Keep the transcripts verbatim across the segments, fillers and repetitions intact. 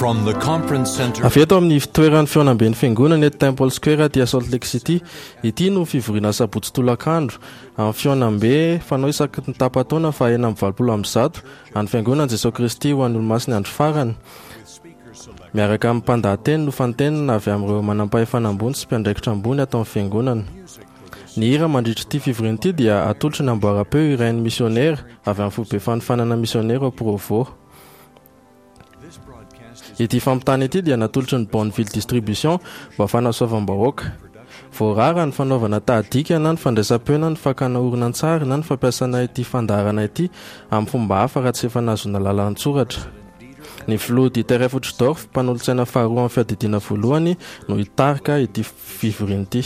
From the conference center Avy eto amin'ny fitoeran'ny fihaonamben'ny fiangonana eto Temple Square aty Salt Lake City. Ity no fivoriana sabotsy tolakandro amin'ny fihaonambe fanao isaky ny tapa-taona fa enina amby valopolo amby zato an'ny fiangonana Jesosy Kristy ho an'ny olomasin'ny andro farany. Miaraka amin'ny mpandahateny no fantenina avy amin'ireo manampahefana ambony sy mpiandraikitra ambony ato amin'ny fiangonana. Ny hira mandritra ity fivoriana ity dia atolotry ny amboaram-peo irain'ny misionera avy amin'ny foibe fanofanana misionera ao Provo. Ity fampitana ity dia natolotry ny Bonneville Distribution mba fanasoavam-bahoaka. Voarara ny fanaovana tahadika na ny fandraisam-peo na ny fakana horonantsary na ny fampiasana ity fandaharana ity amin'ny fomba hafa raha tsy efa nahazoana lalana an-tsoratra. Ny filoha Dieter F. Uchtdorf, mpanolotsaina faharoa amin'ny fiadidiana voalohany, no hitarika ity fivoriana ity.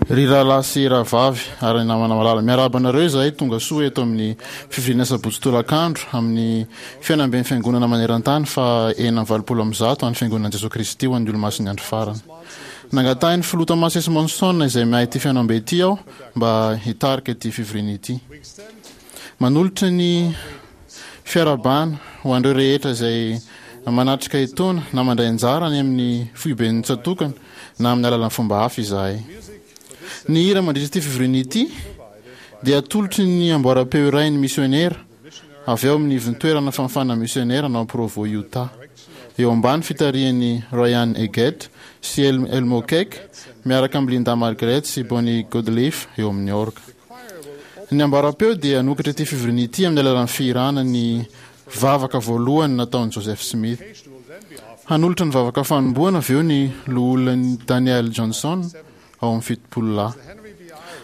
Ry rahalahy sy rahavavy ary namana malala, miarahaba anareo izahay tonga soa eto amin'ny fivoriana sabotsy tolakandro amin'ny fihaonamben'ny fiangonana maneran-tany fa enina amby valopolo amby zato an'ny fiangonan'i Jesoa Kristy ho an'ny olomasin'ny andro farany. Nangatahin'ny filoha Thomas S. Monson izay miahy ity fihaonambe ity aho mba hitarika ity fivoriana ity. Manolotra ny fiarahabana ho an'ireo rehetra izay manatrika etoana na mandray anjara any amin'ny foiben'ny tsatokana na amin'ny alalan'ny fomba hafa izahay. Ny hira mandritra ity fivoriana ity dia atolotry ny amboaram-peo iray ny misionera avy ao amin'ny ivon-toerana fanofana misionera ao Provo, Utah. Eo ambany fitarihan'i Ryan Eggett sy Elmo Keck miaraka amin'i Linda Margaret sy Bonnie Goodleaf eo amin'ny orga. Ny amboaram-peo dia hanokatra ity fivoriana ity amin'ny alalan'ny fihirana ny vavaka voalohany nataon'i Joseph Smith. Hanolotra ny vavaka fanombohana avy eo ny loholona Daniel Johnson ao amin'ny fitopolo lahy.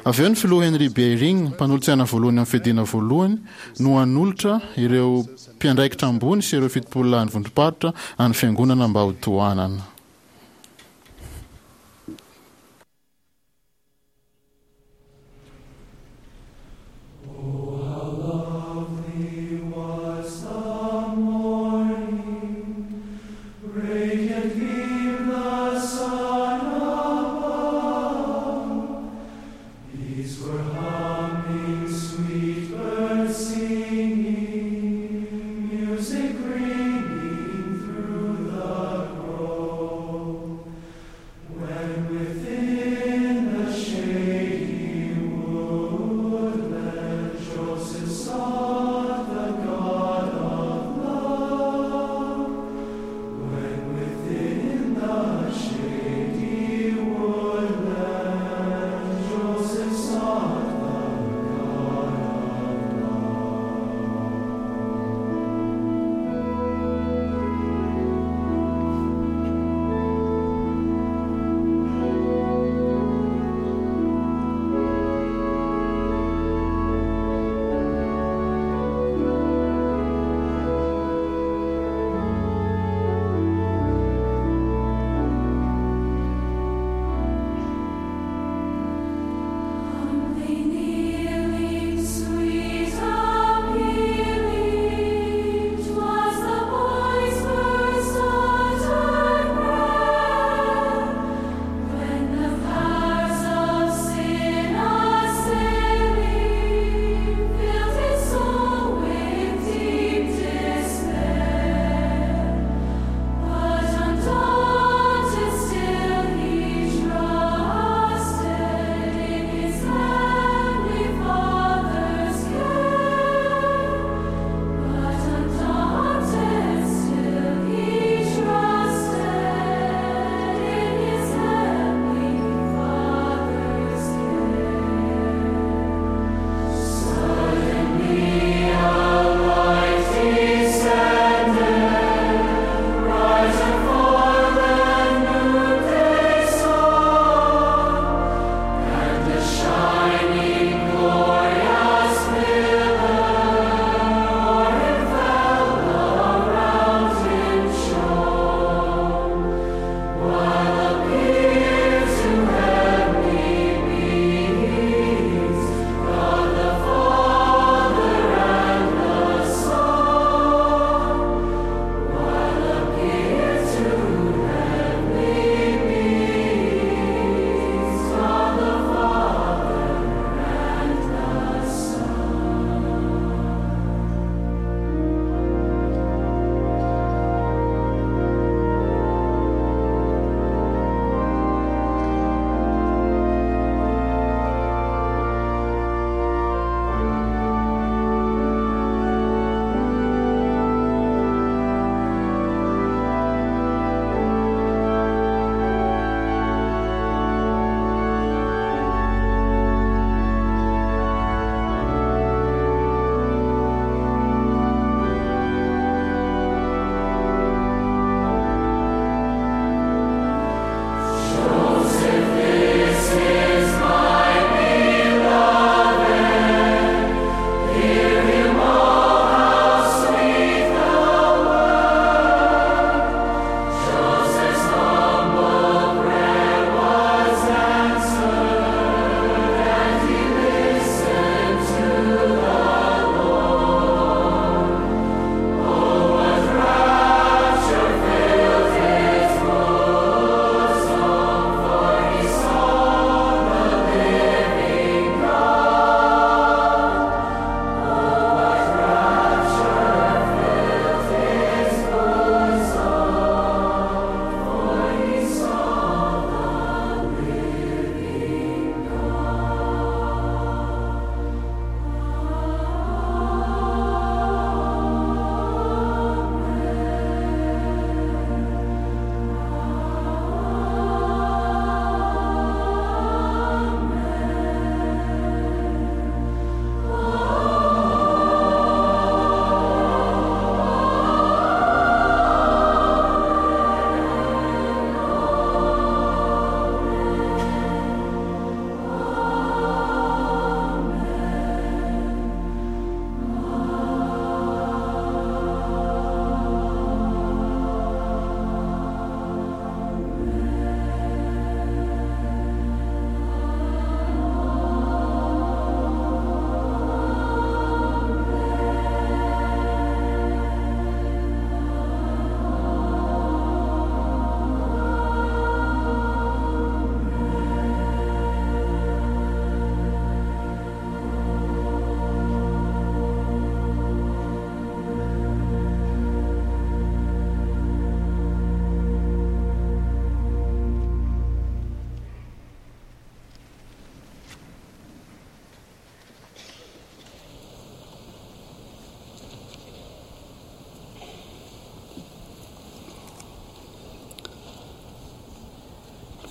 Avy eo ny filoha Henry B. Eyring, mpanolotsaina voalohany amin'ny fiadiana voalohany, no hanolotra ireo mpiandraikitra ambony sy ireo fitopolo lahy ny vondrom-paritra an'ny fiangonana mba ho tohanana. Oh, how lovely was the morning, radiant gleamed the sun above. Bees were humming, sweet birds singing, music ringing through the grove.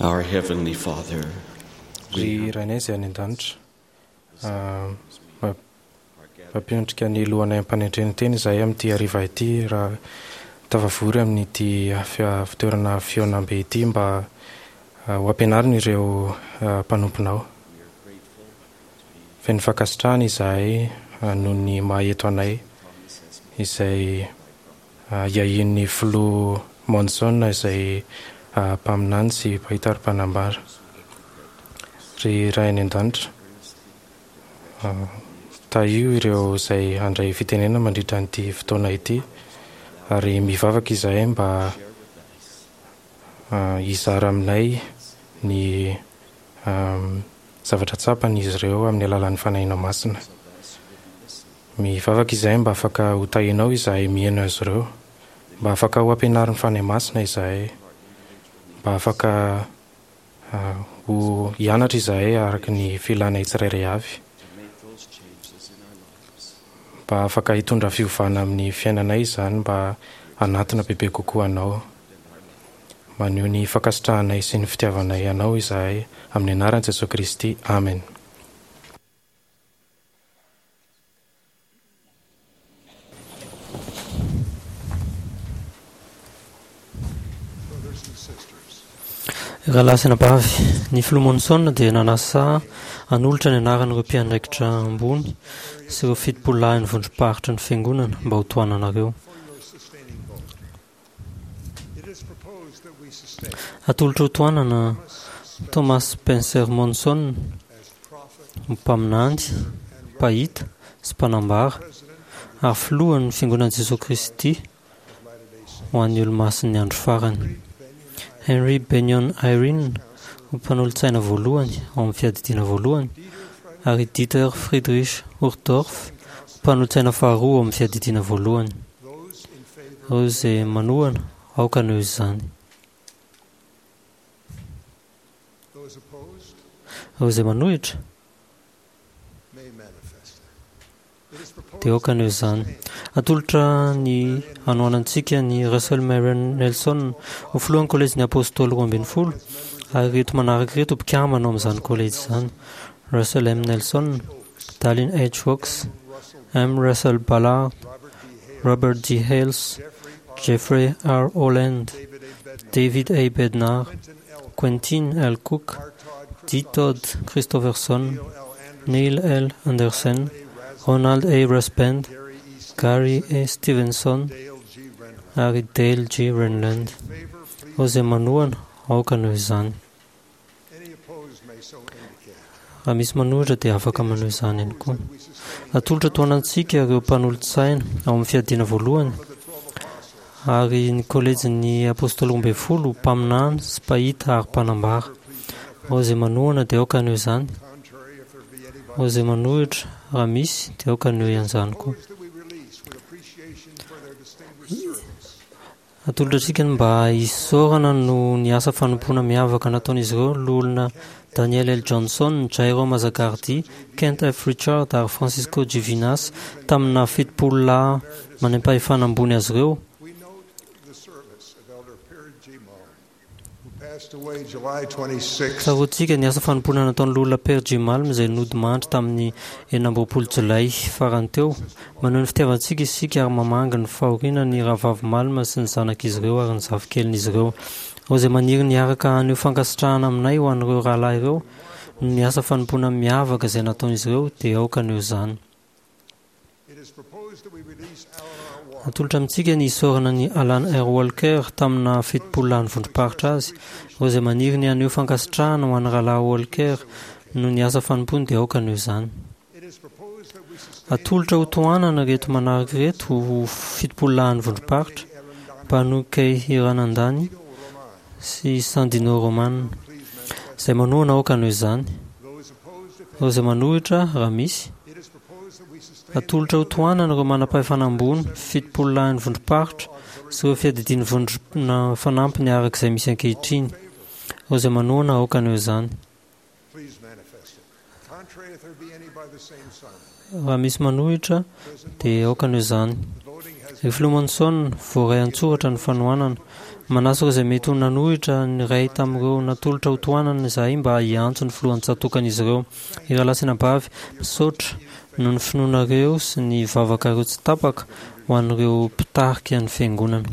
Our Heavenly Father, Ry Rainay izay any an-danitra, mampiondrika ny lohanay am-panendrena teny izahay amin'ity hariva ity raha tafavory amin'ity fitoerana fihaonambe ity mba ho ampianarina ireo mpanomponao. Feno fankasitrahana izahay noho ny maha eto anay izay iahian'ny filoha Monson izay mpaminany sy mpahita ary mpanambara. Ry Ray any an-danitra, tahio ireo izay handray fitenenana mandritra an'ity fotoana ity ary mivavaka izahay mba hizara aminay ny zavatra tsapan'izy ireo amin'ny alalan'ny Fanahinao Masina. Mivavaka izahay mba afaka ho tahianao izahay mihaino azy ireo, mba afaka ho ampianarin'ny Fanahy Masina izahay, mba afaka ho hianatra izahay araka ny filanay tsirairay avy, mba afaka hitondra fiovana amin'ny fiainanay izany mba hanatona bebe kokoa anao. Maneho ny fankasitrahanay sy ny fitiavanay anao izahay amin'ny anaran'i Jesoa Kristy. Amen. Rahalahy sy anabavy, ny filoha Monson dia nanasa hanolotra ny anaran'ireo mpiandraikitra ambony sy ireo fitopololahin'ny vondrom-paritry ny fiangonana mba ho tohananareo. Atolotra ho tohanana Thomas Spencer Monson, mpaminany, mpahita sy mpanambara ary filohan'ny fiangonan'i Jesoa Kristy ho an'ny olomasin'ny andro farany. Henry Benyon Eyring ho mpanolotsaina voalohany ao amin'ny fiadidiana voalohany ary Dieter Friedrich Uchtdorf ho mpanolotsaina faharoa ao amin'ny fiadidiana voalohany. Ireo izay manohana, aoka haneho izany. Ireo izay manohitra dia aoka haneho izany. Atolotra ny hanohanantsika ny Russell Marion Nelson ho filohan'ny kolejin'ny Apôstôly roa ambin'ny folo ary ireto manaraka ireto mpikambana ao amin'izany kolejy izany: Russell M. Nelson, Dallin H. Oaks, M. Russell Ballard, Robert D. Hales, Jeffrey R. Holland, David A. Bednar, Quentin L. Cook, D. Todd Christofferson, Neil L. Andersen, Ronald A. Rasband, Gary A. Stevenson ary Dale G. Renlund. Ireo izay manohana, aoka haneho izany. Raha misy manohitra dia afaka maneho izany ihany koa. Atolotra tohanantsika ireo mpanolotsaina ao amin'ny fiadiana voalohany ary ny kolejin'ny Apôstôly roa ambin'ny folo, mpaminany sy mpahita ary mpanambara. Ireo izay manohana dia aoka haneho izany. Ireo izay manohitra, raha misy, dia aoka haneho izany koa. Atolotra antsika ny mba hisaorana noho ny asa fanompoana miavaka nataon'izy ireo loholona Daniel L. Johnson, Jairo Mazagardi, Kent F. Richard ary Francisco G. Vinas tamina fitopolo lahy manam-pahefana ambony azy ireo. Tsaroantsika ny asa fanompoana nataon'ny loholona Père G. Malm izay nodimandry tamin'ny enina amby roapolo jolay farany teo. Maneho ny fitiavantsika isika ary mamangy ny fahoriana ny rahavavy Malm sy ny zanak'izy ireo ary ny zafikelin'izy ireo. Ireo izay maniry ny hiaraka haneho fankasitrahana aminay ho an'ireo rahalahy ireo noho ny asa fanompoana miavaka izay nataon'izy ireo dia aoka haneho izany. Atolotra amintsika ny hisaorana ny Alan R. Walker tamina fitopolo lahy vondrom-paritra azy. Ireo izay maniry ny haneho fankasitrahana ho an'ny rahalahy Walker noho ny asa fanompoany dia aoka haneho izany. Atolotra ho tohanana ireto manaraka ireto ho fitopolo lahy vondrom-paritra: Banu K. Hiranandani sy Sandino Roman. Izay manohana aoka haneho izany. Ireo izay manohitra, raha misy. Atolotra ho tohanana ireo manam-pahefana ambony, fitopolo lahin'ny vondrom-paritra sy ireo fiadidian'ny vondrona fanampiny araka izay misy ankehitriny. Ireo izay manohana aoka haneho izany. Raha misy manohitra dia aoka haneho izany. Ry Filoha Monson, voaray an-tsoratra ny fanohanana. Manasa ireo izay mety ho nanohitra ny iray tamin'ireo natolotra ho tohanana izahay mba hiantso ny filohan'ny tsatòkan'izy ireo. Ry rahalahy sy anabavy, misaotra noho ny finoanareo sy ny vavakareo tsy tapaka ho an'ireo mpitarika ny Fiangonana.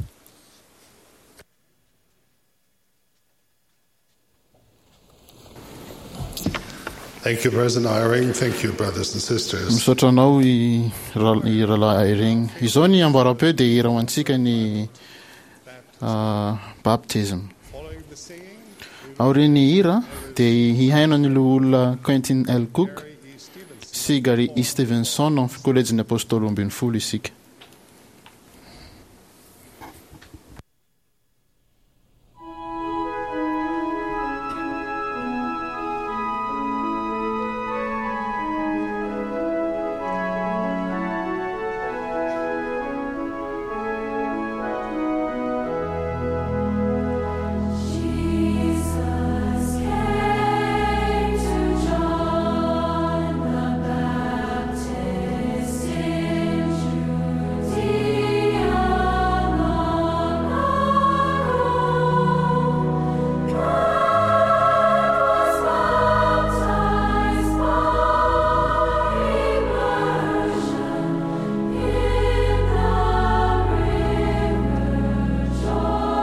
Thank you, President Eyring. Thank you, brothers and sisters. Misaotra anao i ra- i rahalahy Eyring. Izao ny ambaram-peo dia hira ho antsika ny ah, baptism. Aorian'ny hira dia hihaino ny loholona Quentin L. Cook sy Gary E. Stevenson amin'ny kolejin'ny Apôstôly roa ambin'ny folo isika. Jesus came to John the Baptist in Judea long ago, and was baptized by immersion in the river Jordan's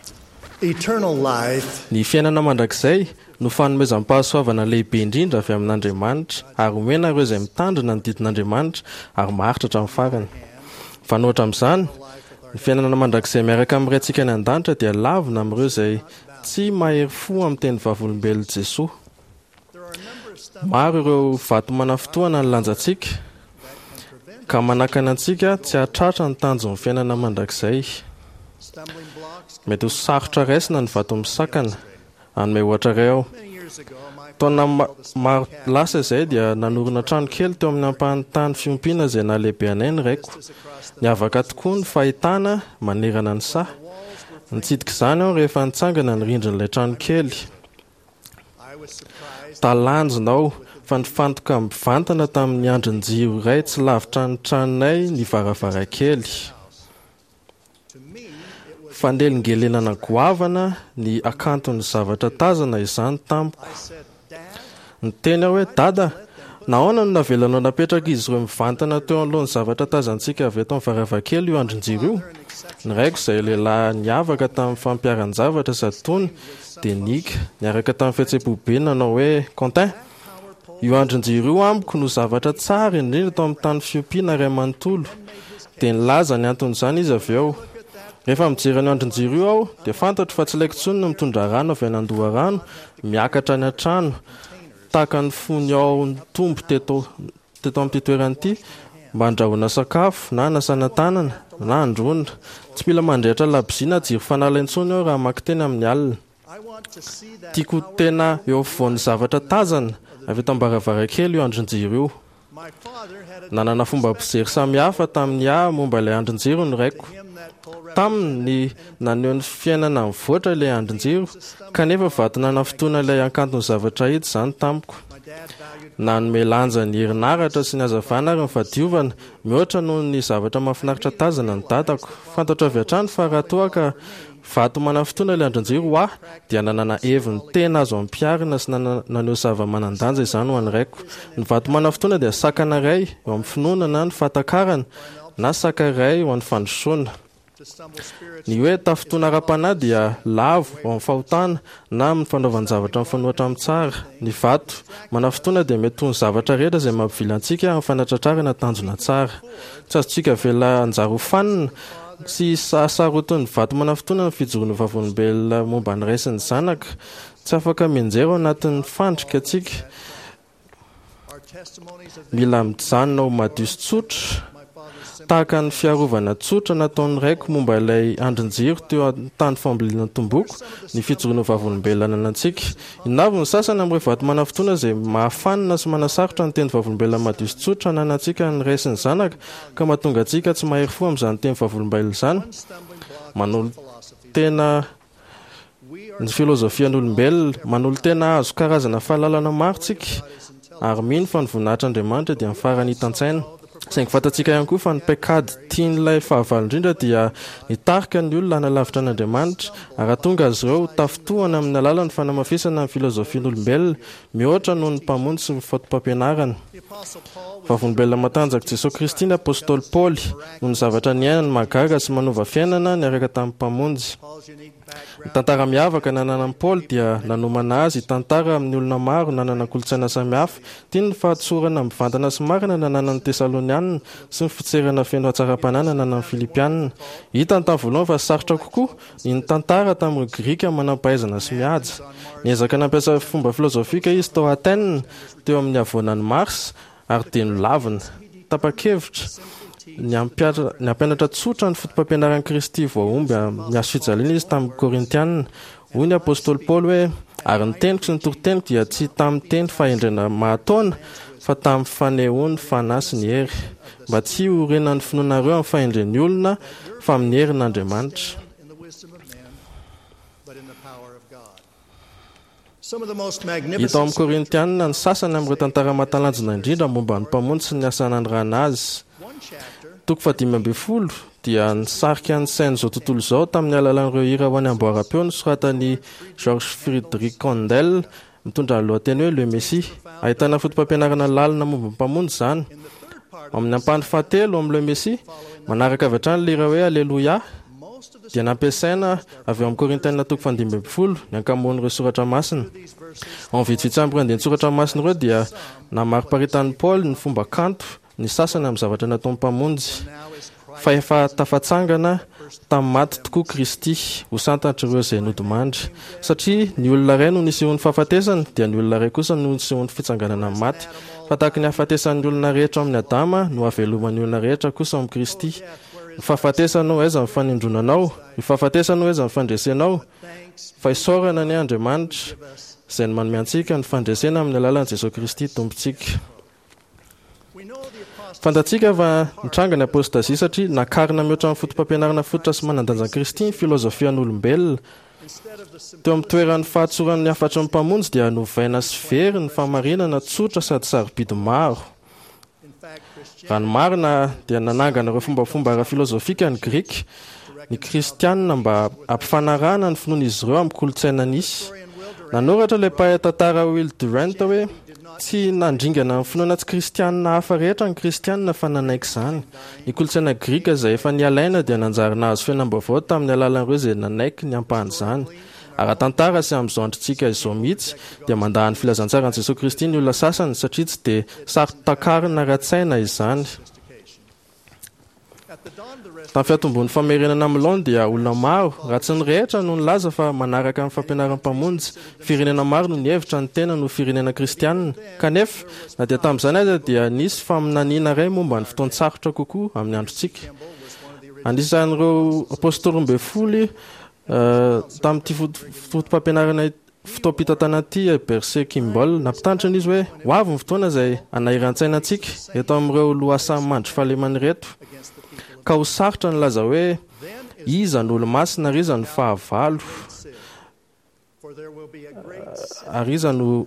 flow. Eternal life Ny fiainana mandrakizay no fanomezam-pahasoavana lehibe indrindra avy amin'Andriamanitra ary omena ireo izay mitandrina ny didin'Andriamanitra ary maharitra hatramin'ny farany. Mifanohitra amin'izany, ny fiainana mandrakizay miaraka amin'ny Raintsika any an-danitra dia lavina amin'ireo izay tsy mahery fo amin'ny teny vavolombelon'i Jesoa. Maro ireo vato manafintohina ny lanjantsika ka manakana antsika tsy hahatratra ny tanjon'ny fiainana mandrakizay. stumbling blocks. Mety ho sarotra raisina ny vato misakana. Hanome ohatra iray aho. Many years ago, my Taona ma- maro lasa izay dia nanorina trano kely teo amin'ny ampahan'ny tany fiompiana izay nahalehibe anay ny raiko. Niavaka tokoa ny fahitana manerana ny saha. Nitsidika izany aho rehefa nitsangana ny rindrin'ilay trano kely. I was surprised Talanjona aho fa nifantoka mivantana tamin'ny andrin-jiro iray tsy lavitra ny tranonay ny varavarankely. to me it was Fanelingelenana goavana ny hakanton'ny zavatra tazana izany tamiko. I said, Dad, Niteny aho hoe dada, nahoana no navelanao napetraka izy ireo mivantana teo anoloan'ny zavatra tazantsika avy eto amin'ny varavarankely io andrin-jiro io? Ny raiko izay lehilahy niavaka tamin'ny fampiharan-javatra sady tony dia niaka niaraka tamin'ny fihetseham-po be nanao hoe Quentin, io andrin-jiro io amiko no zavatra tsara indrindra tao amin'ny tany fiompiana iray manontolo. Dia nilaza ny anton'izany izy avy eo. Rehefa mijery an'io andrin-jiro io aho dia fantatro fa tsy ilaiko intsony ny mitondra rano avy any an-doharano miakatra any an-trano tahaka ny fony ao nitombo teto teto amin'ity toerana ity mba handrahoana sakafo na hanasana tanana na androana. Tsy mila mandrehitra labozia na jiro fanala intsony aho raha mamaky teny amin'ny alina. Tiako ho tena eo afovoan'ny zavatra tazana avy eto am-baravarankely io andrin-jiro io. Nanana fomba fijery samihafa tamin'ny ahy momba ilay andrin-jiro ny raiko. Taminy ny naneho ny fiainana mivoatra ilay andrin-jiro, kanefa vato nanafintohina ilay hakanton'ny zavatra hita izany tamiko. Nanome lanja ny herinaratra sy ny hazavana ary ny fahadiovana, mihoatra noho ny zavatra mahafinaritra tazana ny dadako. Fantatro avy hatrany fa raha toa ka vato manafintohina ilay andrin-jiro ho ahy, dia nanana heviny tena azo ampiharina sy naneho zava-manan-danja izany ho an'ny raiko. Ny vato manafintohina dia sakana iray eo amin'ny finoana na ny fahatakarana, na saka iray ho an'ny fandrosoana. Ny hoe tafintohina ara-panahy dia lavo ao amin'ny fahotana na amin'ny fanaovan-javatra mifanohitra amin'ny tsara. Ny vato manafintohina dia mety ho ny zavatra rehetra izay mampivily antsika amin'ny fanatratrarana tanjona tsara. Tsy azontsika avela hanjary ho fanina sy hasarotin'ny vato manafintohina ny fijoroana vavolombelona momba ny Ray sy ny Zanaka. Tsy afaka mianjera ao anatin'ny fandrika antsika. Mila mijanona ho madio sy tsotra, tahaka ny fiarovana tsotra nataon'ny raiko momba ilay andrin-jiro teo an-tany fambolena tomboko, ny fijoroana vavolombelona ananantsika. Inona avy ny sasany amin'ireo vato manafintohina izay mahafanina sy manasarotra ny teny vavolombelona madio sy tsotra ananantsika ny Ray sy ny Zanaka, ka mahatonga antsika tsy mahery fo amin'izany teny vavolombelona izany? Manolo-tena ny filozofian'olombelona, manolo-tena hahazo karazana fahalalana maro tsika, ary mino fa ny voninahitr'Andriamanitra dia ny farany hitan-tsaina. Saingy fantatsika ihany koa fa ny paikady tian'ilay fahavalo indrindra dia nitarika ny olona hanalavitra an'Andriamanitra, ary hahatonga azy ireo ho tafintohina amin'ny alalan'ny fanamafisana ny filozofian'olombelona mihoatra noho ny Mpamonjy sy ny fotopampianarany. Vavolombelona matanjak'i Jesoa Kristy ny apostoly Paoly, noho ny zavatra niainany mahagaga sy manova fiainana niaraka tamin'ny Mpamonjy. Ny tantara miavaka nananan'i Paoly dia nanomana azy hitantara amin'ny olona maro nanana kolontsaina samihafa. Tiany ny fahatsorana mivantana sy marina nananan'ny Tesalonianina sy ny fitserana feno hatsaram-panahy nananan'ny Filipianina. Hitany tamin'ny voalohany fa sarotra kokoa ny nitantara tamin'ireo Grika manam-pahaizana sy mihaja. Niezaka nampiasa fomba filozofika izy tao Athènes, teo amin'ny havoanan'i Mars, ary dia nolavina. Tapa-kevitra ny hampianatra tsotra ny fotopampianaran'i Kristy voahomby amin'ny hazo fijaliana izy tamin'ny Korintianina. Hoy ny apostoly Paoly hoe, Ary ny teniko sy ny toriteniko dia tsy tamin'ny teny fahendrena mahataona, fa tamin'ny fanehoan'ny Fanahy sy ny hery, mba tsy hiorenan'ny finoanareo amin'ny fahendren'ny olona, fa amin'ny herin'Andriamanitra. Hita ao amin'ny Korintianina ny sasany amin'ireo tantara mahatalanjona indrindra momba ny Mpamonjy sy ny asa nanirahana azy. Toko fahadimy ambin'ny folo dia nisarika ny sain'izao tontolo izao tamin'ny alalan'ireo hira ho an'ny amboaram-peo nosoratan'i George Friedrich Handel mitondra ny lohateny hoe Le Messie. Ahitana fotopampianarana lalina momba ny Mpamonjy izany. Ao amin'ny ampahany fahatelo amin'ny Le Messie, manaraka avy hatrany ilay hira hoe Alléluia, dia nampiasaina avy ao amin'ny Korintiana toko fahadimy ambin'ny folo ny ankamaroan'ireo soratra masina. Ao amin'ny vitsivitsy amin'ireo andian-tsoratra masina ireo dia namariparitan'i Paoly ny fomba kanto ny sasany amin'ny zavatra nataon'ny Mpamonjy, fa efa tafatsangana tamin'ny maty tokoa Kristy, ho santatr'ireo izay nodimandry. Satria ny olona iray no nisehoan'ny fahafatesana, dia ny olona iray kosa no nisehoan'ny fitsanganana amin'ny maty. Fa tahaka ny hahafatesan'ny olona rehetra ao amin'i Adama no hahaveloman'ny olona rehetra kosa ao amin'i Kristy. Ny fahafatesana ô, aiza ny fanindronanao? Ny fahafatesana ô, aiza ny fandresenao? Fa isaorana anie Andriamanitra, izay manome antsika ny fandresena amin'ny alalan'i Jesoa Kristy Tompontsika. Fantatsika fa nitranga ny apôstazia satria nakarina mihoatra ny fotopampianarana fototra sy manan-danjan'i Kristy ny filozofian'olombelona. Teo amin'ny toeran'ny fahatsoran'ny hafatry ny Mpamonjy dia novaina sy very ny fahamarinana tsotra sady sarobidy maro. Raha ny marina dia nanangana ireo fombafomba ara-filozofika ny Grika, ny Kristianina mba hampifanarahana ny finoan'izy ireo amin'ny kolontsaina nisy. Nanoratra ilay mpahay tantara Will Durant hoe, Tsy nandringana ny finoana tsy kristianina hafa rehetra ny Kristianina fa nanaiky izany. Ny kolontsaina grika izay efa nialaina dia nanjary nahazo fiainam-baovao tamin'ny alalan'ireo izay nanaiky ny ampahan'izany. Ara-tantara sy amin'izao androntsika izao mihitsy dia mandà ny filazantsaran'i Jesoa Kristy ny olona sasany satria tsy dia saro-takarina ara-tsaina izany. Tamin'ny fiantombohan'ny famerenana amin'ny laoniny dia olona maro, raha tsy ny rehetra, no nilaza fa manaraka ny fampianaran'ny Mpamonjy. Firenena maro no nihevitra ny tenany ho firenena kristianina. Kanefa, na dia tamin'izany aza dia nisy faminaniana iray momba ny fotoan-tsarotra kokoa amin'ny androntsika. Anisan'ireo apôstôly roa ambin'ny folo tamin'ity foto-pampianarana fotoam-pitantanana ity Heber C. Kimball. Nampitandrina izy hoe ho avy ny fotoana izay hanahiran-tsaina antsika eto amin'ireo lohasaha mandry fahalemana ireto, ka ho sarotra ny laza hoe iza no olo-masina ary iza no fahavalo, ary iza no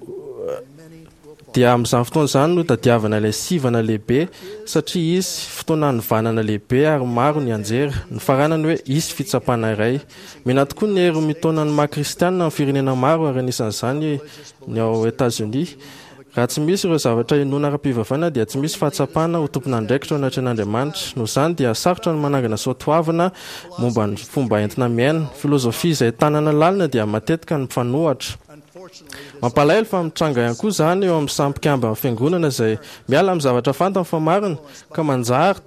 dia amin'izany fotoana izany no tadiavana ilay sivana lehibe, satria hisy fotoana hanovanana lehibe ary maro ny anjera. Ny faranany hoe hisy fitsapana iray. Mena tokoa ny hery mitaona ny maha kristianina amin'ny firenena maro, ary anisan'izany ny ao Etazonia. Raha tsy misy ireo zavatra inoana ara-pivavahana dia tsy misy fahatsapana ho tompon'andraikitra ao anatrehan'Andriamanitra. Noho izany dia sarotra ny manangana soatoavina momba ny fomba entina miaina. Filozofia izay tanana lalina dia matetika ny mpifanohitra. Mampalahelo fa mitranga ihany koa izany eo amin'ny samy mpikamban'ny fiangonana izay miala amin'ny zavatra fantany fa marina, ka manjary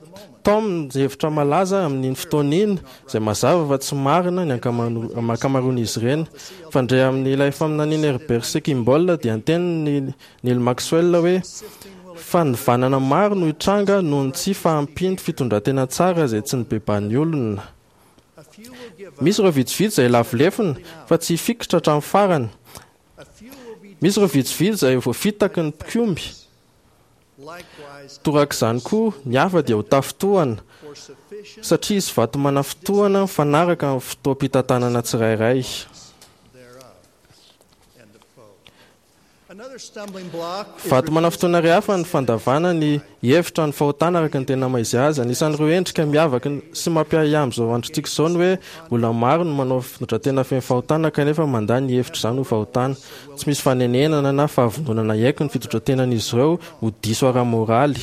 taominy ny hevitra malaza amin'iny fotoana iny, izay mazava fa tsy marina ny ankamaroan'izy ireny. Fandre amin'ilay faminanian'i Herbert C. Kimball dia niteny Neil Maxwell hoe fanovanana maro no hitranga noho ny tsy fahampian'ny fitondran-tena tsara izay tsy nibebahan'ny olona. Misy ireo vitsivitsy izay lavo lefona fa tsy hifikitra hatramin'ny farany. Misy ireo vitsivitsy izay voafitaky ny mpikomy. Torak'izany koa, ny hafa dia ho tafintohana, satria hisy vato manafintohana mifanaraka amin'ny fotoam-pitantanana tsirairay. Vato manafintohina iray hafa ny fandavana ny hevitra ny fahotana araka ny tena maha-izy azy. Anisan'ireo endrika miavaka sy mampiahiahy amin'izao androntsika izao ny hoe olona maro no manao fitondran-tena feno fahotana kanefa mandà ny hevitra izany ho fahotana. Tsy misy fanenenana na fahavononana hiaiky ny fitondran-tenan'izy ireo ho diso ara-moraly.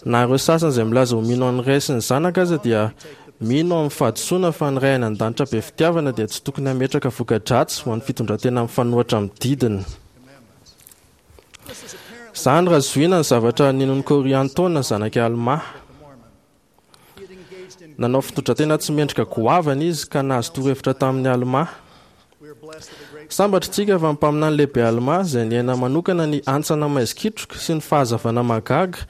Na ireo sasany izay milaza ho mino an'ny Ray sy ny Zanaka aza dia mino amin'ny fahadisoana fa ny Ray any an-danitra be fitiavana dia tsy tokony hametraka voka-dratsy ho an'ny fitondran-tena mifanohitra amin'ny didiny. Izany raha zohiana ny zavatra ninoan'i Kôriantôna zanak'i Almà. Nanao fitondran-tena tsy mendrika goavana izy ka nahazo torohevitra tamin'i Almà. Sambatra isika fa ny mpaminany lehibe Almà, izay niaina manokana ny hantsana maizikitroka sy ny fahazavana mahagaga,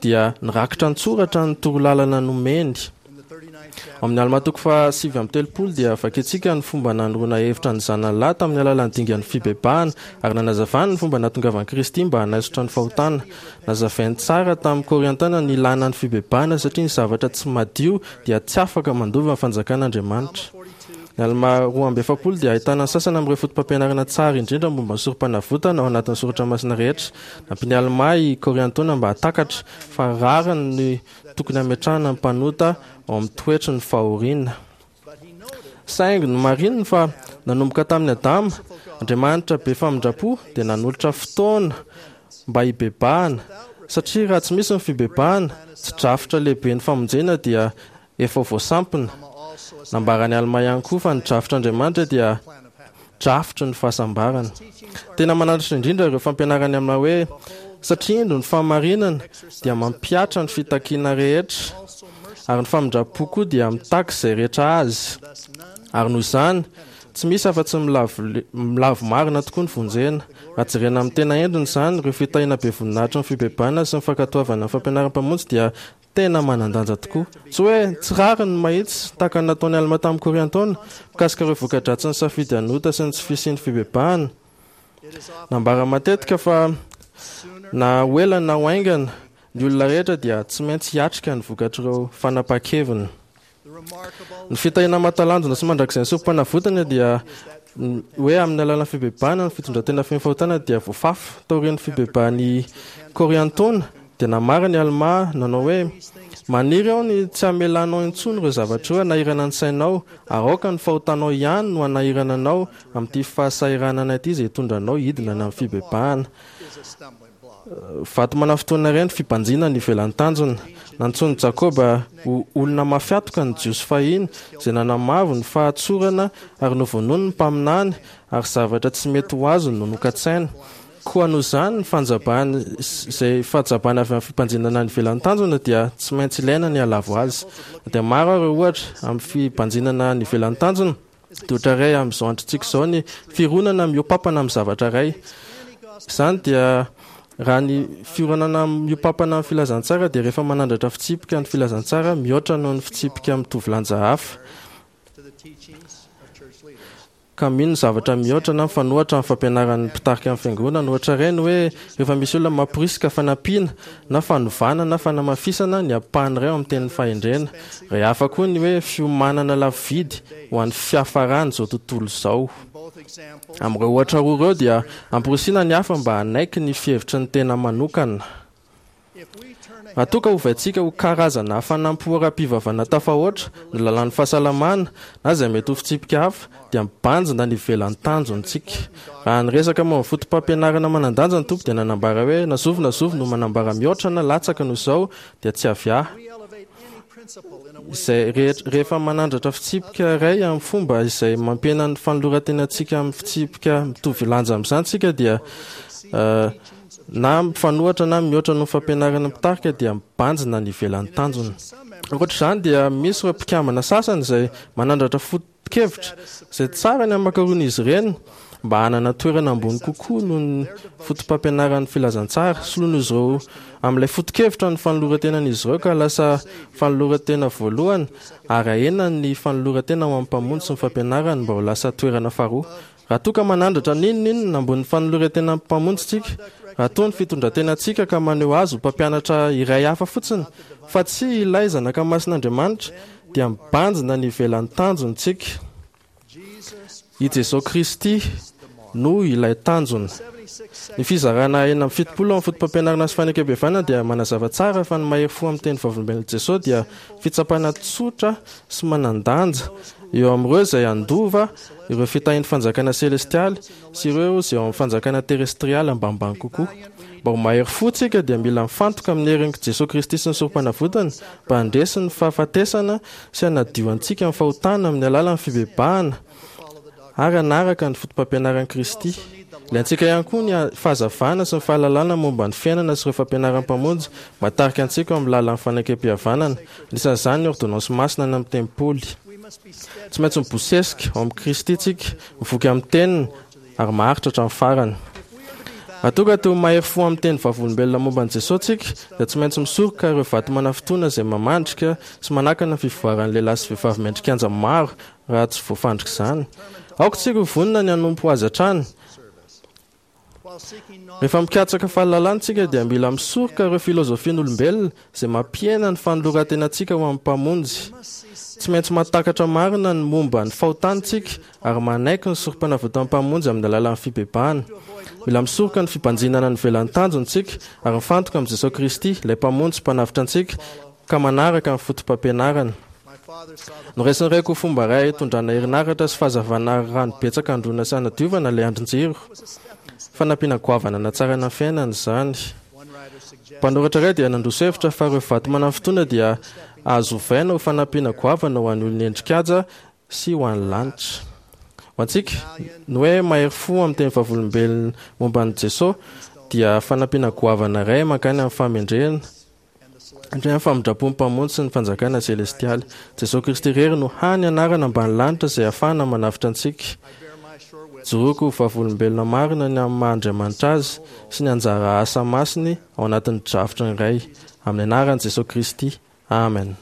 dia nirakitra an-tsoratra ny torolalana nomeny. Ao amin'ny Almà toko fahasivy amby telopolo dia vakintsika ny fomba nanoroana hevitra ny zanany lahy tamin'ny alalan'ny dingan'ny fibebahana, ary nanazavany ny fomba nahatongavan'i Kristy mba hanaisotra ny fahotana. Nazavainy tsara tamin'ny Kôriantana ny ilàna ny fibebahana satria ny zavatra tsy madio dia tsy afaka mandova ny fanjakan'Andriamanitra. Ny Almà roa amby efapolo dia ahitana ny sasany amin'ireo fotopampianarana tsara indrindra momba ny Sorompanavotana ao anatin'ny soratra masina rehetra. Nampian'i Almà i Kôriantôna mba hahatakatra fa rariny ny tokony hametrahana ny mpanota ao amin'ny toetry ny fahoriana. Saingy nomarininy fa nanomboka tamin'i Adama, Andriamanitra be famindram-po dia nanolotra fotoana mba hibebahana, satria raha tsy misy ny fibebahana, tsy drafitra lehiben'ny famonjena dia efa voasampina. Nambaran'i Almà ihany koa fa ny drafitr'Andriamanitra dia drafitry ny fahasambarana. Tena mananatra indrindra ireo fampianarany Almà hoe, Satria indro ny fahamarinana dia mampihatra ny fitakiana rehetra, ary ny famindram-po koa dia mitaky izay rehetra azy. Ary noho izany, tsy misy afa-tsy ny milavo marina tokoa ny vonjena. Raha jerena amin'ny tena endriny izany, ireo fitahiana be voninahitry ny fibebahana sy ny fankatoavana ny fampianaran'ny Mpamonjy dia tena manan-danja tokoa. Tsy hoe tsy rariny ny mahitsy, tahaka ny nataon'i Almà tamin'i Kôriantôna, mikasika ireo voka-dratsin'ny safidy hanota sy ny tsy fisian'ny fibebahana. Nambara matetika fa na ho ela na ho haingana, ny olona rehetra dia tsy maintsy hiatrika ny vokatr'ireo fanapahan-keviny. Ny fitahiana mahatalanjona sy mandrakizay ny Sorompanavotana dia hoe amin'ny alalan'ny fibebahana ny fitondran-tena feno fahotana dia voafafa. Taorian'ny fibebahan'i Kôriantôna dia namara ny Almà nanao hoe, Maniry aho ny tsy hamelanao intsony ireo zavatra ireo hanahirana ny sainao, ary aoka ny fahotanao ihany no hanahirana anao amin'ity fahasahiranana ity izay hitondra anao hidina any amin'ny fibebahana. Vato manafintohina iray ny fibanjinana ny ivelan'ny tanjona. Nantsoin'i Jakoba ho olona mafy hatoka ny Jiosy fahiny, izay nanamavo ny fahatsorana ary novonoiny ny mpaminany, ary zavatra tsy mety ho azony no nokatsaina. Koa noho izany, ny fanjabany izay fahajabana avy amin'ny fibanjinana ny ivelan'ny tanjona dia tsy maintsy ilaina ny hahalavo azy. Na dia maro ary ireo ohatra amin'ny fibanjinana ny ivelan'ny tanjona, dia ohatra iray amin'izao androntsika izao ny fironana mihoa-pampana amin'ny zavatra iray. Izany dia Raha ny fiorenana miompampana amin'ny filazantsara dia rehefa manandratra fitsipika ny filazantsara mihoatra noho ny fitsipika mitovy lanja hafa, ka mino ny zavatra mihoatra na mifanohitra amin'ny fampianaran'ny mpitarika ny fiangonana. Ohatra iray ny hoe rehefa misy olona mamporisika fanampiana na fanovana na fanamafisana ny ampahany iray ao amin'ny tenin'ny fahendrena. Iray hafa koa ny hoe fiomanana lafo vidy ho an'ny fiafaran'izao tontolo izao. Amin'ireo ohatra roa ireo dia amporisihina ny hafa mba hanaiky ny fihevitry ny tena manokana. Raha toa ka ovaintsika ho karazana hafanam-po ara-pivavahana tafahoatra ny lalàn'ny fahasalamana na izay mety ho fitsipika hafa, dia mibanjina ny ivelan'ny tanjontsika. Raha niresaka momba ny fotopampianarana manan-danja ny Tompo dia nanambara hoe, Na zovy na zovy no manambara mihoatra na latsaka noho izao dia tsy avy ahy. Izay rehetra, rehefa manandratra fitsipika iray amin'ny fomba izay mampihena ny fanoloran-tenantsika amin'ny fitsipika mitovy lanja amin'izany isika dia na mifanohitra na mihoatra noho ny fampianarana mpitarika dia mibanjina ny ivelan'ny tanjona. Ankoatra izany dia misy ireo mpikambana sasany izay manandratra foto-kevitra izay tsara ny hamakaroan'izy ireny mba hanana toerana ambony kokoa noho ny fotopampianaran'ny filazantsara. Soloin'izy ireo amin'ilay foto-kevitra ny fanoloran-tenan'izy ireo ka lasa fanoloran-tena voalohany ary ahena ny fanoloran-tena ho amin'ny Mpamonjy sy ny fampianarany mba ho lasa toerana faharoa. Raha toa ka manandratra n'inon'inona ambonin'ny fanoloran-tenan'ny Mpamonjy isika, raha toa ny fitondran-tenantsika ka maneho Azy ho mpampianatra iray hafa fotsiny fa tsy ilay Zanaka Masin'Andriamanitra, dia mibanjina ny ivelan'ny tanjona isika. I Jesoa Kristy no ilay tanjona. Ny fizarana enina amby fitopolo amin'ny Fotopampianarana sy Fanekempihavanana dia manazava tsara fa ny mahery fo amin'ny teny vavolombelon'i Jesoa dia fitsapana tsotra sy manan-danja eo amin'ireo izay handova ireo fitahian'ny fanjakana selestialy sy ireo izay ao amin'ny fanjakana terestrialy ambanimbany kokoa. Mba ho mahery fo isika dia mila mifantoka amin'ny herin'i Jesoa Kristy sy ny Sorompanavotany mba handresy ny fahafatesana sy hanadio antsika amin'ny fahotana amin'ny alalan'ny fibebahana ary hanaraka ny fotopampianaran'i Kristy. Ilaintsika ihany koa ny fahazavana sy ny fahalalana momba ny fiainana sy ireo fampianaran'ny Mpamonjy mba hitarika antsika eo amin'ny lalan'ny fanekempihavanana, anisan'izany ny ôrdônansy masina any amin'ny tempoly. Tsy maintsy mibosesika ao amin'i Kristy isika, mivoky amin'ny Teniny, ary maharitra hatramin'ny farany. Raha toa ka te ho mahery fo amin'ny teny vavolombelona momba an'i Jesosy isika, dia tsy maintsy misoroka ireo vato manafintohina izay mamandrika sy manakana ny fivoaran'ny lehilahy sy vehivavy mendrikanja maro raha tsy voafandrika izany. Aoka isika ho vonona ny hanompo Azy hatrany. Rehefa mikatsaka fahalalana isika dia mila misoroka ireo filozofian'olombelona izay mampihena ny fanoloran-tenantsika ho amin'ny Mpamonjy. Tsy maintsy mahatakatra marina ny momba ny fahotana isika ary manaiky ny sorompanavotan'ny Mpamonjy amin'ny alalan'ny fibebahana. Mila misoroka ny fibanjinana ny ivelan'ny tanjona isika ary mifantoka amin'i Jesoa Kristy, ilay Mpamonjy sy Mpanavotra antsika, ka manaraka ny fotopampianarany. Noraisin'ny raiko ho fomba iray hitondrana herinaratra sy fahazavana ary rano betsaka handroana sy hanadiovana ilay andrin-jiro. Fanampiana goavana hanatsarana ny fiainana izany. Mpanoratra iray dia nandroso hevitra fa ireo vato manafintohina dia azo ovaina ho fanampiana goavana ho an'ny olona endri-kaja sy ho an'ny lanitra. Ho antsika, ny hoe mahery fo amin'ny teny vavolombelona momba an'i Jesoa dia fanampiana goavana iray mankany amin'ny fahamendrehana, Indray amin'ny famindram-pon'ny Mpamonjy sy ny fanjakana selestialy. Jesoa Kristy irery no hany anarana ambany lanitra izay ahafahana manavotra antsika. Joroako ho vavolombelona marina ny amin'ny maha Andriamanitra Azy sy ny anjara asa masiny ao anatin'ny drafitry ny Ray. Amin'ny anaran'i Jesoa Kristy. Amen.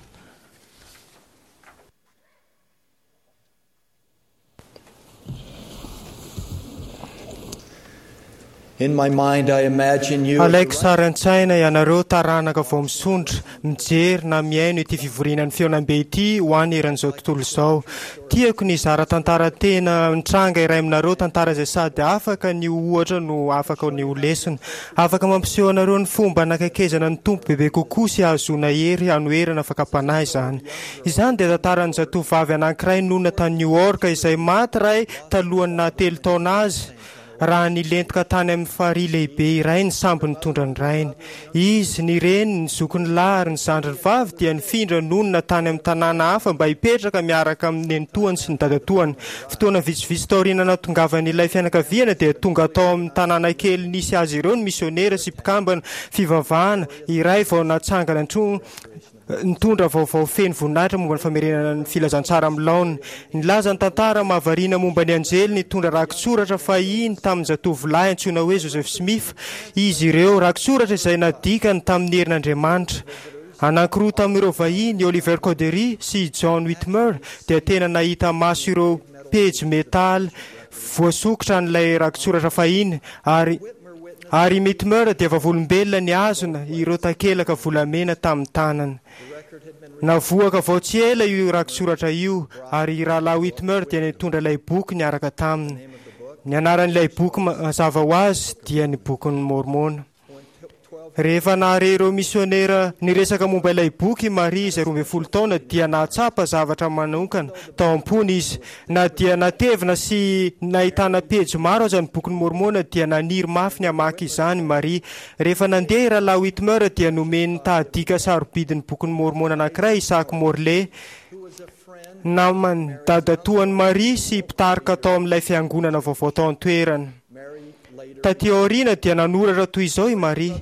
Alaiko sary an-tsaina ianareo taranaka vao misondra, mijery na mihaino ity fivoriana ny fihaonambe ity ho any eran'izao tontolo izao. Tiako ny hizara tantara tena nitranga iray aminareo, tantara izay sady afaka ny ho ohatra no afaka ny ho lesona. Afaka mampiseho anareo ny fomba hanakaikezana ny Tompo bebe kokoa sy hahazoana hery hanoherana fakam-panahy izany. Izany dia tantaran'ny zatovovavy anankiray nonina tany New York izay maty ray talohan'ny naha telo taona azy raha nilentika tany amin'ny farihy lehibe iray ny sambo nitondra ny rainy. Izy, ny reniny, ny zokiny lahy ary ny zandriny vavy dia nifindra nonina tany amin'ny tanàna hafa mba hipetraka miaraka amin'ny nenitoany sy ny dadatoany. Fotoana vitsivitsy taoriana nahatongavan'ilay fianakaviana dia tonga tao amin'ny tanàna kely nisy azy ireo ny misionera sy mpikambana fivavahana iray vao natsangana Nitondra vaovao feno voninahitra momba ny famerenana ny filazantsara amin'ny laoniny. Nilaza ny tantara mahavariana momba ny anjely nitondra rakitsoratra fahiny tamin'ny zatovolahy antsoina hoe Joseph Smith izy ireo, rakitsoratra izay nadikany tamin'ny herin'Andriamanitra. Anankiroa tamin'ireo vahiny, Oliver Cowdery sy John Whitmer, dia tena nahita maso ireo pejy metaly voasokitra an'ilay rakitsoratra fahiny, ary ary Whitmer dia vavolombelona nihazona ireo takelaka volamena tamin'ny tanany. Navoaka vao tsy ela io rakitsoratra io, ary rahalahy Whitmer dia nitondra ilay boky niaraka taminy. Ny anaran'ilay boky mazava ho azy dia ny Bokin'ny Môrmôna. Rehefa nahare ireo misionera niresaka momba ilay boky i Maria izay roa ambin'ny folo taona, dia nahatsapa zavatra manokana tao am-pony izy. Na dia natevina sy nahitana pejy maro aza ny Bokin'ny Môrmôna, dia naniry mafy ny hamaky izany i Maria. Rehefa nandeha i Rahalahy Whitmer, dia nomeny tahadika sarobidin'ny Bokin'ny Môrmôna anankiray Isaac Morley, naman'i dadatoan'i Maria sy mpitarika tao amin'ilay fiangonana vaovao tao an-toerana. Taty aoriana dia nanoratra toy izao i Maria: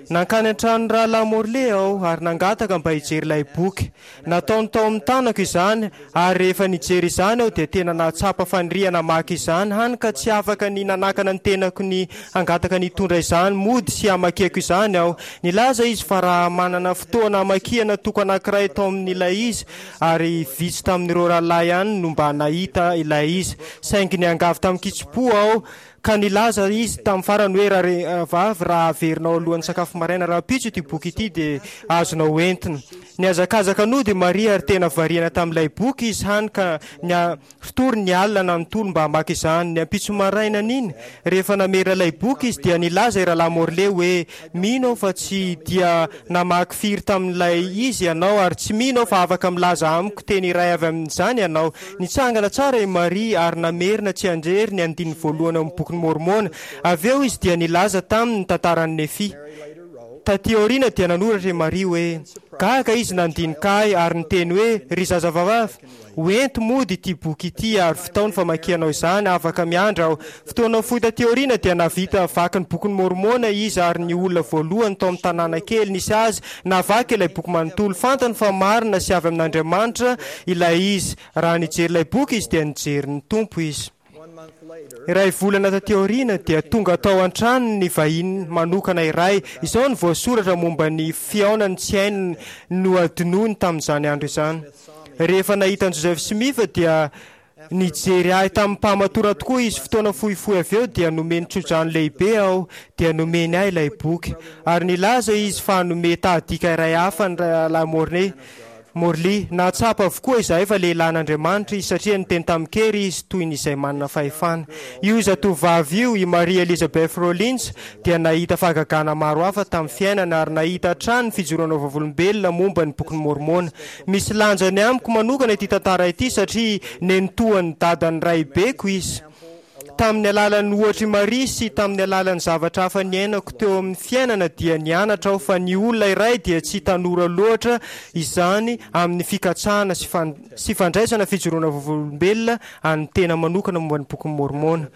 Nankany an-tranon'ny Rahalahy Morley aho ary nangataka mba hijery ilay boky. Nataony tao amin'ny tanako izany, ary rehefa nijery izany aho dia tena nahatsapa faniriana hamaky izany, hany ka tsy afaka ny nanakana ny tenako ny hangataka ny hitondra izany mody sy hamakiako izany aho. Nilaza izy fa raha manana fotoana hamakiana toko anankiray tao amin'ilay izy, ary vitsy tamin'ireo rahalahy ihany no mba nahita ilay izy. Saingy niangavy tamin-kitsim-po aho, ka nilaza izy tamin'ny farany hoe, Rahavavy, raha averinao alohan'ny sakafo maraina rahampitso ity boky ity, dia azonao entina. Nihazakazaka nody i Maria ary tena variana tamin'ilay boky izy, hany ka niaritory ny alina nanontolo mba hamaky izany. Ny ampitso marainan'iny, rehefa namerina ilay boky izy, dia nilaza i Rahalahy Morley hoe, Mino aho fa tsy dia namaky firy tamin'ilay izy ianao, ary tsy mino aho fa afaka milaza amiko teny iray avy amin'izany ianao. Nitsangana tsara i Maria ary namerina tsianjery ny andininy voalohany ao amin'ny Bokin'i Môrmôna. Avy eo izy dia nilaza taminy ny tantaran'i Nefia. Tatỳ aoriana dia nanoratra i Maria hoe, Gaga izy nandinika ahy ary niteny hoe, 'Ry zazavavy, Ho ento mody ity boky ity ary vitao ny famakianao izany, afaka miandry aho. Fotoana fohy taty aoriana dia nahavita vaky ny Bokin'i Môrmôna izy ary ny olona voalohany tao amin'ny tanàna kely nisy azy nahavaky ilay boky manontolo. Fantany fa marina sy avy amin'Andriamanitra ilay izy. Raha nijery ilay boky izy dia nijery ny Tompo izy. Iray volana taty aoriana dia tonga tao an-tranony ny vahiny manokana iray. Izao no voasoratra momba ny fihaonany tsy hainy nohadinoiny tamin'izany andro izany. Rehefa nahita an'i Joseph Smith dia nijery ahy tamim-pahamatorana tokoa izy. Fotoana fohifohy avy eo dia nomeny tsodrano lehibe aho, dia nomeny ahy ilay boky. Ary nilaza izy fa hanome tahadika iray hafa ny Rahalahy Morney. Morley, Nahatsapa avokoa izahay fa lehilahin'Andriamanitra izy satria niteny tamin-kery izy toy ny izay manana fahefana. Io zatovovavy io, i Maria Elizabeth Rollins, dia nahita fahagagana maro hafa tamin'ny fiainana ary nahita hatrany ny fijoroana vavolombelona momba ny Bokin'i Môrmôna. Misy lanjany amiko manokana ity tantara ity satria nenitoan'ny dadan'ny raibeko izy. Tamin'ny alalan'ny ohatr'i Maria sy tamin'ny alalan'ny zavatra hafa niainako teo amin'ny fiainana dia nianatra aho fa ny olona iray dia tsy tanora loatra izany amin'ny fikatsahana sy sy fandraisana fijoroana vavolombelona an'ny tena manokana momba ny Bokin'i Môrmôna.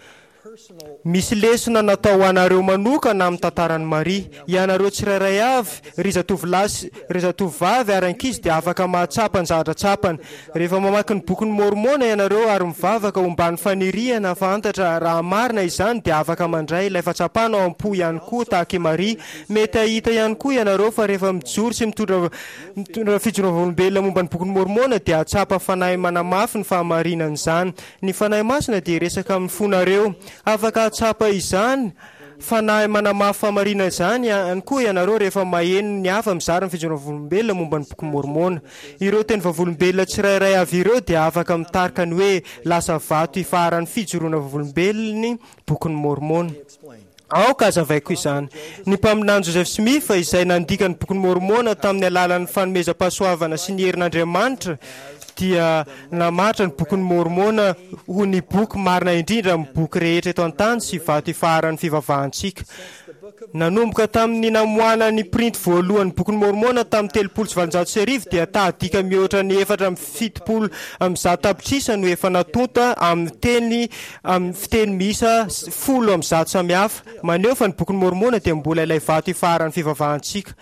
Misy lesona natao ho anareo manokana amin'ny tantaran'i Maria. Ianareo tsirairay avy, ry zatovolahy sy ry zatovovavy ary ankizy dia afaka mahatsapa ny zavatra tsapany. Rehefa mamaky ny Bokin'i Môrmôna ianareo ary mivavaka omban'ny faniriana hahafantatra raha marina izany dia afaka mandray ilay fahatsapana ao am-po ihany koa tahaka i Maria. Mety hahita ihany koa ianareo fa rehefa mijoro sy mitondra mitondra fijoroam-vavolombelona momba ny Bokin'i Môrmôna dia hahatsapa fanahy manamafy ny fahamarinan'izany. Ny Fanahy Masina dia hiresaka amin'ny fonareo. Afaka hahatsapa izany Fanahy manamafy fahamarinana izany ihany koa ianareo rehefa maheno ny hafa mizara ny fijoroam-vavolombelona momba ny Bokin'i Môrmôna. Ireo teny vavolombelona tsirairay avy ireo dia afaka mitarika ny hoe lasa vato ifaharan'ny fijoroana vavolombelon'ny Bokin'i Môrmôna. Aoka hazavaiko izany. Ny Mpaminany Joseph Smith, izay nandika ny Bokin'i Môrmôna tamin'ny alalan'ny fanomezam-pahasoavana sy ny herin'Andriamanitra, dia namaritra ny Bokin'i Môrmôna ho ny boky marina indrindra amin'ny boky rehetra eto an-tany sy vato ifaharan'ny fivavahantsika. Nanomboka tamin'ny namoahana ny printy voalohan'ny Bokin'i Môrmôna tamin'ny telopolo sy valonjato sy arivo dia tahadika mihoatra ny efatra amby fitopolo amby zato tapitrisa no efa natonta amin'ny teny amin'ny fiteny miisa folo amby zato samihafa. Maneho fa ny Bokin'i Môrmôna dia mbola ilay vato ifaharan'ny fivavahantsika.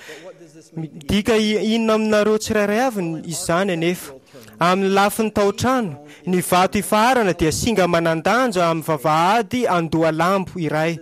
Midika inona aminareo tsirairay avy izany anefa? Amin'ny lafiny taotrano, ny vato ifaharana dia singa manan-danja amin'ny vavahady andohalambo iray.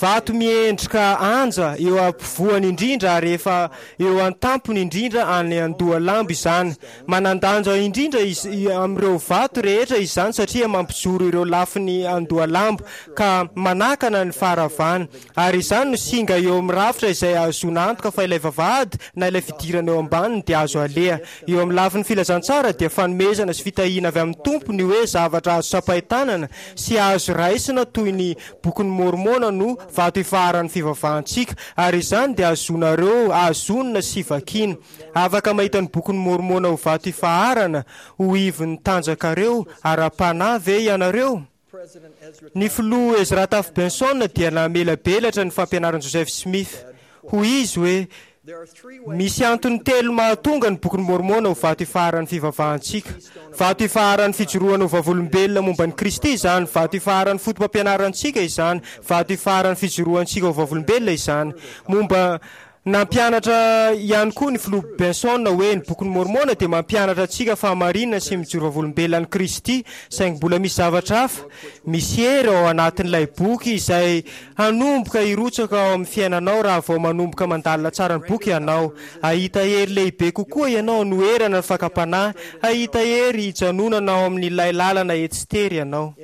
Vato miendrika anja eo ampovoany indrindra ary efa eo an-tampony indrindra any andohalambo izany. Manan-danja indrindra amin'ireo vato rehetra izany satria mampijoro ireo lafiny andohalambo ka manakana ny faharavana. Ary izany no singa eo amin'ny rafitra izay ahazoana antoka fa ilay vavahady na ilay fidirana eo ambaniny dia azo aleha. Eo amin'ny lafiny filazantsara dia fanomezana sy fitahiana avy amin'ny Tompo ny hoe zavatra azo tsapain-tanana sy azo raisina toy ny Bokin'i Môrmôna no vato ifaharan'ny fivavahantsika, ary izany dia azonareo azonina sy vakiana. Afaka mahita ny Bokin'i Môrmôna ho vato ifaharana ho ivon'ny tanjakareo ara-panahy ve ianareo? Ny Filoha Ezra Taft Benson dia namelabelatra ny fampianaran'i Joseph Smith. Hoy izy hoe, Misy antony telo mahatonga ny Bokin'i Môrmôna ho vato ifaharan'ny fivavahantsika. Vato ifaharan'ny fijoroana ho vavolombelona momba an'i Kristy izany, vato ifaharan'ny fotopampianarantsika izany, vato ifaharan'ny fijoroantsika ho vavolombelona izany. Momba Nampianatra ihany koa ny Filoha Benson hoe ny Bokin'i Môrmôna dia mampianatra antsika fahamarinana sy mijoro vavolombelona an'i Kristy, saingy mbola misy zavatra hafa. Misy hery ao anatin'ilay boky izay hanomboka hirotsaka ao amin'ny fiainanao raha vao manomboka mandalina tsara ny boky ianao. Hahita hery lehibe kokoa ianao hanoherana ny fakam-panahy. Hahita hery hijanonana ao amin'ilay lalana etsy tery ianao.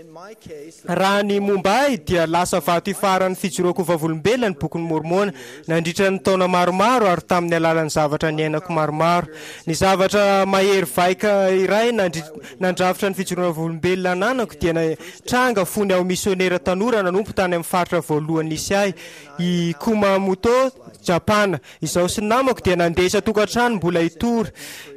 Raha ny momba ahy dia lasa vato ifaharan'ny fijoroako ho vavolombelona ny Bokin'i Môrmôna nandritra ny taona maromaro ary tamin'ny alalan'ny zavatra niainako maromaro. Ny zavatra mahery vaika iray nandrafitra ny fijoroana vavolombelona ananako dia nitranga fony aho misionera tanora nanompo tany amin'ny faritra voalohany nisy ahy, i Kumamoto, Japana. Izaho sy ny namako dia nandeha isan-tokantrano mbola hitory.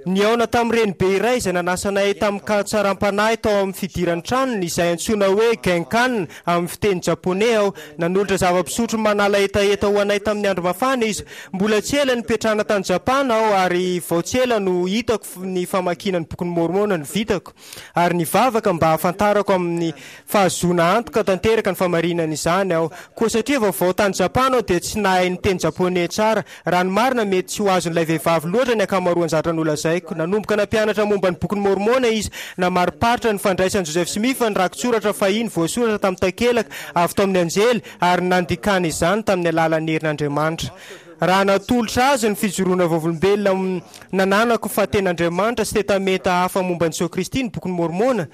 Nihaona tamin'ny renibe iray izay nanasa anay tamin-katsaram-panahy tao amin'ny fidiran'ny tranony, izay antsoina hoe genkan amin'ny fiteny japoney aho. Nanolotra zava-pisotro manala hetaheta ho anay tamin'ny andro mafana izy. Mbola tsy ela nipetrahana tany Japana aho ary vao tsy ela no hitako ny famakiana ny Bokin'i Môrmôna no vitako, ary nivavaka mba hahafantarako amin'ny fahazoana antoka tanteraka ny famarinana izany aho. Koa satria vaovao tany Japana aho dia tsy nahay niteny japoney tsara. Raha ny marina, mety tsy ho azon'ilay vehivavy loatra ny ankamaroan'ny zavatra nolazaiko. Nanomboka nampianatra momba ny Bokin'i Môrmôna izy. Namariparitra ny fandraisan'i Joseph Smith ny rakitsoratra fahiny voasoratra tamin'ny takelaka avy tao amin'ny anjely ary nandikana izany tamin'ny alalan'ny herin'Andriamanitra. Raha natolotra azy ny fijoroana vavolombelona nananako fa tena Andriamanitra sy tetamenta hafa momba an'i Jesoa Kristy ny Bokin'i Môrmôna,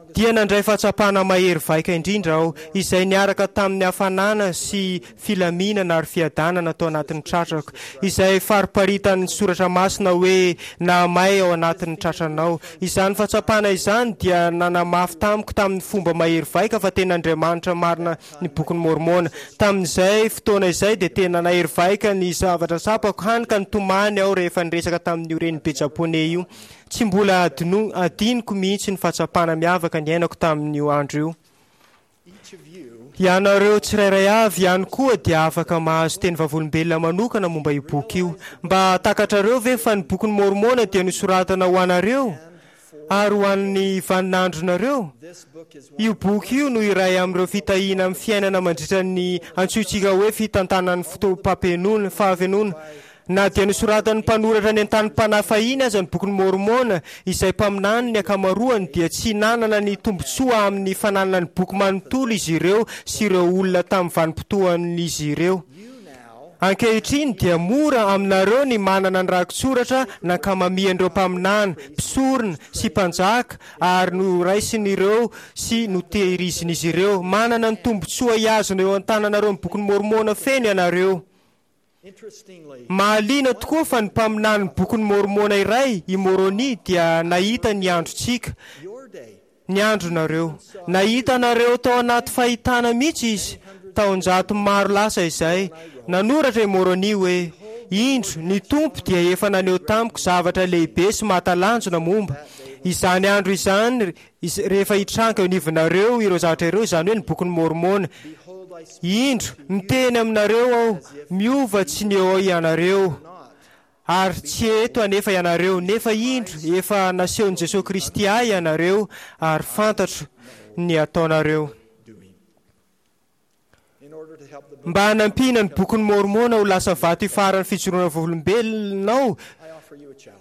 dia nandray fahatsapana mahery vaika indrindra aho, izay niaraka tamin'ny hafanana sy filaminana ary fiadanana tao anatin'ny tratrako, izay fariparitan'ny Soratra Masina hoe nahamay ao anatin'ny tratranao. Izany fahatsapana izany dia nanamafy tamiko tamin'ny fomba mahery vaika fa tena Andriamanitra marina ny Bokin'i Môrmôna. Tamin'izay fotoana izay dia tena nahery vaika ny zavatra tsapako, hany ka nitomany aho rehefa niresaka tamin'io renibe Japoney io. Tsy mbola adinoko mihitsy ny fahatsapana miavaka niainako tamin'io andro io. Ianareo tsirairay avy ihany koa dia afaka mahazo teny vavolombelona manokana momba io boky io. Mba takatrareo ve fa ny Bokin'i Môrmôna dia nosoratana ho anareo ary ho an'ny vaninandronareo? Io boky io no iray amin'ireo fitahiana amin'ny fiainana mandritra ny antsointsika hoe fitantanan'ny fotoam-pahafenoana. Na dia nosoratan'ny mpanoratra nentanim-panahy fahiny aza ny Bokin'i Môrmôna, izay mpaminany ny ankamaroany, dia tsy nanana ny tombontsoa amin'ny fananana ny boky manontolo izy ireo sy ireo olona tamin'ny vanim-potoan'izy ireo. Ankehitriny dia mora aminareo ny manana ny rakitsoratra nankamamian'ireo mpaminany, mpisorona, sy mpanjaka ary noraisin'ireo sy notehirizin'izy ireo. Manana ny tombontsoa hihazona eo an-tananareo ny Bokin'i Môrmôna feno ianareo. Mahaliana tokoa fa ny mpaminanin'ny Bokin'i Môrmôna iray, i Môrônia, dia nahita ny androntsika, ny andronareo. Nahita anareo tao anaty fahitana mihitsy izy, taonjato maro lasa izay. Nanoratra i Môrônia hoe, Indro, ny Tompo dia efa naneho tamiko zavatra lehibe sy mahatalanjona momba izany andro izany, rehefa hitranga eo anivonareo ireo zavatra ireo, izany hoe ny Bokin'i Môrmôna. Indro, miteny aminareo aho, miova tsy ny eo ianareo, ary tsy eto anefa ianareo, nefa indro, efa nasehon'i Jesoa Kristy ahy ianareo, ary fantatro ny ataonareo. Mba hanampiana ny bokin'ny Môrmôna ho lasa vato ifaharan'ny fijoroana vavolombelonao,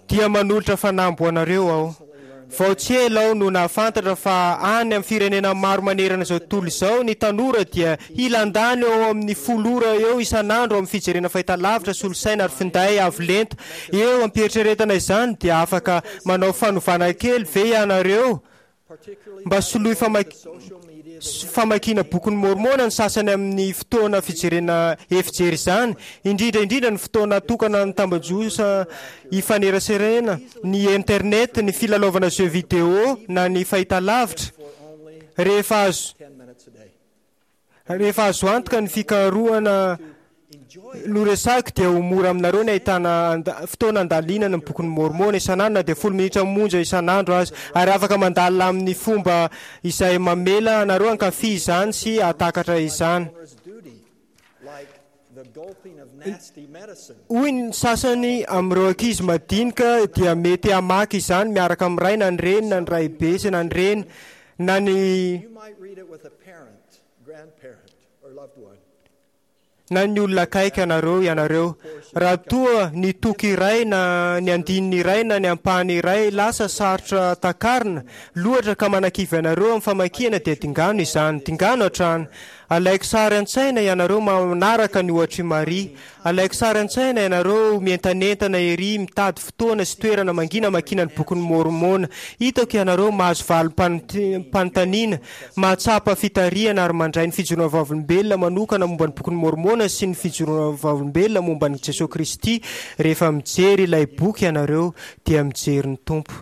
dia manolotra fanamby ho anareo aho. Vao tsy ela aho no nahafantatra fa any amin'ny firenena maro manerana izao tontolo izao, ny tanora dia hilandany eo amin'ny folo ora eo isan'andro amin'ny fijerena fahitalavitra, solosaina ary finday avo lenta. Eo am-pieritreretana izany dia afaka manao fanovana kely ve ianareo mba soloy famakiana bokin'ny Môrmôna ny sasany amin'ny fotoana fijerena efijery izany, indrindra indrindra ny fotoana atokana ny tambajotra ifaneraserena, ny internet, ny filalaovana jeux vidéo na ny fahitalavitra. Rehefa azo rehefa azo antoka ny fikarohana noresahiko dia ho mora aminareo ny ahitana fotoana andalinana ny bokin'ny Môrmôna isan'andro na dia folo minitra monja isan'andro aza, ary afaka mandalina amin'ny fomba izay mamela anareo hankafy izany sy hahatakatra izany. Hoy ny sasany amin'ireo ankizy madinika dia mety hamaky izany miaraka amin'ny ray na ny reny na ny raibe sy na ny reny na ny na ny olona akaiky anareo ianareo. Raha toa ny toko iray na ny andininy iray na ny ampahany iray lasa sarotra takarina loatra ka manakivy anareo amin'ny famakiana dia dingano izany, dingano hatrany. Alaiko sary an-tsaina ianareo manaraka ny ohatr'i Maria. Alaiko sary an-tsaina ianareo mientanentana ery mitady fotoana sy toerana mangina hamakiana ny bokin'ny Môrmôna. Hitako ianareo mahazo valim-panontaniana, mahatsapa fitarihana ary mandray ny fijoroana vavolombelona manokana momba ny bokin'ny Môrmôna sy ny fijoroana vavolombelona momba an'i Jesoa Kristy. Rehefa mijery ilay boky ianareo dia mijery ny Tompo.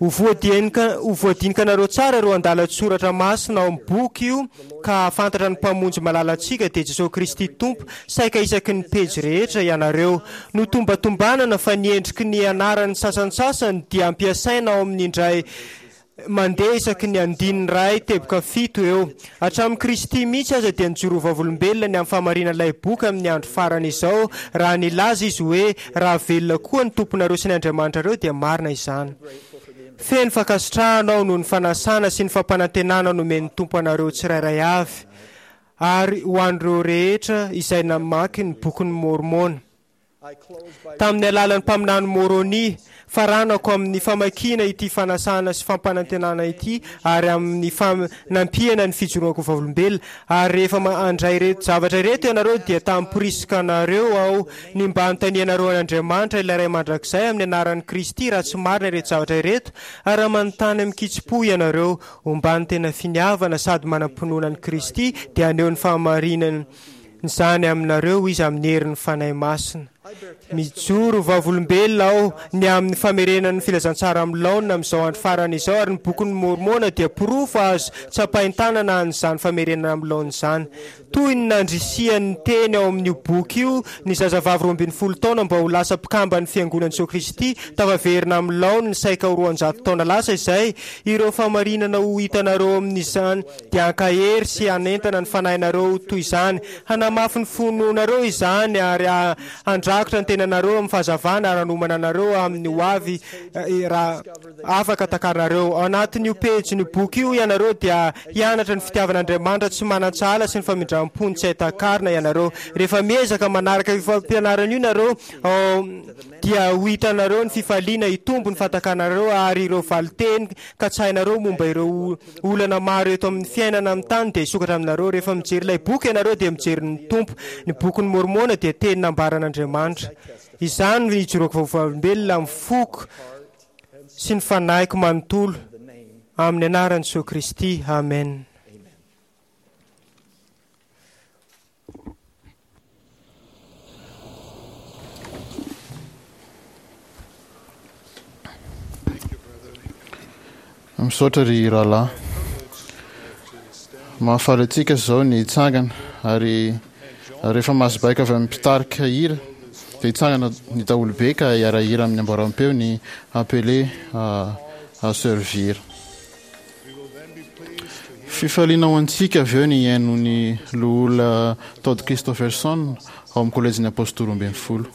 Ho voadinika ho voadinikanareo tsara ireo andalan-tsoratra masina ao amin'ny boky io ka hahafantatra ny Mpamonjy malalantsika dia Jesosy Kristy Tompo saika isaky ny pejy rehetra ianareo. Notombatombanana fa ny endriky ny anaran'ny sasantsasany dia ampiasaina ao amin'ny indray mandeha isaky ny andininy iray teboka fito eo. Hatramin'i Kristy mihitsy aza dia nijoro ho vavolombelona ny amin'ny fahamarinan'ilay boky amin'ny andro farany izao raha nilaza izy hoe raha velona koa ny Tomponareo sy ny Andriamanitrareo dia marina izany. Feno fankasitrahana aho noho ny fanasana sy ny fampanantenana nomen'ny Tompo anareo tsirairay avy ary ho an'ireo rehetra izay namaky ny bokin'i Môrmôna. Tamin'ny alalan'ny mpaminany Môrônia, faranako amin'ny famakiana ity fanasana sy fampanantenana ity ary amin'ny fanampiana ny fijoroako vavolombelona. Ary rehefa handray ireto zavatra ireto ianareo dia tamporisika anareo aho ny mba hanontanianareo an'Andriamanitra ilay Ray Mandrakizay amin'ny anaran'i Kristy raha tsy marina ireto zavatra ireto, ary raha manontany amin-kitsim-po ianareo omban'ny tena finiavana sady manam-pinoana an'i Kristy dia haneho ny fahamarinany izany aminareo Izy amin'ny herin'ny Fanahy Masina. Mijoro vavolombelona aho ny amin'ny famerenana ny filazantsara amin'ny laonina amin'izao andro farany izao, ary ny bokin'i Môrmôna dia porofo azo tsapain-tanana an'izany famerenana amin'ny laonina izany. Toy ny nandrisihan'ny teny ao amin'io boky io ny zazavavy roa ambin'ny folo taona mba ho lasa mpikamban'ny Fiangonan'i Jesoa Kristy tafaverina amin'ny laoniny saika ho roanjato taona lasa izay, ireo fahamarinana ho hitanareo amin'izany dia hankahery sy hanentana ny fanahinareo ho toy izany, hanamafy ny finoanareo izany ary handrakotra ny tenanareo amin'ny fahazavana ary hanomana anareo amin'ny ho avy raha afaka takarinareo. Ao anatin'io pejin'io boky io ianareo dia hianatra ny fitiavan'Andriamanitra tsy manan-tsahala sy ny famindram-pony tsy hay takarina ianareo. Rehefa miezaka manaraka io fampianarana io nareo dia ho hitanareo ny fifaliana hitombo ny fahatakanareo ary ireo valin-teny katsahinareo momba ireo olana maro eto amin'ny fiainana amin'ny tany dia hisokatra aminareo. Rehefa mijery ilay boky ianareo dia mijery ny Tompo. Ny bokin'i Môrmôna dia teny nambaran'Andriamanitra. Izany no ijoroako vavolombelona amin'ny foko sy ny fanahiko manontolo amin'ny anaran'i Jesoa Kristy. Amen. Misaotra ry rahalahy. Mahafaly antsika izao ny hitsangana ary rehefa mahazo baiko avy amin'ny mpitarika hira dia hitsangana ny daholobe ka hiara-hira amin'ny amboaram-peo ny Appelé à servir. Fifaliana ho antsika avy eo ny hihaino ny Loholona Todd Christofferson ao amin'ny Kolejin'ny Apostoly Roa ambin'ny Folo.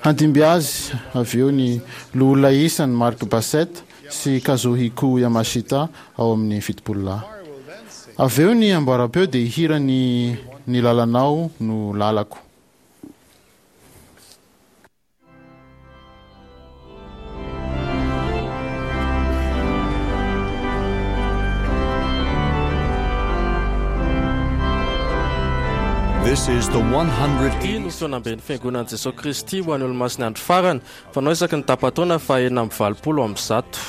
Handimby azy avy eo ny Loholona isany Mark Bassett sy Kazuhiko Yamashita ao amin'ny Fitopololahy. Avy eo ny amboaram-peo dia hihira ny "Ny lalanao no lalako". This is the Ity no fihaonamben'ny Fiangonan'i Jesoa Kristy ho an'ny Olomasin'ny Andro Farany, fanao isaky ny tapa-taona faha enina amby valopolo amby zato.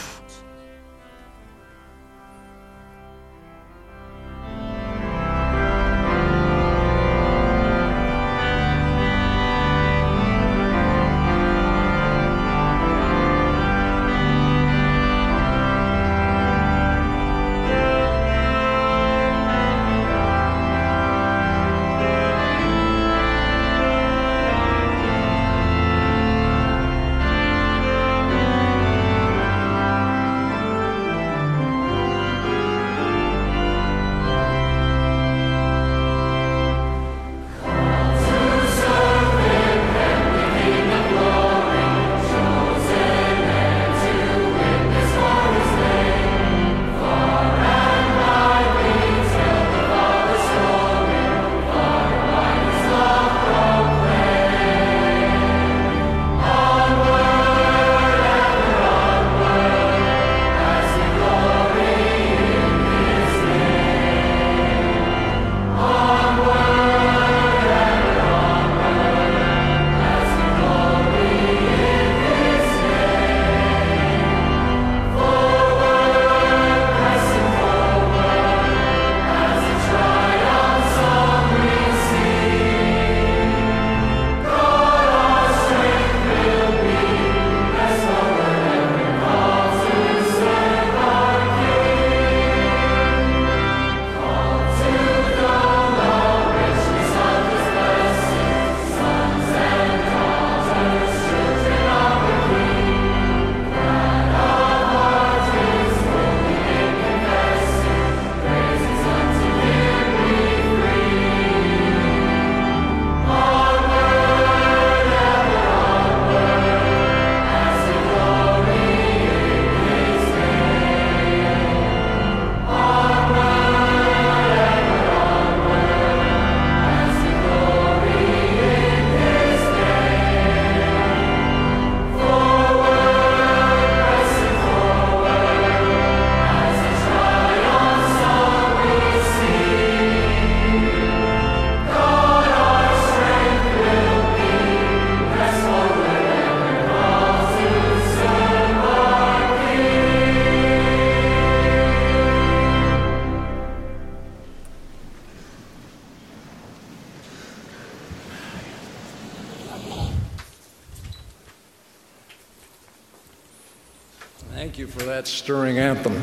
Thank you for that stirring anthem.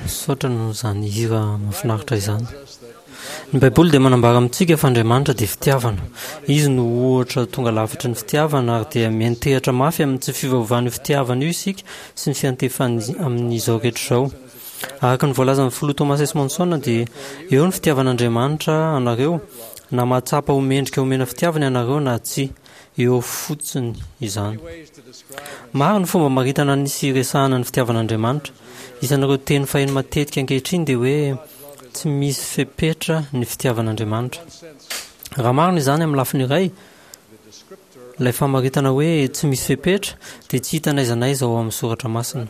Misaotra noho izany hira mahafinaritra izany. Ny Baiboly dia manambara amintsika fa Andriamanitra dia fitiavana. Izy no ohatra tonga lafatra ny fitiavana ary dia miantehatra mafy amin'ny tsy fivavahan'io fitiavana io isika sy ny fiantefany amin'izao rehetra izao. Araka ny voalazan'ny filoha Thomas S. Monson dia eo ny fitiavan'Andriamanitra anareo na mahatsapa ho mendrika omena fitiavana ianareo na tsia. Eo fotsiny izany. Maro ny fomba maritana ny sy resahana ny fitiavan'Andriamanitra. Isan'ireo teny faheno matetika ankehitriny dia hoe tsy misy fepetra ny fitiavan'Andriamanitra. Raha marina izany amin'ny lafiny iray, ilay famaritana hoe tsy misy fepetra dia tsy hita n'aiza n'aiza ao amin'ny soratra masina.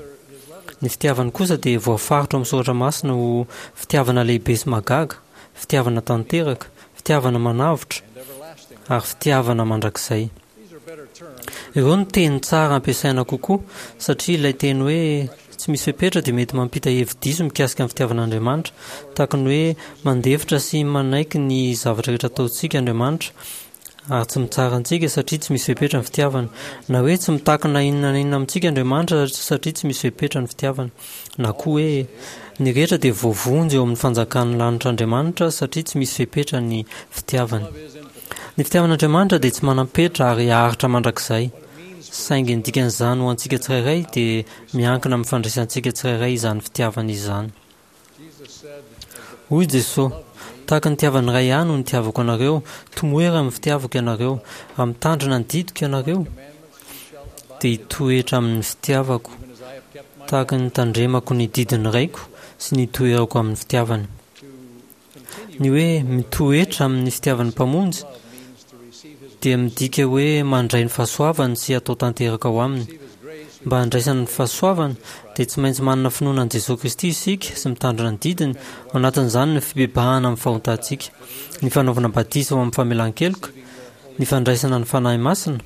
Ny fitiavany kosa dia voafaritra ao amin'ny soratra masina ho fitiavana lehibe sy mahagaga, fitiavana tanteraka, fitiavana manavotra ary fitiavana mandrakizay. Ireo no teny tsara ampiasaina kokoa satria ilay teny hoe tsy misy fepetra dia mety mampita hevi-diso mikasika ny fitiavan'Andriamanitra, tahaka ny hoe mandefitra sy manaiky ny zavatra rehetra ataontsika Andriamanitra ary tsy mitsara antsika satria tsy misy fepetra ny fitiavana, na hoe tsy mitaky na inona na inona amintsika Andriamanitra satria tsy misy fepetra ny fitiavana, na koa hoe ny rehetra dia voavonjy eo amin'ny fanjakan'ny lanitr'Andriamanitra satria tsy misy fepetra ny fitiavany. Ny fitiavan'Andriamanitra dia tsy manam-petra ary haharitra mandrakizay. Saingy ny dikan'izany ho antsika tsirairay dia miankina amin'ny fandraisantsika tsirairay izany fitiavana izany. Hoy Jesoa, tahaka ny nitiavan'ny Ray ahy no nitiavako anareo, tomoera amin'ny fitiavako ianareo, raha mitandrina ny didiko ianareo, dia hitoetra amin'ny fitiavako, tahaka ny nitandremako ny didin'ny Raiko sy ny hitoerako amin'ny fitiavany. Ny hoe mitoetra amin'ny fitiavan'ny Mpamonjy dia midika hoe mandray ny fahasoavany sy atao tanteraka ao aminy. Mba handraisana ny fahasoavana dia tsy maintsy manana finoana an'i Jesoa Kristy isika sy mitandrina ny didiny, ao anatin'izany ny fibebahana amin'ny fahotantsika, ny fanaovana batisa ho amin'ny famelan-keloka, ny fandraisana ny Fanahy Masina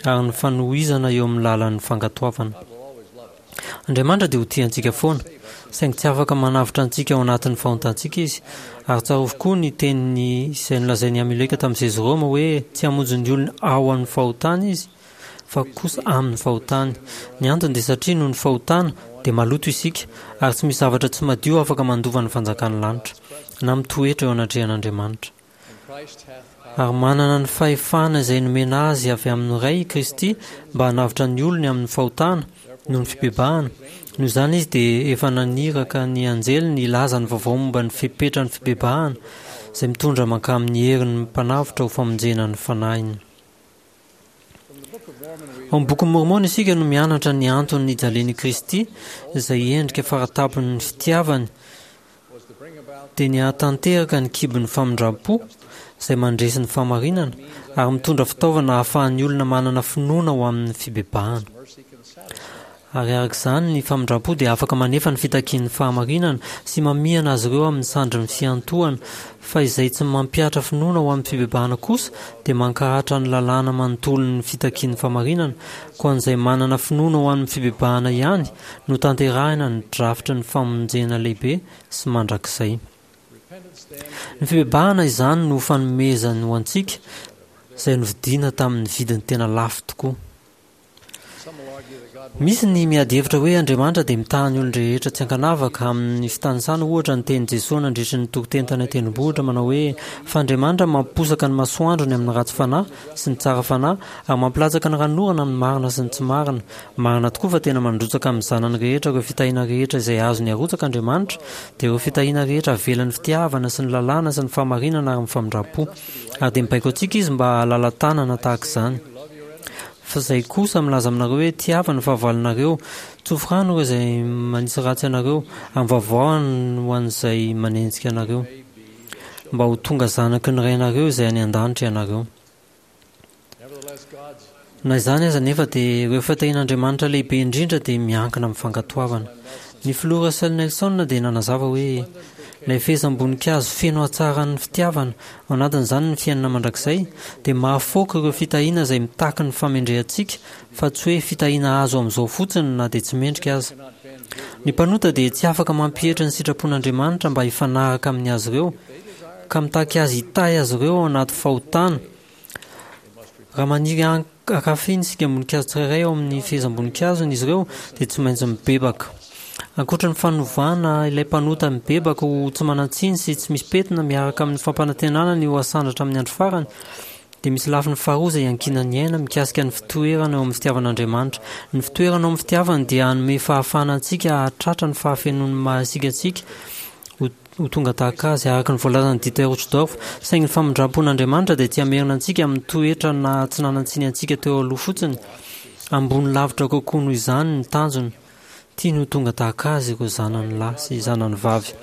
ary ny fanohizana eo amin'ny lalan'ny fankatoavana. Andriamanitra dia ho tia antsika foana, saingy tsy afaka manavotra antsika ao anatin'ny fahotantsika Izy. Ary tsarovy koa ny teniny izay nolazain'i Amioleka tamin'i Zezrôma hoe tsy hamonjy ny olony ao amin'ny fahotany Izy, fa kosa amin'ny fahotany. Ny antony dia satria noho ny fahotana dia maloto isika, ary tsy misy zavatra tsy madio afaka mandova ny fanjakan'ny lanitra, na mitoetra eo anatrehan'Andriamanitra. Ary manana ny fahefana izay nomena azy avy amin'ny Ray i Kristy mba hanavotra ny olony amin'ny fahotana noho ny fibebahana. Noho izany izy dia efa naniraka ny anjeliny hilaza ny vaovao momba ny fepetran'ny fibebahana izay mitondra mankamin'ny herin'ny Mpanavotra ho famonjena ny fanahiny. Ao amin'ny Bokin'i Môrmôna isika no mianatra ny antony nijalian'i Kristy, izay endrika faratampon'ny fitiavany, dia ny hahatanteraka ny kibon'ny famindram-po, izay mandresy ny fahamarinana, ary mitondra fitaovana ahafahan'ny olona manana finoana ho amin'ny fibebahana. Ary araka izany, ny famindram-po dia afaka manefa ny fitakian'ny fahamarinana sy mamihana azy ireo amin'ny sandrin'ny fiantohana, fa izay tsy mampihatra finoana ho amin'ny fibebahana kosa dia mankahatra ny lalàna manontolon'ny fitakian'ny fahamarinana, koa an'izay manana finoana ho amin'ny fibebahana ihany no tanterahina ny drafitry ny famonjena lehibe sy mandrakizay. Ny fibebahana izany no fanomezany ho antsika, izay novidiana tamin'ny vidiny tena lafo tokoa. Misy ny miady hevitra hoe Andriamanitra dia mitaha ny olon-drehetra tsy ankanavaka amin'ny fitanisana ohatra ny tenin'i Jesoa nandritry ny toriteny tany an-tendrombohitra manao hoe fa Andriamanitra mampiposaka ny masoandrony amin'ny ratsy fanahy sy ny tsara fanahy ary mampilatsaka ny ranonorana amin'ny marina sy ny tsy marina. Marina tokoa fa tena mandrotsaka amin'ny zanany rehetra ireo fitahiana rehetra izay azony arotsaka Andriamanitra, dia ireo fitahiana rehetra avelan'ny fitiavana sy ny lalàna sy ny fahamarinana ary ny famindram-po. Ary dia mibaiko antsika Izy mba hahalala-tanana tahaka izany. Fa izay kosa milaza aminareo hoe, Tiava ny fahavalonareo, tsofy rano ireo izay manisy ratsy anareo, ary mivavaha ho an'izay manenjika anareo, mba ho tonga zanaky ny Rainareo izay any an-danitra ianareo. Na izany aza anefa dia ireo fitahian'Andriamanitra lehibe indrindra dia miankina amin'ny fankatoavana. Ny Filoha Russell Nelson dia nanazava hoe, Ilay fehezam-boninkazo feno hatsaran'ny fitiavana, ao anatin'izany ny fiainana mandrakizay, dia mahafaoka ireo fitahiana izay mitaky ny famendrehantsika fa tsy hoe fitahiana azo amin'izao fotsiny na dia tsy mendrika aza. Ny mpanota dia tsy afaka mampietry ny sitrapon'Andriamanitra mba hifanaraka amin'ny azy ireo, ka mitaky azy hitahy azy ireo ao anaty fahotana. Raha maniry hankafy ny singam-boninkazo tsirairay ao amin'ny fehezam-boninkazony izy ireo, dia tsy maintsy mibebaka. Ankoatra ny fanovana ilay mpanota mibebaka ho tsy manan-tsiny sy tsy misy pentina miaraka amin'ny fampanantenana ny ho asandratra amin'ny andro farany, dia misy lafiny faharoa izay iankinan'ny aina mikasika ny fitoerana eo amin'ny fitiavan'Andriamanitra. Ny fitoerana ao amin'ny fitiavany dia hanome fahafahana antsika hahatratra ny fahafenoan'ny maha-isika antsika ho ho tonga tahaka azy, araka ny voalazan'i Dieter Uchtdorf. Saingy ny famindram-pon'Andriamanitra dia tsy hamerina antsika amin'ny toetra naha tsy nanan-tsiny antsika teo aloha fotsiny. Ambony lavitra kokoa noho izany ny tanjony. Tiany ho tonga tahaka azy ireo zanany lahy sy zanany vavy.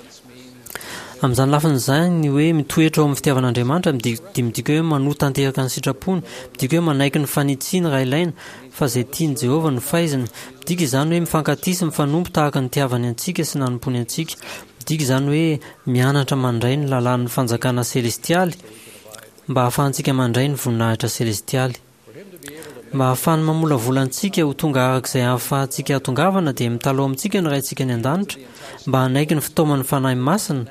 Amin'izany lafiny izany, ny hoe mitoetra ao amin'ny fitiavan'Andriamanitra dia midika hoe manoa tanteraka ny sitrapony, midika hoe manaiky ny fanitsiany raha ilaina, fa izay tian'i Jehovah no faiziny. Midika izany hoe mifankatia sy mifanompo tahaka ny nitiavany antsika sy nanompoany antsika. Midika izany hoe mianatra mandray ny lalàn'ny fanjakana selestialy mba hahafahantsika mandray ny voninahitra selestialy. Mba hahafahany mamolavola antsika ho tonga araka izay ahafahantsika hahatongavana dia mitalaho amintsika ny Raintsika any An-danitra mba hanaiky ny fitaoman'ny Fanahy Masina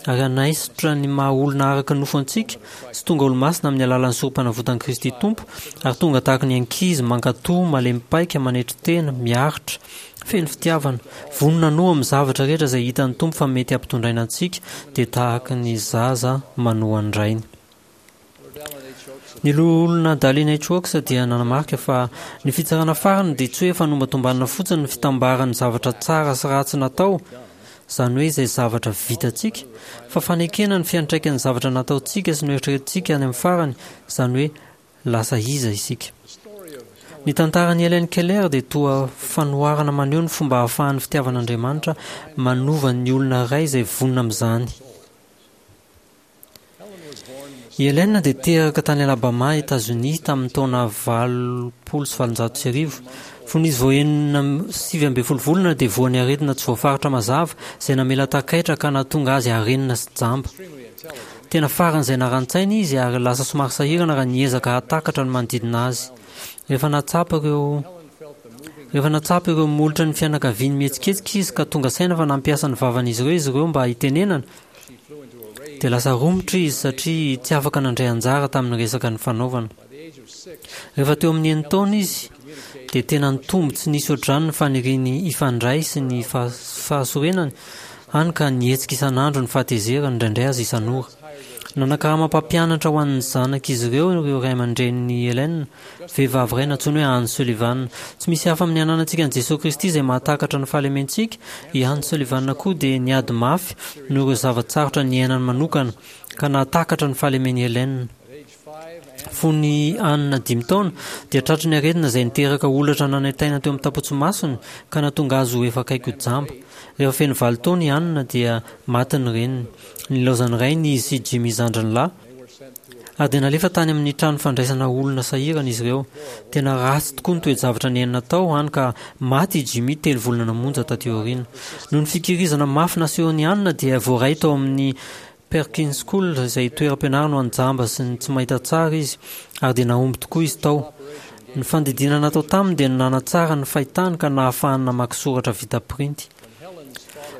ary hanaisotra ny maha olona araka ny nofo antsika sy tonga olomasina amin'ny alalan'ny Sorompanavotan'i Kristy Tompo ary tonga tahaka ny ankizy mankatò, malemy paika, manetry tena, miaritra, feno fitiavana, vonona hanoa amin'ny zavatra rehetra izay hitan'ny Tompo fa mety hampitondraina antsika, dia tahaka ny zaza manoa ny rainy. Ny Loholona Dallin H. Oaks dia nanamarika fa ny fitsarana farany dia tsy hoe fanombatombanana fotsiny ny fitambaran'ny zavatra tsara sy ratsy natao, izany hoe izay zavatra vitantsika, fa fanekena ny fiantraikan'ny zavatra nataontsika sy noeritreretintsika any amin'ny farany, izany hoe lasa iza isika. Ny tantaran'i Helen Keller dia toa fanoharana maneho ny fomba ahafahan'ny fitiavan'Andriamanitra manova ny olona iray izay vonona amin'izany. I Helen dia teraka tany Alabama, Etazonia, tamin'ny taona valopolo sy valonjato sy arivo. Fony izy vao enina sivy ambin'ny folo volana dia voan'ny aretina tsy voafaritra mazava izay namela takaitra ka nahatonga azy harenina sy jamba. Tena faran'izay naran-tsaina izy ary lasa somary sahirana raha niezaka hahatakatra ny manodidina azy. Rehefa nahatsapa ireo Rehefa nahatsapa ireo molotra ny fianakaviany mihetsiketsika izy ka tonga saina fa nampiasa ny vavan'izy ireo izy ireo mba hitenenana, dia lasa romotra izy satria tsy afaka nandray anjara tamin'ny resaka nifanaovana. Rehefa teo amin'ny enin-taona izy, dia tena nitombo tsy nisy ohatr'izany ny faniriany hifandray sy ny fahasorenany, hany ka nihetsika isan'andro ny fahatezerany, indraindray aza isan'ora. Nanakarama mpampianatra ho an'ny zanak'izy ireo ireo ray aman-drenin'i Helen, vehivavy iray nantsoiny hoe Anne Sullivan. Tsy misy hafa amin'ny ananantsika an'i Jesoa Kristy izay mahatakatra ny fahalementsika, i Anne Sullivan koa dia niady mafy noho ireo zava-tsarotra niainany manokana, ka nahatakatra ny fahalemen'i Helen. Fony Anne dimy taona, dia tratry ny aretina izay niteraka holatra nanaintaina teo amin'ny tapotsimasony ka nahatonga azy ho efa akaiky ho jamba. Rehefa feno valo taona i Anne dia maty ny reniny. Nilaozan'ny rainy izy sy Jimmy zandriny lahy, ary dia nalefa tany amin'ny trano fandraisana olona sahirana izy ireo. Tena ratsy tokoa ny toe-javatra niainana tao, hany ka maty i Jimmy telo volana monja taty aoriana. Noho ny fikirizana mafy nasehon'i Anne dia voaray tao amin'ny Perkins School, izay toeram-pianarana ho an'ny jamba sy ny tsy mahita tsara izy, ary dia nahomby tokoa izy tao. Ny fandidiana natao taminy dia nanatsara ny fahitany ka nahafahany namaky soratra vita printy.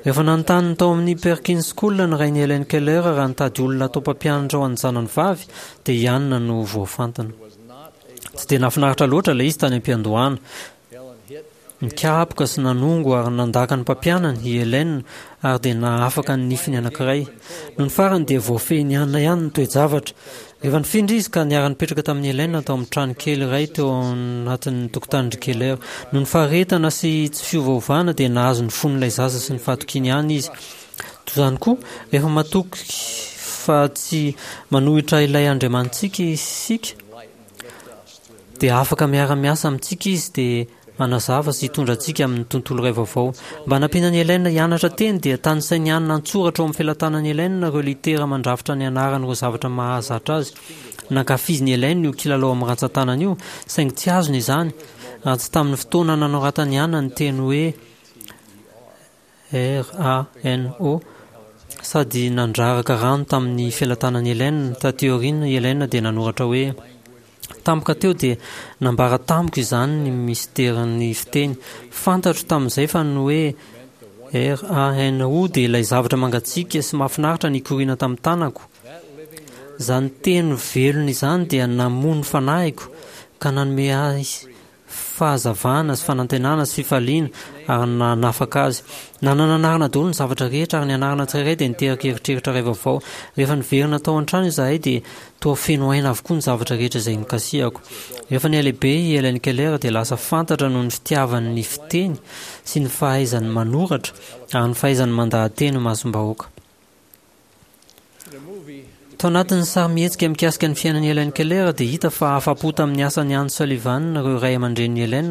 Rehefa nanontany ny tao amin'ny Perkins School ny rain'i Helen Keller raha nitady olona hatao mpampianatra ho an'ny zanany vavy, dia i Anna no voafantina. Tsy dia nahafinaritra loatra ilay izy tany am-piandohana. Nikapoka sy nanongo ary nandaka ny mpampianany i Helen ary dia nahafaka ny nifiny anankiray. Nony farany dia voafehin'i Anna ihany ny toe-javatra. Rehefa nifindra izy ka niara-nipetraka tamin'i Helen tao amin'ny trano kely iray teo anatin'ny tokotanin-dry Keller. Noho ny faharetana sy tsy fiovaovana dia nahazo ny fon'ilay zaza sy ny fahatokiany ihany izy. Toy izany koa, rehefa matoky fa tsy manohitra ilay Andriamanitsika isika, dia afaka miara-miasa amintsika izy dia hanazava sy hitondra antsika amin'ny tontolo iray vaovao. Mba hanampiana an'i Helen hianatra teny dia tanisain'i Anna an-tsoratra ao amin'ny felatanan'i Helen ireo litera mandrafitra ny anaran'ireo zavatra mahazatra azy. Nankafizin'i Helen io kilalao amin'ny rantsan-tanana io, saingy tsy azony izany raha tsy tamin'ny fotoana nanoratan'i Anna ny teny hoe R A N O, sady nandraraka rano tamin'ny felatanan'i Helen. Taty aoriana, i Helen dia nanoratra hoe, Tampoka teo dia nambara tamiko izany ny misterin'ny fiteny. Fantatro tamin'izay fa ny hoe R A N O dia ilay zavatra mangatsiaka sy mahafinaritra nikoriana tamin'ny tanako. Izany teny velona izany dia namono ny fanahiko ka nanome ahy fahazavana sy fanantenana sy fifaliana ary nanafaka azy. Nanana anarana daholo ny zavatra rehetra ary ny anarana tsirairay dia niteraka eritreritra iray vaovao. Rehefa niverina tao an-trano izahay dia toa feno aina avokoa ny zavatra rehetra izay nokasihako. Rehefa nihalehibe i Helen Keller dia lasa fantatra noho ny fitiavany ny fiteny sy ny fahaizany manoratra ary ny fahaizany mandaha-teny imasom-bahoaka. Tao anatin'ny sarimihetsika mikasika ny fiainan'i Helen Keller dia hita fa afa-po tamin'ny asan'i Anne Sullivan ireo ray aman-drenin'i Helen.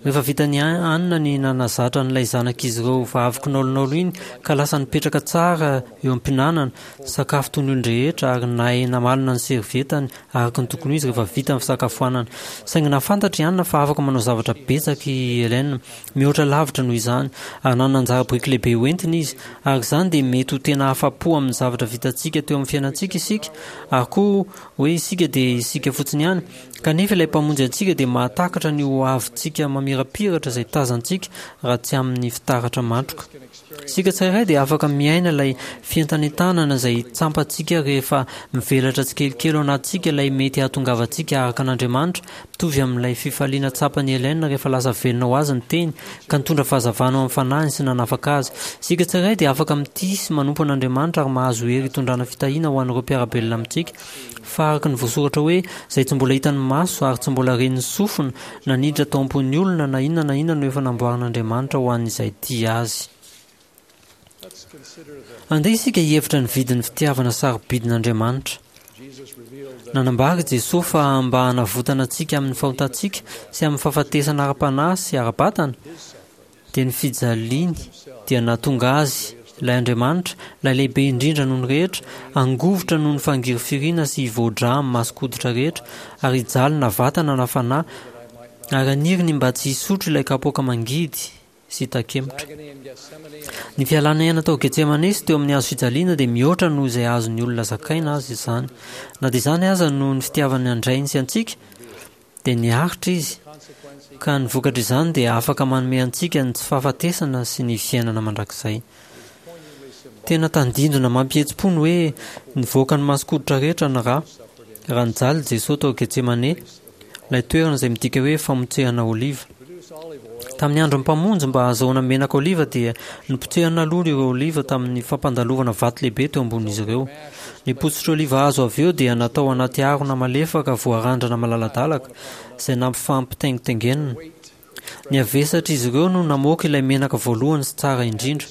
Rehefa vitan'i Anne ny nanazatra an'ilay zanak'izy ireo vavy kinaolinaolo iny ka lasa nipetraka tsara eo am-pihinanana sakafo toy ny olon-drehetra ary nahay namalona ny servietany araka ny tokony ho izy rehefa vita ny fisakafoanana. Saingy nahafantatra i Anne fa afaka manao zavatra betsaka i Helen. Mihoatra lavitra noho izany, ary nanana anjara biriky lehibe hoentina izy. Araka izany dia mety ho tena afa-po amin'ny zavatra vitantsika teo amin'ny fiainantsika isika, ary koa hoe isika dia isika fotsiny ihany. Kanefa ilay Mpamonjy antsika dia mahatakatra ny ho avintsika mamirapiratra izay tazantsika raha tsy amin'ny fitaratra matroka. Isika tsirairay dia afaka miaina ilay fientanentanana izay tsampantsika rehefa mivelatra tsikelikely ao anatintsika ilay mety hahatongavantsika araka an'Andriamanitra, mitovy amin'ilay fifaliana tsapan'i Helen rehefa lasa velona ho azy ny Teny ka nitondra fahazavana ao amin'ny fanahiny sy nanafaka azy. Isika tsirairay dia afaka mitia sy manompo an'Andriamanitra ary mahazo hery hitondrana fitahiana ho an'ireo mpiara-belona amintsika. Fa araka ny voasoratra hoe, Izay tsy mbola hitan'ny maso ary tsy mbola ren'ny sofina, na niditra tao am-pon'ny olona, na inona na inona no efa namboarin'Andriamanitra ho an'izay tia azy. Andeha isika hihevitra ny vidin'ny fitiavana sarobidin'Andriamanitra. Nanambara i Jesoa fa mba hanavotana antsika amin'ny fahotantsika sy amin'ny fahafatesana ara-panahy sy ara-batana, dia ny fijaliany dia nahatonga Azy ilay Andriamanitra, ilay lehibe indrindra noho ny rehetra, hangovitra noho ny fangirifiriana sy hivoa-drà amin'ny mason-koditra rehetra, ary hijaly na vatana na fanahy, ary haniry ny mba tsy hisotro ilay kapoaka mangidy sy takemotra. Ny fialana aina tao Getsemane sy teo amin'ny hazo fijaliana dia mihoatra noho izay azon'ny olona zakaina aza izany. Na dia izany aza, noho ny fitiavany an-dRainy sy antsika, dia niaritra Izy, ka ny vokatr'izany dia afaka manome antsika ny tsy fahafatesana sy ny fiainana mandrakizay. Tena tandindona mampihetsi-po ny hoe nivoaka ny mason-koditra rehetra ny ra, raha nijaly Jesoa tao Getsemane, ilay toerana izay midika hoe famotsehana oliva. Tamin'ny andron'ny Mpamonjy, mba hahazahoana menaka oliva dia nopotsehana aloha ireo oliva tamin'ny fampandalovana vato lehibe teo ambonin'izy ireo. Ny potsitra oliva azo avy eo dia natao anaty harona malefaka voarandrana malaladalaka, izay nampifampitaingitaingenina. Ny havesatr'izy ireo no namoaka ilay menaka voalohany sy tsara indrindra.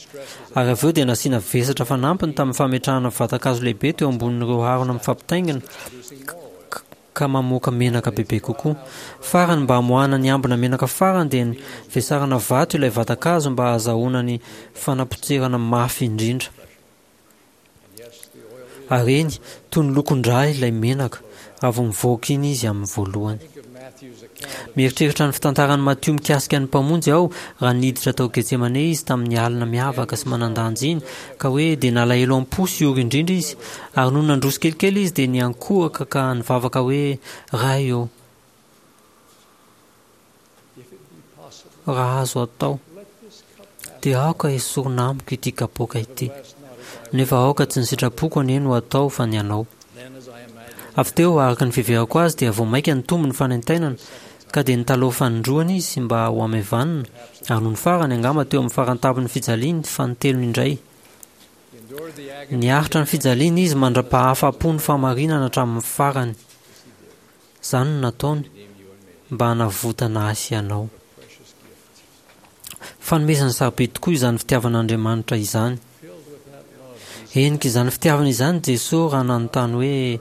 Ary avy eo dia nasiana vesatra fanampiny tamin'ny fametrahana vatan-kazo lehibe teo ambonin'ireo harona mifampitaingina, ka mamoaka menaka bebe kokoa. Farany, mba hamoahana ny ambina menaka farany dia vesarana vato ilay vatan-kazo mba hahazahoana ny fanapotserana mafy indrindra. Ary eny, toy ny lokon-drà ilay menaka, raha vao mivoaka iny izy amin'ny voalohany. Mieritreritra ny fitantaran'i Matio mikasika ny Mpamonjy aho raha niditra tao Getsemane izy tamin'ny alina miavaka sy manan-danja iny, ka hoe dia nalahelo am-po sy ory indrindra izy, ary nony nandroso kelikely izy dia niankohoka ka nivavaka hoe, Ray ô, raha azo atao, dia aoka hesorina amiko ity kapoaka ity, nefa aoka tsy ny sitrapoko anie no hatao fa ny Anao. Avy teo, araka ny fiheverako azy, dia vao mainka nitombo ny fanaintainana, ka dia nitalaho fanindroany izy mba hohamaivanina, ary nony farany, angamba teo amin'ny faran-tampon'ny fijaliany, fanintelony indray. Niaritra ny fijaliana izy mandra-pahafa-po ny fahamarinana hatramin'ny farany. Izany no nataony mba hanavotana ahy sy ianao. Fanomezana sarobidy tokoa izany fitiavan'Andriamanitra izany. Henika izany fitiavana izany Jesoa raha nanontany hoe,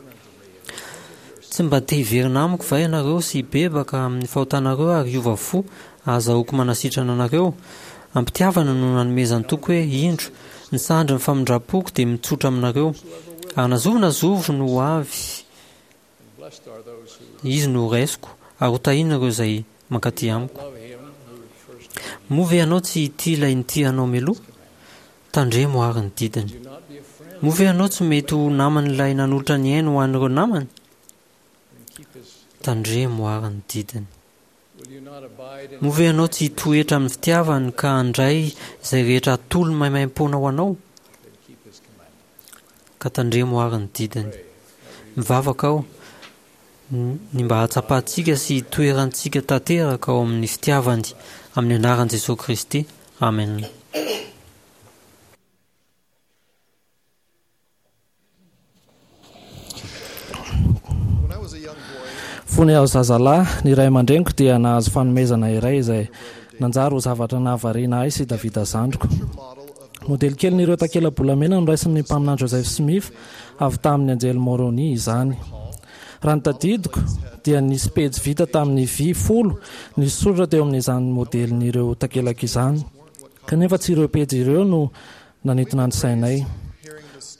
Tsy mba te hiverina amiko va ianareo sy hibebaka amin'ny fahotanareo ary hiova fo ahazahoako manasitrana anareo? Am-pitiavana no nanomezany toky hoe, Indro, ny sandrin'ny famindram-poko dia mitsotra aminareo, ary na zovy na zovy no ho avy, Izy no horaisiko, ary hotahina ireo izay mankaty amiko. Moa ve ianao tsy hitia ilay nitia anao mialoha? Tandremo àry ny didiny. Moa ve ianao tsy mety ho naman'ilay nanolotra ny ainy ho an'ireo namany? Tandremo àry ny didiny. Moa ve ianao tsy hitoetra amin'ny fitiavany ka handray izay rehetra atolony maimaimpoana ho anao? Ka tandremo àry ny didiny. Mivavaka aho ny mba hahatsapantsika sy hitoerantsika tanteraka ao amin'ny fitiavany, amin'ny anaran'i Jesoa Kristy. Amen. Fony aho zazalahy, ny ray aman-dreniko dia nahazo fanomezana iray izay nanjary ho zavatra nahavariana ahy sy Davida zandriko. Modely kelin'ireo takela-bolamena noraisin'ny mpaminany Joseph Smith avy tamin'ny anjely Moroni izany. Raha ny tadidiko, dia nisy pejy vita tamin'ny vy folo nisy soratra teo amin'izany modelin'ireo takelaka izany. Kanefa tsy ireo pejy ireo no nanintona ny sainay.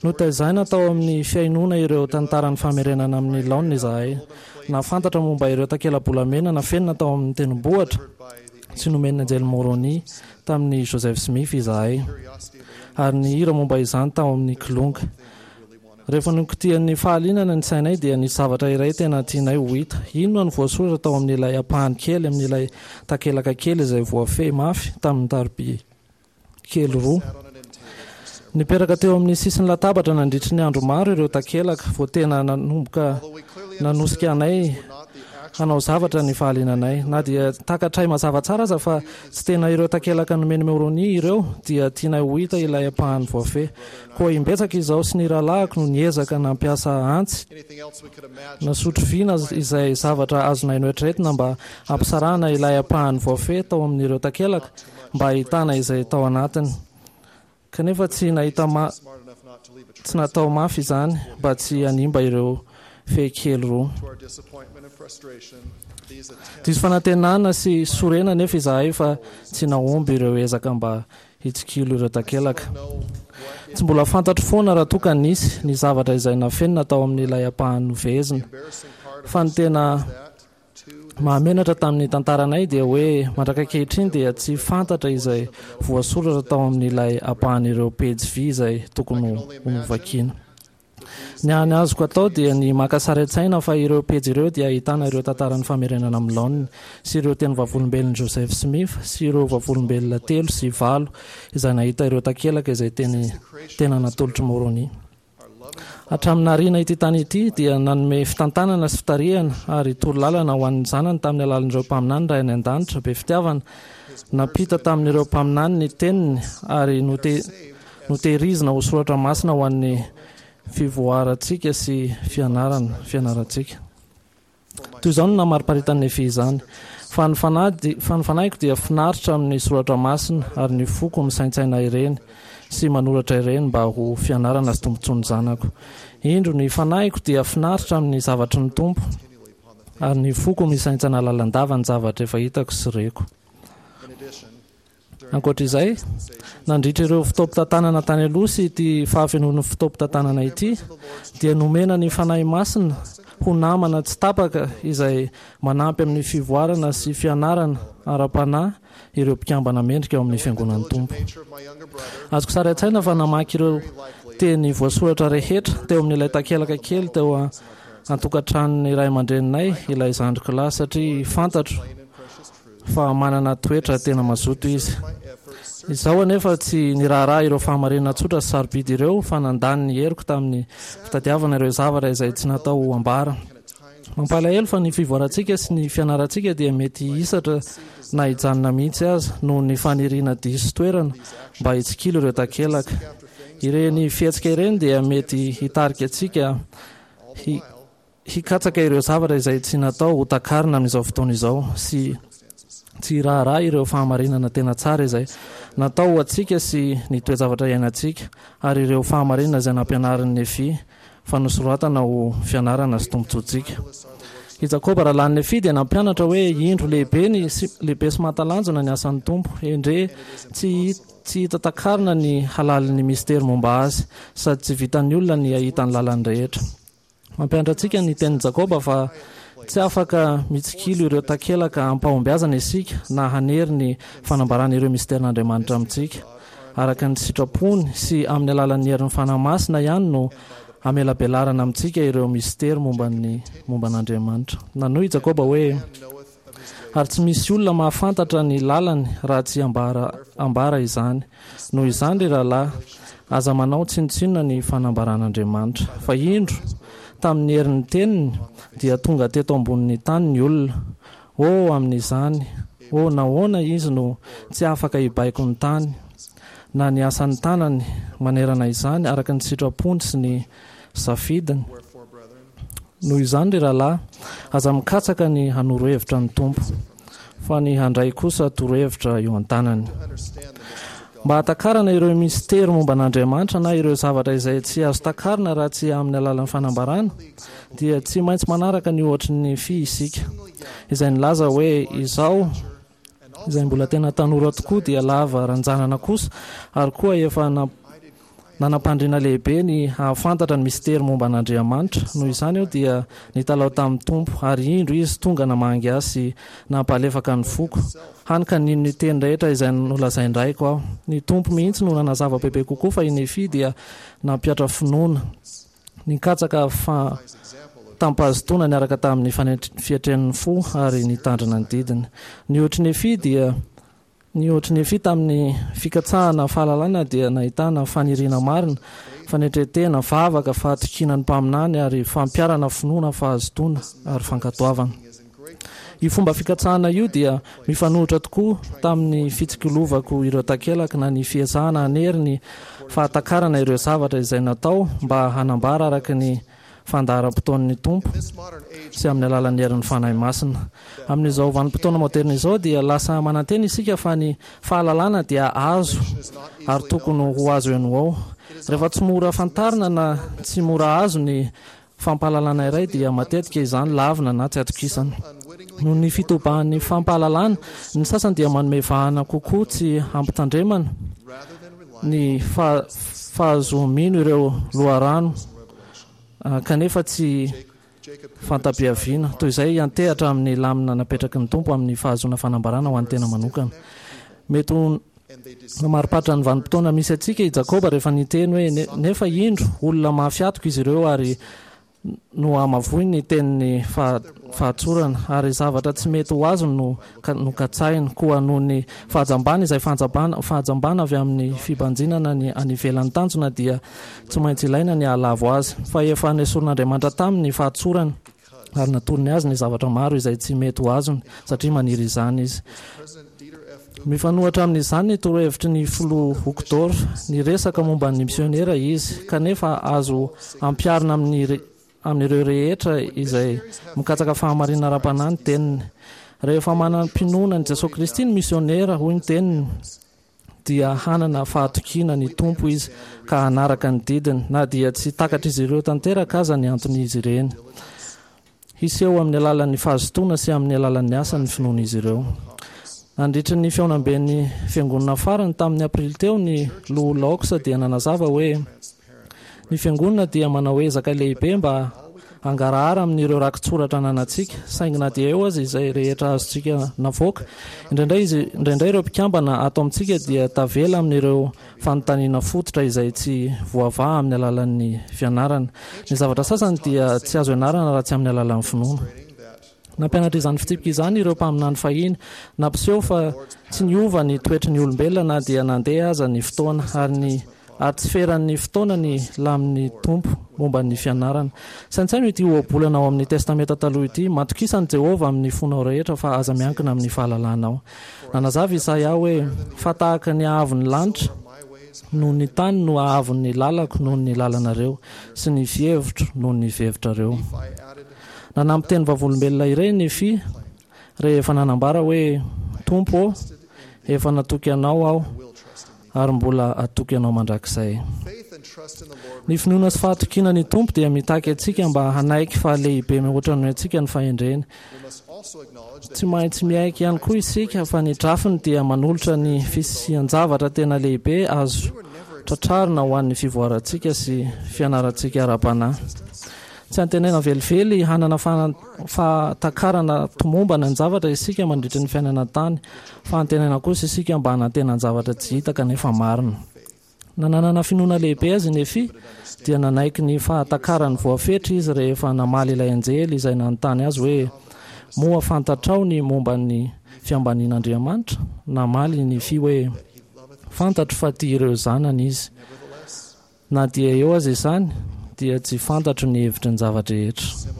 Notaizaina tao amin'ny fihainoana ireo tantaran'ny famerenana amin'ny laoniny izahay. Nahafantatra momba ireo takela-bolamena nafenina tao amin'ny tendrombohitra sy nomen'ny anjely Moroni tamin'i Joseph Smith izahay, ary nihira momba izany tao amin'ny Kilonga. Rehefa nokitihan'ny fahalianana ny sainay dia nisy zavatra iray tena tianay ho hita. Inona no voasoratra tao amin'ilay ampahany kely amin'ilay takelaka kely izay voafehy mafy tamin'ny taroby kely roa? Nipetraka teo amin'ny sisin'ny latabatra nandritry ny andro maro ireo takelaka vao tena nanomboka nanosika anay hanao zavatra ny fahaliananay. Na dia takatray mazava tsara aza fa tsy tena ireo takelaka nomen'i Moroni ireo, dia tianay ho hita ilay ampahany voafehy. Koa imbetsaka izaho sy ny rahalahiko no niezaka nampiasa antsy na sotro vy na izay zavatra azonay noeritreretina mba hampisarahana ilay ampahany voafehy tao amin'ireo takelaka mba hahitana izay tao anatiny. Kanefa tsy nahita ma tsy natao mafy izany mba tsy hanimba ireo fehy kely roa. Diso fanantenana sy sorena anefa izahay fa tsy nahomby ireo ezaka mba hitsikilo ireo takelaka. Tsy mbola fantatro foana raha toa ka nisy ny zavatra izay nafenina tao amin'ilay ampahany nofehezina. Fa ny tena mahamenatra tamin'ny tantaranay dia hoe mandraka ankehitriny dia tsy fantatra izay voasoratra tao amin'ilay ampahan'ireo pejy vy izay tokony ho novakiana. Ny hany azoko atao dia ny maka sary an-tsaina fa ireo pejy ireo dia ahitana ireo tantaran'ny famerenana amin'ny laoniny sy ireo teny vavolombelon'i Joseph Smith sy ireo vavolombelona telo sy valo izay nahita ireo takelaka izay teny tena natolotr'i Môrônia. Hatramin'ny nahariana ity tany ity dia nanome fitantanana sy fitarihana ary torolalana ho an'ny zanany tamin'ny alalan'ireo mpaminany Ray any An-danitra be fitiavana. Nampita tamin'ireo mpaminany ny teniny ary note notehirizina ho soratra masina ho an'ny fivoarantsika sy fianarana fianarantsika. Toy izao no namariparitan'i Nefia izany, Fa ny fanahy fa ny fanahiko dia finaritra amin'ny soratra masina, ary ny foko misaintsaina ireny sy manoratra ireny mba ho fianarana sy tombontsoan'ny zanako. Indro, ny fanahiko dia finaritra amin'ny zavatry ny Tompo, ary ny foko misaintsaina lalandava ny zavatra efa hitako sy reko. Ankoatra izay, nandritra ireo fotoampitantanana tany aloha sy ity fahafenoan'ny fotoampitantanana ity, dia nomena ny Fanahy Masina ho namana tsy tapaka izay manampy amin'ny fivoarana sy fianarana ara-panahy ireo mpikambana mendrika ao amin'ny Fiangonan'ny Tompo. Azoko sary an-tsaina fa namaky ireo teny voasoratra rehetra teo amin'ilay takelaka kely teo an-tokantranon'ny ray aman-dreninay ilay zandriko lahy satria fantatro fa manana toetra tena mazoto izy. Izaho anefa tsy niraharaha ireo fahamarinana tsotra sy sarobidy ireo fa nandany ny heriko tamin'ny fitadiavana ireo zavatra izay tsy natao ho ambara. Mampalahelo fa ny fivoarantsika sy ny fianarantsika dia mety hisatra na hijanona mihitsy aza noho ny faniriana diso toerana mba hitsikilo ireo takelaka. Ireny fihetsika ireny dia mety hitarika antsika hi hikatsaka ireo zavatra izay tsy natao ho takarina amin'izao fotoana izao sy tsy hiraharaha ireo fahamarinana tena tsara izay natao ho antsika sy ny toe-javatra iainantsika ary ireo fahamarinana izay nampianarin'i Nefia fa nosoratana ho fianarana sy tombontsoantsika. I Jakoba rahalahin'i Nefia dia nampianatra hoe indro lehibe ny sy lehibe sy mahatalanjona ny asan'ny Tompo, endrey tsy tsy hita takarina ny halalin'ny mistery momba azy, sady tsy vitan'ny olona ny hahita ny lalany rehetra. Mampianatra antsika ny tenin'i Jakoba fa tsy afaka mitsikilo ireo takelaka amim-pahombiazana isika na hanery ny fanambarana ireo misterin'Andriamanitra amintsika. Araka ny sitrapony sy amin'ny alalan'ny herin'ny Fanahy Masina ihany no amelabelarana amintsika ireo mistery momba ny momba an'Andriamanitra. Nanohy i Jakoba hoe, Ary tsy misy olona mahafantatra ny lalany raha tsy ambara ambara izany. Noho izany, ry rahalahy, aza manao tsinontsinona ny fanambaran'Andriamanitra. Fa indro, tamin'ny herin'ny teniny, dia tonga teto ambonin'ny tany ny olona. Oh, amin'izany, oh, nahoana izy no tsy afaka hibaiko ny tany, na ny asan'ny tanany manerana izany, araka ny sitrapony sy ny safidiny? Noho izany, ry rahalahy, aza mikatsaka ny hanoro hevitra ny Tompo, fa ny handray kosa torohevitra eo an-tanany. Mba hahatakarana ireo mistery momba an'Andriamanitra na ireo zavatra izay tsy azo takarina raha tsy amin'ny alalan'ny fanambarana, dia tsy maintsy manaraka ny ohatry ny Nefia isika, izay nilaza hoe, Izaho, izay mbola tena tanora tokoa dia lava ranjanana kosa, ary koa efa nanam-pandriana lehibe ny hahafantatra ny mistery momba an'Andriamanitra. Noho izany aho dia nitalaho tamin'ny Tompo, ary indro Izy tonga namangy ahy sy nampalefaka ny foko, hany ka nino ny teny rehetra izay nolazain-draiko aho. Ny Tompo mihitsy no nanazava bebe kokoa fa i Nefia dia nampihatra finoana. Nikatsaka fa tam-pahazotoana niaraka tamin'ny fietren'ny fo ary nitandrina ny didiny. Ny ohatr'i Nefia dia Ny ohatr'i Nefia tamin'ny fikatsahana fahalalana dia nahitana faniriana marina, fanetren-tena, vavaka, fahatokiana ny mpaminany ary fampiharana finoana, fahazotoana ary fankatoavana. Io fomba fikatsahana io dia mifanohitra tokoa tamin'ny fitsikilovako ireo takelaka na ny fiezahana hanery ny fahatakarana ireo zavatra izay natao mba hanambara araka ny fandaharam-potoan'ny Tompo sy amin'ny alalan'ny herin'ny Fanahy Masina. Amin'izao vanim-potoana moderina izao dia lasa manantena isika fa ny fahalalana dia azo ary tokony ho azo eny ho ao. Rehefa tsy mora fantarina na tsy mora azo ny fampahalalana iray dia matetika izany lavina na tsy atokisana. Noho ny fitobahan'ny fampahalalana, ny sasany dia manome vahana kokoa tsy hampitandremana ny fahazoa-mino ireo loharano kanefa tsy fanta-piaviana, toy izay hiantehatra amin'ny lamina napetraky ny Tompo amin'ny fahazoana fanambarana ho an'ny tena manokana. Mety ho namariparitra ny vanim-potoana misy antsika i Jakoba rehefa niteny hoe, Nefa indro, olona mafy hatoka izy ireo ary nohamavoiny ny tenin'ny fahatsorana, ary zavatra tsy mety ho azony no nokatsahiny. Koa noho ny fahajambana izay fahajambana avy amin'ny fibanjinana ny any ivelan'ny tanjona dia tsy maintsy ilaina ny hahalavo azy. Fa efa nesorin'Andriamanitra taminy ny fahatsorany, ary natorony azy ny zavatra maro izay tsy mety ho azony, satria maniry izany izy. Mifanohitra amin'izany ny torohevitry ny Filoha Uchtdorf. Niresaka momba ny misionera izy, kanefa azo ampiharina amin'ny amin'ireo rehetra izay mikatsaka fahamarinana ara-panahy ny teniny. Rehefa manam-pinoana an'i Jesoa Kristy ny misionera, hoy ny teniny, dia hanana fahatokiana ny Tompo izy ka hanaraka ny didiny, na dia tsy takatr'izy ireo tanteraka aza ny anton'izy ireny. Hiseho amin'ny alalan'ny fahazotoana sy amin'ny alalan'ny asa ny finoan'izy ireo. Nandritry ny fihaonamben'ny Fiangonana farany tamin'ny Aprily teo ny Loholona Oaks dia nanazava hoe, Ny Fiangonana dia manao ezaka lehibe mba hangarahara amin'ireo rakitsoratra ananantsika, saingy na dia eo aza izay rehetra azontsika navoaka, indraindray izy, indraindray ireo mpikambana ato amintsika dia tavela amin'ireo fanontaniana fototra izay tsy voavaha amin'ny alalan'ny fianarana. Ny zavatra sasany dia tsy azo ianarana raha tsy amin'ny alalan'ny finoana. Nampianatra izany fitsipika izany ireo mpaminany fahiny. Nampiseho fa tsy niova ny toetry ny olombelona na dia nandeha aza ny fotoana, ary ny ary tsy feran'ny fotoana ny lamin'ny Tompo momba ny fianarana. Saintsaino ity ohabolana ao amin'ny Testamenta Taloha ity, Matokisa an'i Jehovah amin'ny fonao rehetra, fa aza miankina amin'ny fahalalanao. Nanazava Isaia hoe, Fa tahaka ny haavon'ny lanitra noho ny tany no haavon'ny lalako noho ny lalanareo, sy ny fihevitro noho ny fihevitrareo. Nanampy teny vavolombelona iray i Nefia rehefa nanambara hoe, Tompo ô, efa natoky Anao aho, ary mbola hatoky Anao mandrakizay. Ny finoana sy fahatokiana ny Tompo dia mitaky antsika mba hanaiky fa lehibe mihoatra noho antsika ny fahendreny. Tsy maintsy miaiky ihany koa isika fa ny drafiny dia manolotra ny fisian-javatra tena lehibe azo tratrarina ho an'ny fivoarantsika sy fianarantsika ara-panahy. Tsy antenaina velively hanana fahatakarana tomombana ny zavatra isika mandritry ny fiainana an-tany, fa antenaina kosa isika mba hanantena ny zavatra tsy hita kanefa marina. Na nanana finoana lehibe aza i Nefia, dia nanaiky ny fahatakarany voafetra izy rehefa namaly ilay anjely izay nanontany azy hoe, Moa fantatrao ny momba ny fiambanian'Andriamanitra? Namaly i Nefia hoe, Fantatro fa tia ireo zanany Izy. Na dia eo aza izany, dia tsy fantatro ny hevitry ny zava-drehetra.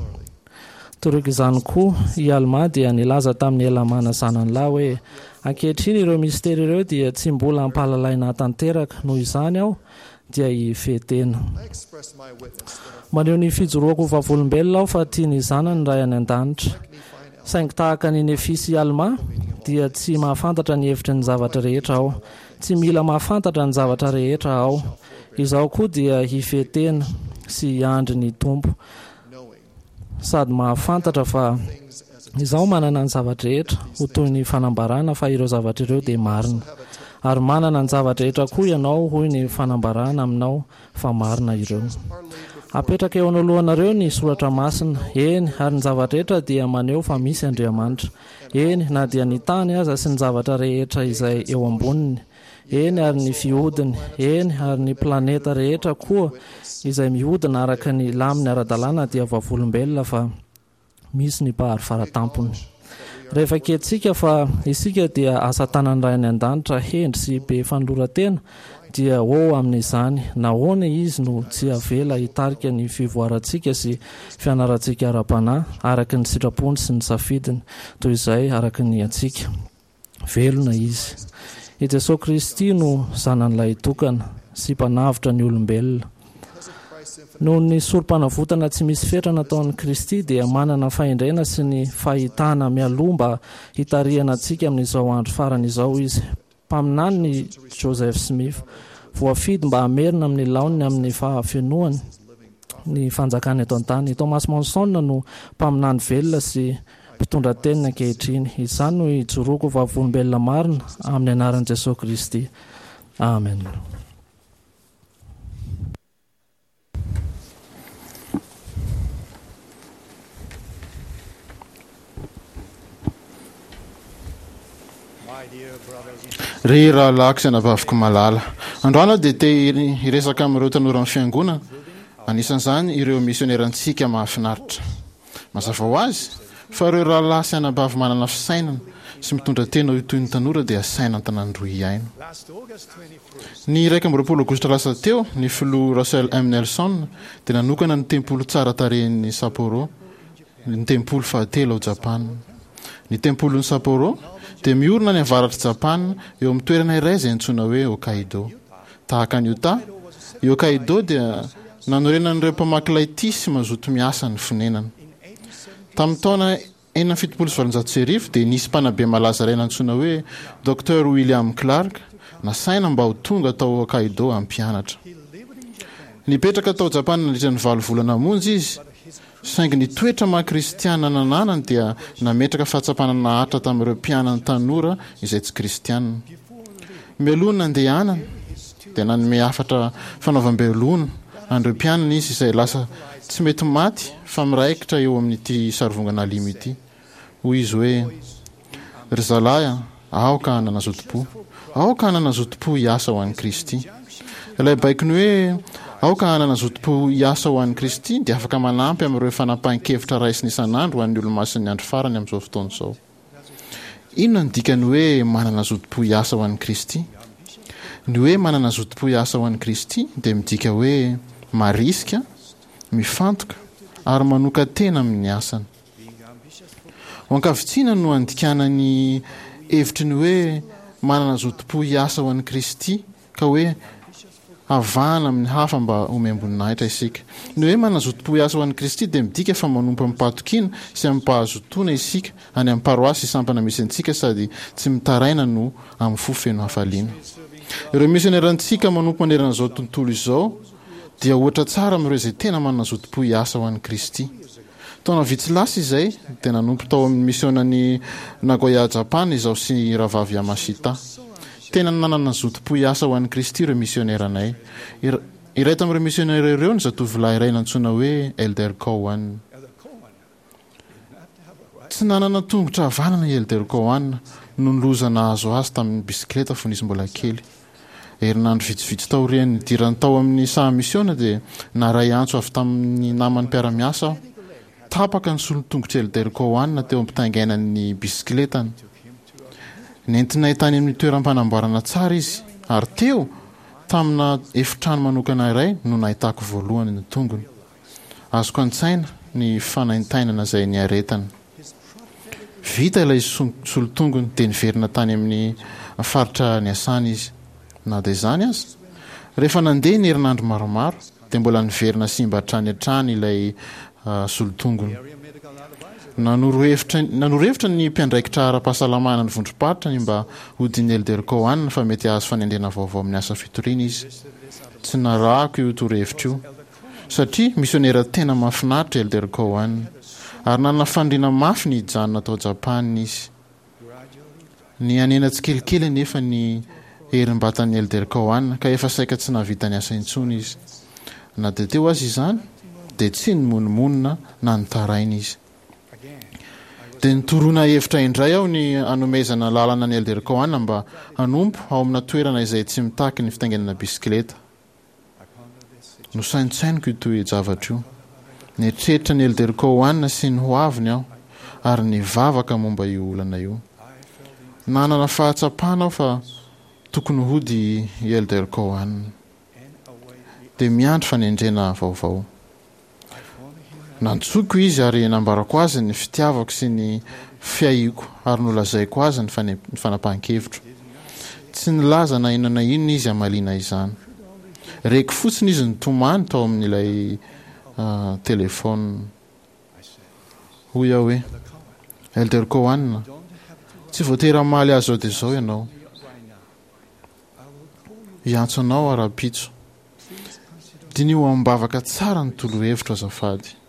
Toraka izany koa, i Almà dia nilaza tamin'i Helamàna zanany lahy hoe, Ankehitriny ireo mistery ireo dia tsy mbola ampahalalaina tanteraka, noho izany aho dia hifehy tena. Maneho ny fijoroako ho vavolombelona aho fa tia ny zanany ny Ray any An-danitra. Saingy tahaka an'i Nefia sy i Almà, dia tsy mahafantatra ny hevitry ny zavatra rehetra aho. Tsy mila mahafantatra ny zavatra rehetra aho. Izaho koa dia hifehy tena sy hiandry ny Tompo. Sady mahafantatra fa izaho manana ny zava-drehetra ho toy ny fanambarana fa ireo zavatra ireo dia marina. Ary manana ny zava-drehetra koa ianao hoy ny fanambarana aminao fa marina ireo. Apetraka eo anoloanareo ny soratra masina, eny, ary ny zava-drehetra dia maneho fa misy Andriamanitra. Eny, na dia ny tany aza sy ny zavatra rehetra izay eo amboniny, eny, ary ny fihodiny, eny, ary ny planeta rehetra koa izay mihodina araka ny laminy ara-dalàna dia vavolombelona fa misy ny Mpahary Faratampony. Rehefa ekentsika fa isika dia asa tanan'ny Ray any An-danitra hendry sy be fanoloran-tena, dia ho amin'izany, nahoana Izy no tsy avela hitarika ny fivoarantsika sy fianarantsika ara-panahy araka ny sitrapony sy ny safidiny, toy izay araka ny antsika? Velona Izy. I Jesoa Kristy no Zanany Lahitokana sy Mpanavotra ny olombelona. Noho ny sorompanavotana tsy misy fetra nataon'i Kristy dia manana fahendrena sy ny fahitana mialoha mba hitarihana antsika amin'izao andro farany izao Izy. Mpaminany i Joseph Smith, voafidy mba hamerina amin'ny laoniny amin'ny fahafenoany ny fanjakana eto an-tany. I Thomas Monson no mpaminany velona sy mpitondra teniny ankehitriny. Izany no ijoroako ho vavolombelona marina amin'ny anaran'i Jesoa Kristy. Amen. Ry rahalahiko sy anabaviko malala, androany aho dia te hiresaka amin'ireo tanoran'ny fiangonana, anisan'izany ireo misionerantsika mahafinaritra. Mazava ho azy fa ireo rahalahy sy anabavy manana fisainana sy mitondra tena ho toy ny tanora dia asaina an-tanàn-droa hihaino. Ny iraika amby roapolo aogositra lasa teo, ny filoha Russell M. Nelson dia nanokana ny tempoly tsara tarehin'i Sapporo, ny tempoly fahatelo ao Japana. Ny tempolin'i Sapporo dia miorina any avaratr'i Japana eo amin'ny toerana iray izay antsoina hoe Hokkaido. Tahaka an'i Utah, i Hokkaido dia nanorenan'ireo mpamaky lay tia sy mazoto miasa ny fonenana. Tamin'ny taona enina amby fitopolo sy valonjato sy arivo dia nisy mpanabe malaza iray nantsoina hoe Docteur William Clark nasaina mba ho tonga tao Hokkaido hampianatra. Nipetraka tao Japana nandritra ny valo volana monja izy, saingy ny toetra maha kristiana nananany dia nametraka fahatsapana naharitra tamin'ireo mpianany tanora izay tsy kristiana. Mialoha ny nandehanany dia nanome hafatra fanaovam-belona an'ireo mpianany izy izay lasa tsy mety maty fa miraikitra eo amin'ity sarivongana alimo ity. Hoy izy hoe, Ry zalahy a, aoka hanana zotom-po. Aoka hanana zotom-po hiasa ho an'i Kristy. Ilay baikony hoe aoka hanana zotom-po hiasa ho an'i Kristy dia afaka manampy amin'ireo fanapahan-kevitra raisina isan'andro ho an'ny Olomasin'ny Andro Farany amin'izao fotoana izao. Inona no dikan'ny hoe manana zotom-po hiasa ho an'i Kristy? Ny hoe manana zotom-po hiasa ho an'i Kristy dia midika hoe marisika, mifantoka ary manokan-tena amin'ny asany. Ho ankavitsiana no andikana ny hevitry ny hoe manana zotom-po hiasa ho an'i Kristy ka hoe havahana amin'ny hafa mba homem-boninahitra isika. Ny hoe manana zotom-po hiasa ho an'i Kristy dia midika fa manompo amim-pahatokiana sy amim-pahazotoana isika any amin'ny paroasy sy sampana misy antsika sady tsy mitaraina no amin'ny fo feno hafaliana. Ireo misionerantsika manompo manerana izao tontolo izao dia ohatra tsara amin'ireo izay tena manana zotom-po hiasa ho an'i Kristy. Taona vitsy lasa izay dia nanompo tao amin'ny misionan'i Nagoya Japana izaho sy Rahavavy Yamashita. Tena nanana zotom-po hiasa ho an'i Kristy ireo misioneranay. Iray tamin'ireo misionera ireo ny zatovolahy iray nantsoina hoe Elder Cowan. Tsy nanana tongotra havanana i Elder Cowan noho ny loza nahazo azy tamin'ny bisikileta fony izy mbola kely. Herinandro vitsivitsy taorian'ny nidirany tao amin'ny saha misiona dia naharay antso avy tamin'ny namany mpiara-miasa aho. Tapaka ny solon-tongotr'i Elder Cowan teo am-pitaingainany ny bisikiletany. Nentinay tany amin'ny toeram-panamboarana tsara izy ary teo, tamina efitrano manokana iray no nahitako voalohany ny tongony. Azoko an-tsaina ny fanaintainana izay niaretany. Vita ilay solon-tongony dia niverina tany amin'ny faritra niasany izy. Na dia izany aza, rehefa nandeha ny herinandro maromaro dia mbola niverina simba hatrany hatrany ilay solon-tongony. Nanoro hevitra nanoro hevitra ny mpiandraikitra ara-pahasalamana ny vondrom-paritra ny mba hodian'ny Elder Cowan fa mety hahazo fanendrena vaovao amin'ny asa fitoriana izy. Tsy narahako io torohevitra io. Satria misionera tena mahafinaritra i Elder Cowan, ary nanana faniriana mafy ny hijanona tao Japana izy. Nihanena tsikelikely anefa ny herim-batan'i Elder Cowan, ka efa saika tsy nahavita niasa intsony izy. Na dia teo aza izany, dia tsy nimonomonona na nitaraina izy. Dia nitoroana hevitra indray aho ny hanomezana lalana an'i Elder Cowan mba hanompo ao amina toerana izay tsy mitaky ny fitaingenana bisikileta. Nosaintsainiko io toe-javatra io. Nieritreritra ny Elder Cowan sy ny hoaviny aho, ary nivavaka momba io olana io. Nanana fahatsapana aho fa tokony hody i Elder Cowan. Dia miandry fanendrena vaovao. Nantsoiko izy ary nambarako azy ny fitiavako sy ny fiahiako ary nolazaiko azy ny fanapahan-kevitro. Tsy nilaza na inona na inona izy hamaliana izany. Reko fotsiny izy nitomany tao amin'ilay telefaonina. Hoy aho hoe, Elder Cowan, tsy voatery hamaly ahy izao dia izao ianao. Hiantso anao aho rahampitso. Diniho amim-bavaka tsara ny torohevitro azafady.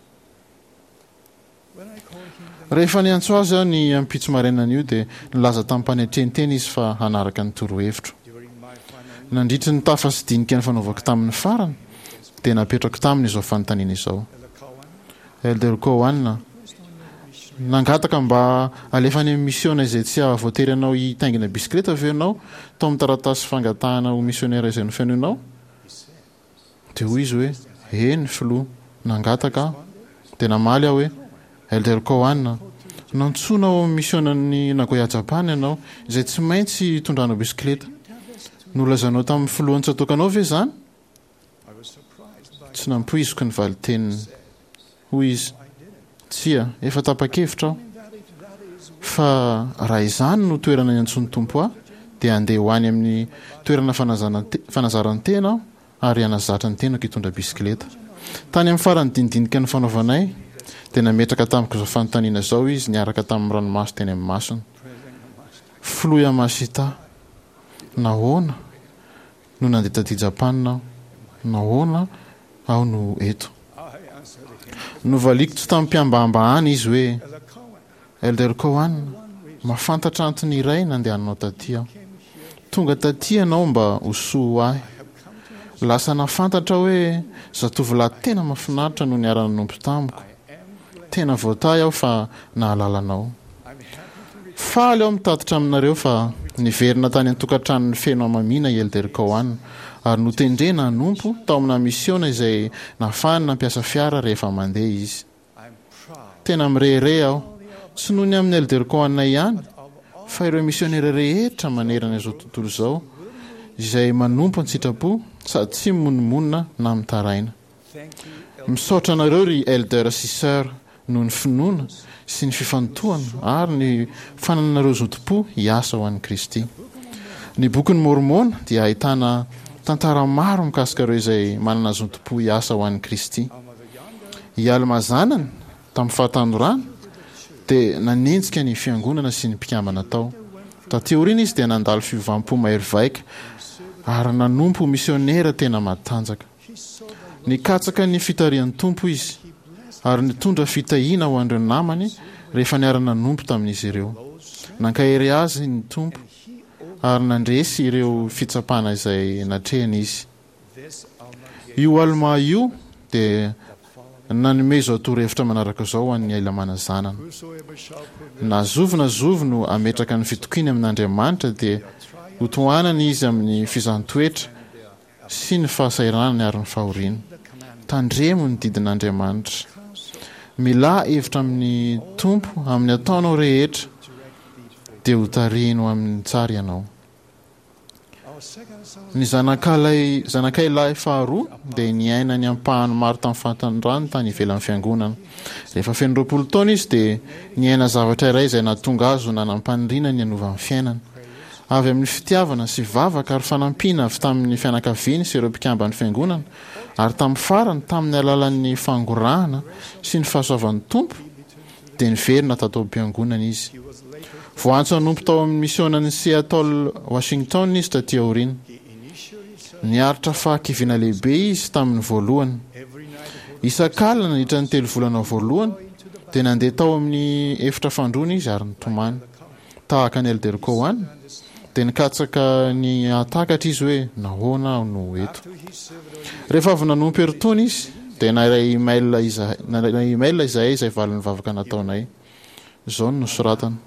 Rehefa niantso azy aho ny ampitso marainan'io dia nilaza tamim-panetren-tena izy fa hanaraka ny torohevitro. Nandritry ny tafa sy dinika nifanaovako taminy farany dia napetrako taminy izao fanontaniana izao, Elder Cowan, Nangataka mba alefa any amin'ny misiona izay tsy hahavoatery anao hitaingina bisikileta ve ianao tao amin'ny taratasy fangatahana ho misionera izay nofenoinao? Dia hoy izy hoe, Eny, Filoha, nangataka aho. Dia namaly aho hoe, Elder Cowan, nantsoina ao amin'ny misionan'i Nagoya Japan ianao, izay tsy maintsy hitondranao bisikileta. Nolazainao tamin'ny filohan'ny tsatòkanao ve izany? Tsy nampoiziko ny valin-teniny. Hoy izy, Tsia, efa tapa-kevitra aho fa raha izany no toerana iantsoan'ny Tompo ahy, dia handeha ho any amin'ny toerana fanazaran-tena aho ary hanazatra ny tenako hitondra bisikileta. Tany amin'ny faran'ny dinidinika nifanaovanay, dia nametraka tamiko izao fanontaniana izao izy niaraka tamin'ny ranomaso teny amin'ny masony, Filoha Yamashita, nahoana no nandeha taty Japana aho? Nahoana aho no eto? Novaliako tsy tamim-pihambahambahana izy hoe, Elder Cowan, mahafantatra antony iray nandehananao taty aho. Tonga taty ianao mba ho soa ho ahy. Lasa nahafantatra aho hoe zatovolahy tena mahafinaritra no niara-nanompo tamiko. Tena voatahy aho fa nahalala anao. Faly aho mitatitra aminareo fa niverina tany an-tokantranony feno hamamiana i Elder Cowan ary notendrena hanompo tao amina misiona izay nahafahany nampiasa fiara rehefa mandeha izy. Tena mirehareha aho, tsy noho ny amin'i Elder Cowan ihany, fa ireo misionera rehetra manerana izao tontolo izao izay manompo an-tsitrapo sady tsy mimonomonona na mitaraina. Misaotra anareo ry Elder sy Sœur noho ny finoana sy ny fifantohana ary ny fanananareo zotom-po hiasa ho an'i Kristy. Ny Bokin'i Môrmôna dia ahitana tantara maro mikasika ireo izay manana zotom-po hiasa ho an'i Kristy. I Almà zanany, tamin'ny fahatanorany, dia nanenjika ny Fiangonana sy ny mpikambana tao. Taty aoriana izy dia nandalo fiovam-po mahery vaika ary nanompo ho misiônera tena matanjaka. Nikatsaka ny fitarihan'ny Tompo izy ary nitondra fitahiana ho an'ireo namany rehefa niara-nanompo tamin'izy ireo. Nankahery azy ny Tompo ary nandresy ireo fitsapana izay natrehiny izy. Io Almà io dia nanome izao torohevitra manaraka izao ho an'i Helamàna zanany, Na zovy na zovy no hametraka ny fitokiany amin'Andriamanitra dia hotohanana izy amin'ny fizahàn-toetra sy ny fahasahiranany ary ny fahoriany. Tandremo ny didin'Andriamanitra. Milà hevitra amin'ny Tompo amin'ny ataonao rehetra, dia hotarihiny ho amin'ny tsara ianao. Ny zanakalahy zanakay lahy faharoa dia niaina ny ampahany maro tamin'ny fahatanorany tany ivelan'ny fiangonana. Rehefa feno roapolo taona izy dia niaina zavatra iray izay nahatonga azy ho nanam-paniriana ny hanova ny fiainany. Avy amin'ny fitiavana sy vavaka ary fanampiana avy tamin'ny fianakaviany sy ireo mpikamban'ny Fiangonana, ary tamin'ny farany tamin'ny alalan'ny fangorahana sy ny fahasoavan'ny Tompo, dia niverina tato am-piangonana izy. Voaantso hanompo tao amin'ny misionan'i Seattle, Washington izy taty aoriana. Niaritra fahakiviana lehibe izy tamin'ny voalohany. Isak'alina nandritra ny telo volana voalohany, dia nandeha tao amin'ny efitra fandroana izy ary nitomany. Tahaka an'i Elder Cowan, dia nikatsaka ny hahatakatra izy hoe nahoana aho no eto. Rehefa avy nanompo herintaona izy, dia naray email izahay, naray email izahay izay valin'ny vavaka nataonay. Izao no nosoratany,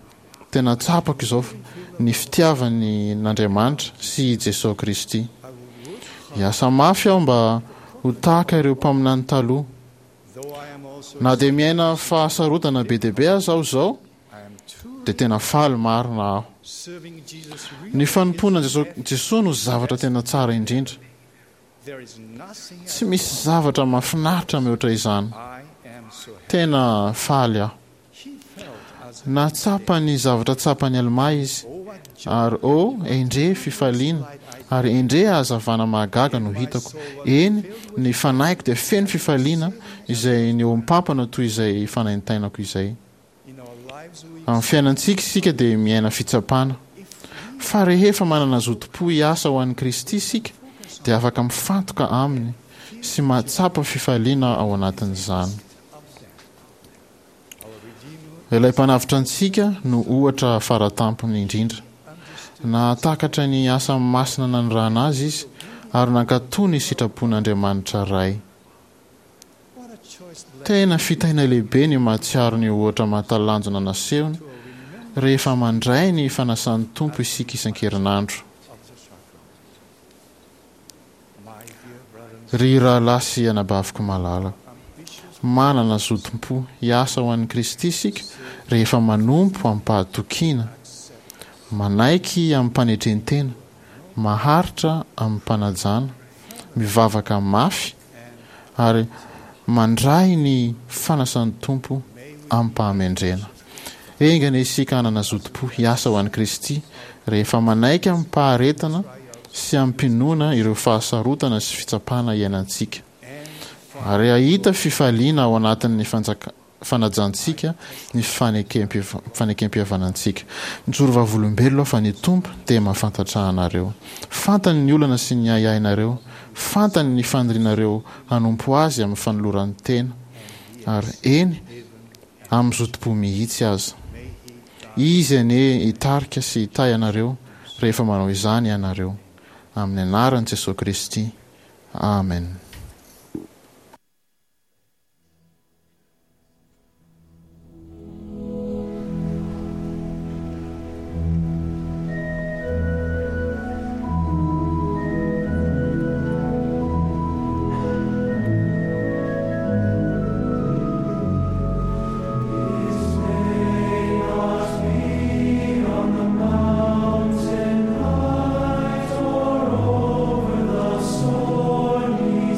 Tena tsapako izao ny fitiavany an'Andriamanitra sy i Jesoa Kristy. Hiasa mafy aho mba ho tahaka ireo mpaminany taloha. Na dia miaina fahasarotana be dia be aza aho izao, dia tena faly marina aho. Ny fanompoana an'i Jesoa no zavatra tena tsara indrindra. Tsy misy zavatra mahafinaritra mihoatra izany. Tena faly aho. Nahatsapa ny zavatra tsapan'i Almà izy, ary oh, endrey fifaliana, ary endrey hazavana mahagaga no hitako. Eny, ny fanahiko dia feno fifaliana izay nihoam-pampana toy izay fanaintainako izay. Amin'ny fiainantsika isika dia miaina fitsapana. Fa rehefa manana zotom-po hiasa ho an'i Kristy isika dia afaka mifantoka Aminy sy mahatsapa fifaliana ao anatin'izany. Ilay Mpanavotra antsika no ohatra faratampony indrindra. Nahatakatra ny asa masina nanirahana Azy Izy ary nankatò ny sitrapon'Andriamanitra Ray. Tena fitahiana lehibe ny mahatsiaro ny ohatra mahatalanjona nasehony rehefa mandray ny fanasan'ny Tompo isika isan-kerinandro. Ry rahalahy sy anabaviko malala, manana zotom-po hiasa ho an'i Kristy isika rehefa manompo amim-pahatokiana, manaiky amim-panetren-tena, maharitra amim-panajana, mivavaka mafy ary mandray ny fanasan'ny Tompo amim-pahamendrehana. Enga anie isika hanana zotom-po hiasa ho an'i Kristy rehefa manaiky amim-paharetana sy amim-pinoana ireo fahasarotana sy fitsapana iainantsika, ary hahita fifaliana ao anatin'ny fanjaka fanajantsika ny fanekem-pihavanantsika. Mijoro vavolombelona aho fa ny Tompo dia mahafantatra anareo. Fantany ny olana sy ny ahiahinareo. Fantany ny fanirianareo hanompo Azy amin'ny fanoloran-tena, ary eny, amin'ny zotom-po mihitsy aza. Izy anie hitarika sy hitahy anareo rehefa manao izany ianareo. Amin'ny anaran'i Jesoa Kristy. Amen. Mountain height or over the stormy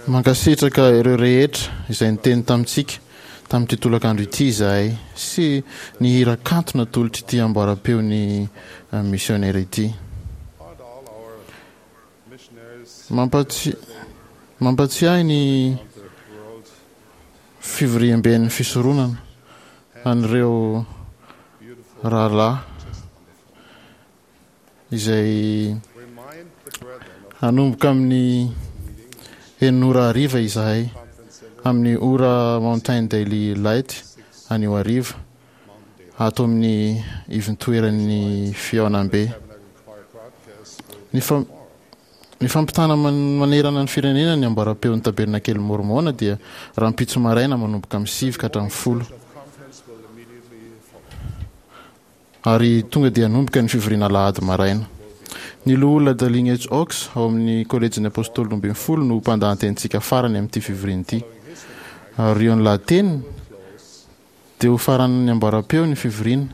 Mankasitraka ireo rehetra izay niteny tamintsika tamin'ity tolakandro ity izahay sy ny hira kanto natolotra ity amboaram-peon'ny misionera ity. Mampatsi- mampatsiahy ny fivoriamben'ny fisoronana an'ireo rahalahy izay hanomboka amin'ny enina ora hariva izahay amin'ny ora Mountain Daily Light anio hariva ato amin'ny ivontoeran'ny fihaonambe. Ny fa- ny fampitana man- manerana ny firenena ny amboaram-peon'ny tabernakely Mormona dia rahampitso maraina manomboka amin'ny sivy ka hatramin'ny folo. Ary tonga dia hanomboka ny fivoriana alahady maraina. Ny loholona Dallin H. Oaks ao amin'ny kolejin'ny Apôstôly roa ambin'ny folo no mpandahatenintsika farany amin'ity fivoriana ity. Aorian'ny lahateniny dia ho faran'ny amboaram-peo ny fivoriana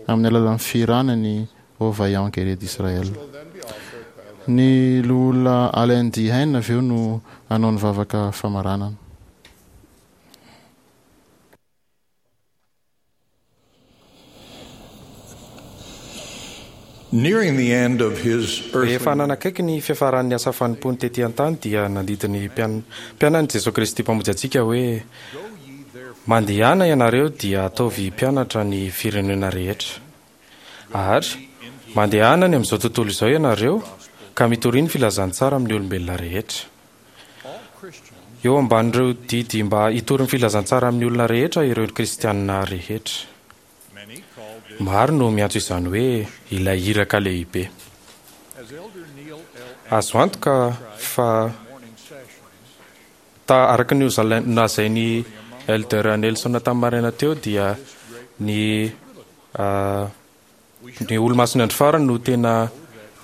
amin'ny alalan'ny fihirana ny Ô Vaillant Guerrier d'Israël. Ny loholona Allen D. Hain avy eo no hanao ny vavaka famaranana. Nearing the end of his earthly Rehefa nanakaiky ny fiafaran'ny asa fanompoany tety an-tany dia nandidy ny mpian- mpianany Jesosy Kristy Mpamonjy antsika hoe mandehana ianareo dia ataovy mpianatra ny firenena rehetra. Ary mandehana any amin'izao tontolo izao ianareo ka mitoria ny filazantsara amin'ny olombelona rehetra. Eo ambanin'ireo didy mba hitory ny filazantsara amin'ny olona rehetra ireo kristianina rehetra. Maro no miantso izany hoe ilay iraka lehibe. Azo antoka fa ta araka ny nolazain'i Elder Nelson tamin'ny maraina teo dia ny ah, ny olo-masina andro farany no tena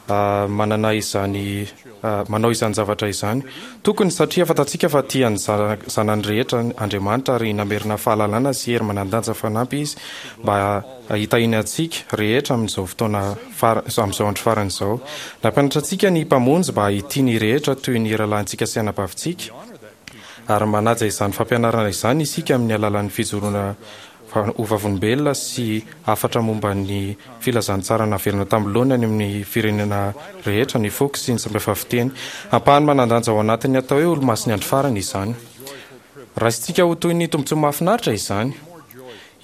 ah, manana izany ah, manao izany zavatra izany. Tokony satria fantatsika fa tia ny zana- zanany rehetra Andriamanitra ary namerina fahalalana sy hery manan-danja fanampy izy mba hitahiana antsika rehetra amin'izao fotoana fara- amin'izao andro farany izao. Nampianatra antsika ny Mpamonjy mba hitia ny rehetra toy ny rahalahintsika sy anabavintsika ary manaja izany fampianarana izany isika amin'ny alalan'ny fijoroana fa- ho vavolombelona sy hafatra momba ny filazantsara naverina tamin'ny laoniny any amin'ny firenena rehetra, ny foko sy ny samihafa fiteny. Ampahany manan-danja ao anatin'ny atao hoe olo-masin'ny andro farany izany. Raisintsika ho toy ny tombontsoa mahafinaritra izany.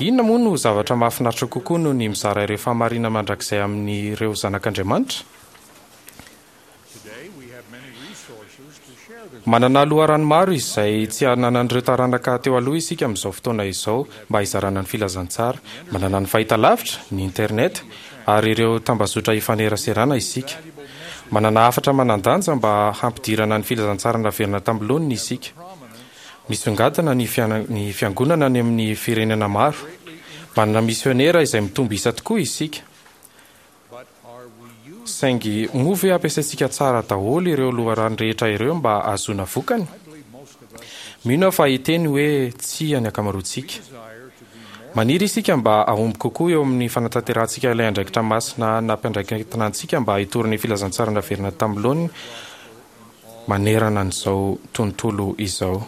Inona moa no zavatra mahafinaritra kokoa noho ny mizara ireo fahamarinana mandrakizay amin'ireo zanak'Andriamanitra? Manana loharano maro izay tsy ananan'ireo taranaka teo aloha isika amin'izao fotoana izao mba hizarana ny filazantsara. Manana ny fahitalavitra, ny internet ary ireo tambazotra ifaneraserana isika. Manana hafatra manan-danja mba hampidirana ny filazantsara naverina tamin'ny laoniny isika. Misongadina ny fiana- ny fiangonana any amin'ny firenena maro. Manana misionera izay mitombo isa tokoa isika. Saingy moa ve ampiasaintsika tsara daholo ireo loharano rehetra ireo mba hahazoana vokany? Mino aho fa hiteny hoe tsia ny ankamaroantsika. Maniry isika mba hahomby kokoa eo amin'ny fanatanterahantsika ilay andraikitra masina nampiandraiketina antsika mba hitory ny filazantsara naverina tamin'ny laoniny manerana an'izao tontolo izao.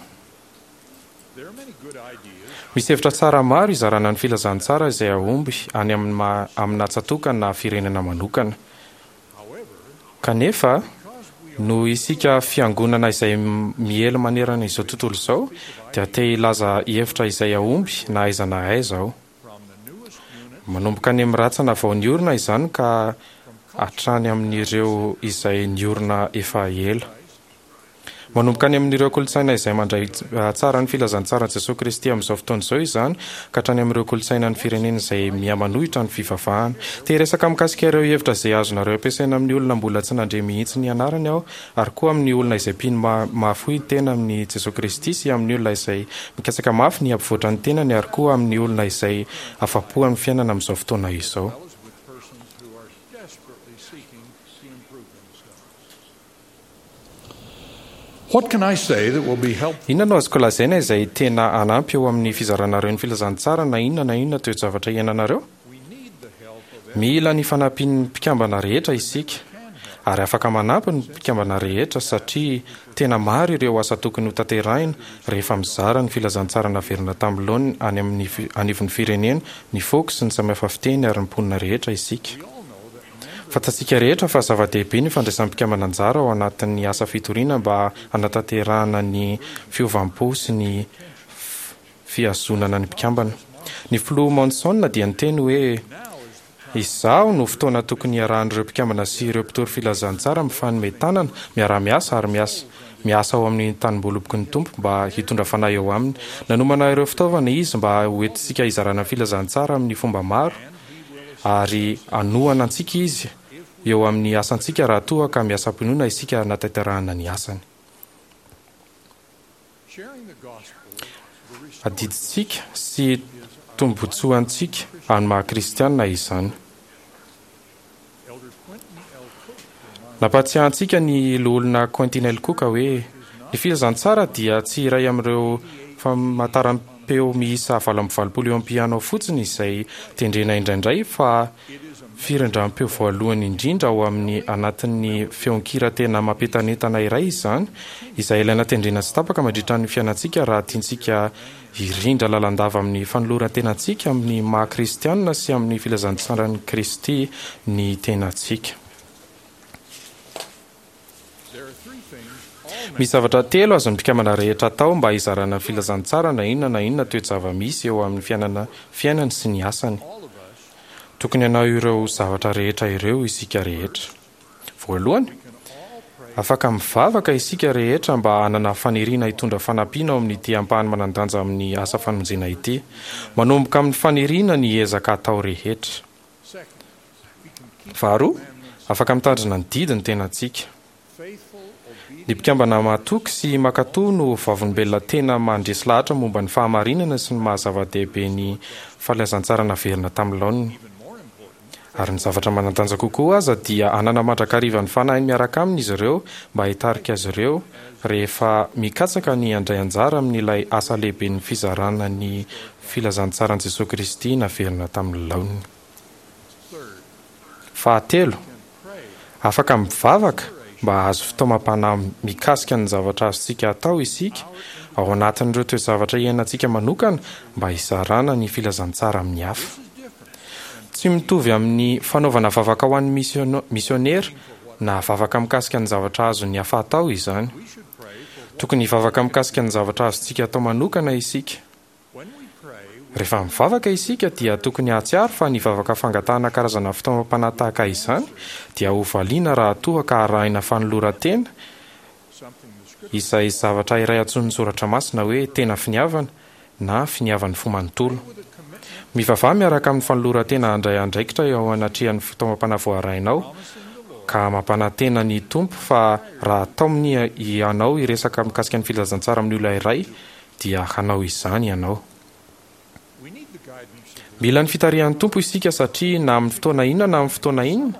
Misy hevitra tsara maro hizarana ny filazantsara izay hahomby any amin'ny ma- amina tsatòka na firenena manokana. Kanefa, noho isika fiangonana izay miely manerana izao tontolo izao dia te hilaza hevitra izay hahomby na aiza na aiza aho. Manomboka any amin'ny rantsana vao niorina izany ka hatrany amin'ireo izay niorina efa ela. Manomboka any amin'ireo kolontsaina izay mandray tsara ny filazantsaran'i Jesosy Kristy amin'izao fotoana izao izany ka hatrany amin'ireo kolontsaina ny firenena izay mihamanohitra ny fivavahana. Te hiresaka mikasika ireo hevitra izay azonareo ampiasaina amin'ny olona mbola tsy nandre mihitsy ny anarany aho ary koa amin'ny olona izay mpino ma- mahafoy tena amin'i Jesosy Kristy sy amin'ny olona izay mikatsaka mafy ny hampivoatra ny tenany ary koa amin'ny olona izay afa-po amin'ny fiainana amin'izao fotoana izao. as well as with persons who are desperately seeking to improve themselves. What can I say that will be helpful Inona no azoko lazaina izay tena hanampy eo amin'ny fizaranareo ny filazantsara na inona na inona toe-javatra iainanareo? Mila ny fanampian'ny mpikambana rehetra isika ary afaka manampy ny mpikambana rehetra satria tena maro ireo asa tokony hotanterahina rehefa mizara ny filazantsara naverina tamin'ny laoniny any amin'ny fi- anivon'ny firenena, ny foko sy ny samihafa fiteny ary ny mponina rehetra isika. Fantatsika rehetra fa zava-dehibe ny fandraisan'ny mpikambana anjara ao anatin'ny asa fitoriana mba hanatanterahana ny fiovam-po sy ny f- fihazonana ny mpikambana. Ny filoha Monson dia niteny hoe izao no fotoana tokony hiarahan'ireo mpikambana sy ireo mpitory filazantsara mifanome tanana, miara-miasa ary miasa miasa ao amin'ny tanimboaloboky ny Tompo mba hitondra fanahy eo aminy. Nanomana ireo fitaovana izy mba hoentintsika hizarana filazantsara amin'ny fomba maro ary hanohana antsika izy eo amin'ny asantsika raha toa ka miasa am-pinoana isika hanatanterahana ny asany. Sharing the gospel, the restored Adidintsika sy tombotsoantsika amin'ny maha kristianina izany. Elder Quentin L. Cook reminded Nampahatsiahy antsika ny loholona Quentin L. Cook hoe ny filazantsara dia tsy iray amin'ireo famantaram-peo miisa valo amby valopolo eo amin'ny piano fotsiny izay tendrena indraindray fa firindram-peo voalohany indrindra ao amin'ny anatin'ny feon-kira tena mampientanentana iray izany, izay ilaina tendrena tsy tapaka mandritra ny fiainantsika raha tiantsika hirindra lalandava amin'ny fanoloran-tenantsika amin'ny maha kristianina sy amin'ny filazantsaran'i Kristy ny tenantsika. There are three things all Misy zavatra telo azon'ny mpikambana rehetra atao mba hizarana ny filazantsara na inona na inona toe-java-misy eo amin'ny fiainana fiainany sy ny asany. all of us Tokony hanao ireo zavatra rehetra ireo isika rehetra. Voalohany, can all pray afaka mivavaka isika rehetra mba hanana faniriana hitondra fanampiana ao amin'ity ampahany manan-danja amin'ny asa famonjena ity. Manomboka amin'ny faniriana ny ezaka atao rehetra. Second, we can keep Faharoa, commandments afaka mitandrina ny didy ny tenantsika. faithful, Ny obedient mpikambana mahatoky sy mankatò no vavolombelona tena mandresy lahatra momba ny fahamarinana sy ny maha zava-dehibe ny filazantsara naverina tamin'ny laoniny. even more important, Ary ny zavatra manan-danja kokoa aza dia hanana mandrakariva ny fanahiny miaraka aminy izy ireo mba hitarika azy ireo rehefa mikatsaka ny handray anjara amin'ilay asa lehibe ny fizarana ny filazantsaran'i Jesosy Kristy naverina tamin'ny laoniny. third, Fahatelo, can pray afaka mivavaka mba hahazo fitaomam-panahy mikasika ny zavatra azontsika atao isika ao anatin'ireo toe-zavatra iainantsika manokana mba hizarana ny filazantsara amin'ny hafa. This is different Tsy mitovy amin'ny fanaovana vavaka ho an'ny misiono- misionera na vavaka mikasika ny zavatra azon'ny hafa atao izany. we should pray for Tokony hivavaka mikasika ny zavatra azontsika atao manokana isika. when we pray we Rehefa mivavaka isika dia tokony hahatsiaro fa ny vavaka fangatahana karazana fitaomam-panahy tahaka izany dia ho valiana raha toa ka arahina fanoloran-tena something the scripture izay zavatra iray antsoin'ny soratra masina hoe tena finiavana na finiavan'ny fo manontolo. with a commitment Mivavaha miaraka amin'ny fanoloran-tena handray andraikitra eo anatrehan'ny fitaomam-panahy voarainao promising the Lord ka mampanantena ny Tompo fa raha taominy ianao hiresaka mikasika ny filazantsara amin'ny olona iray dia hanao izany ianao. we need the guidance of the Mila ny fitarihan'ny Tompo isika satria na amin'ny fotoana inona na amin'ny fotoana inona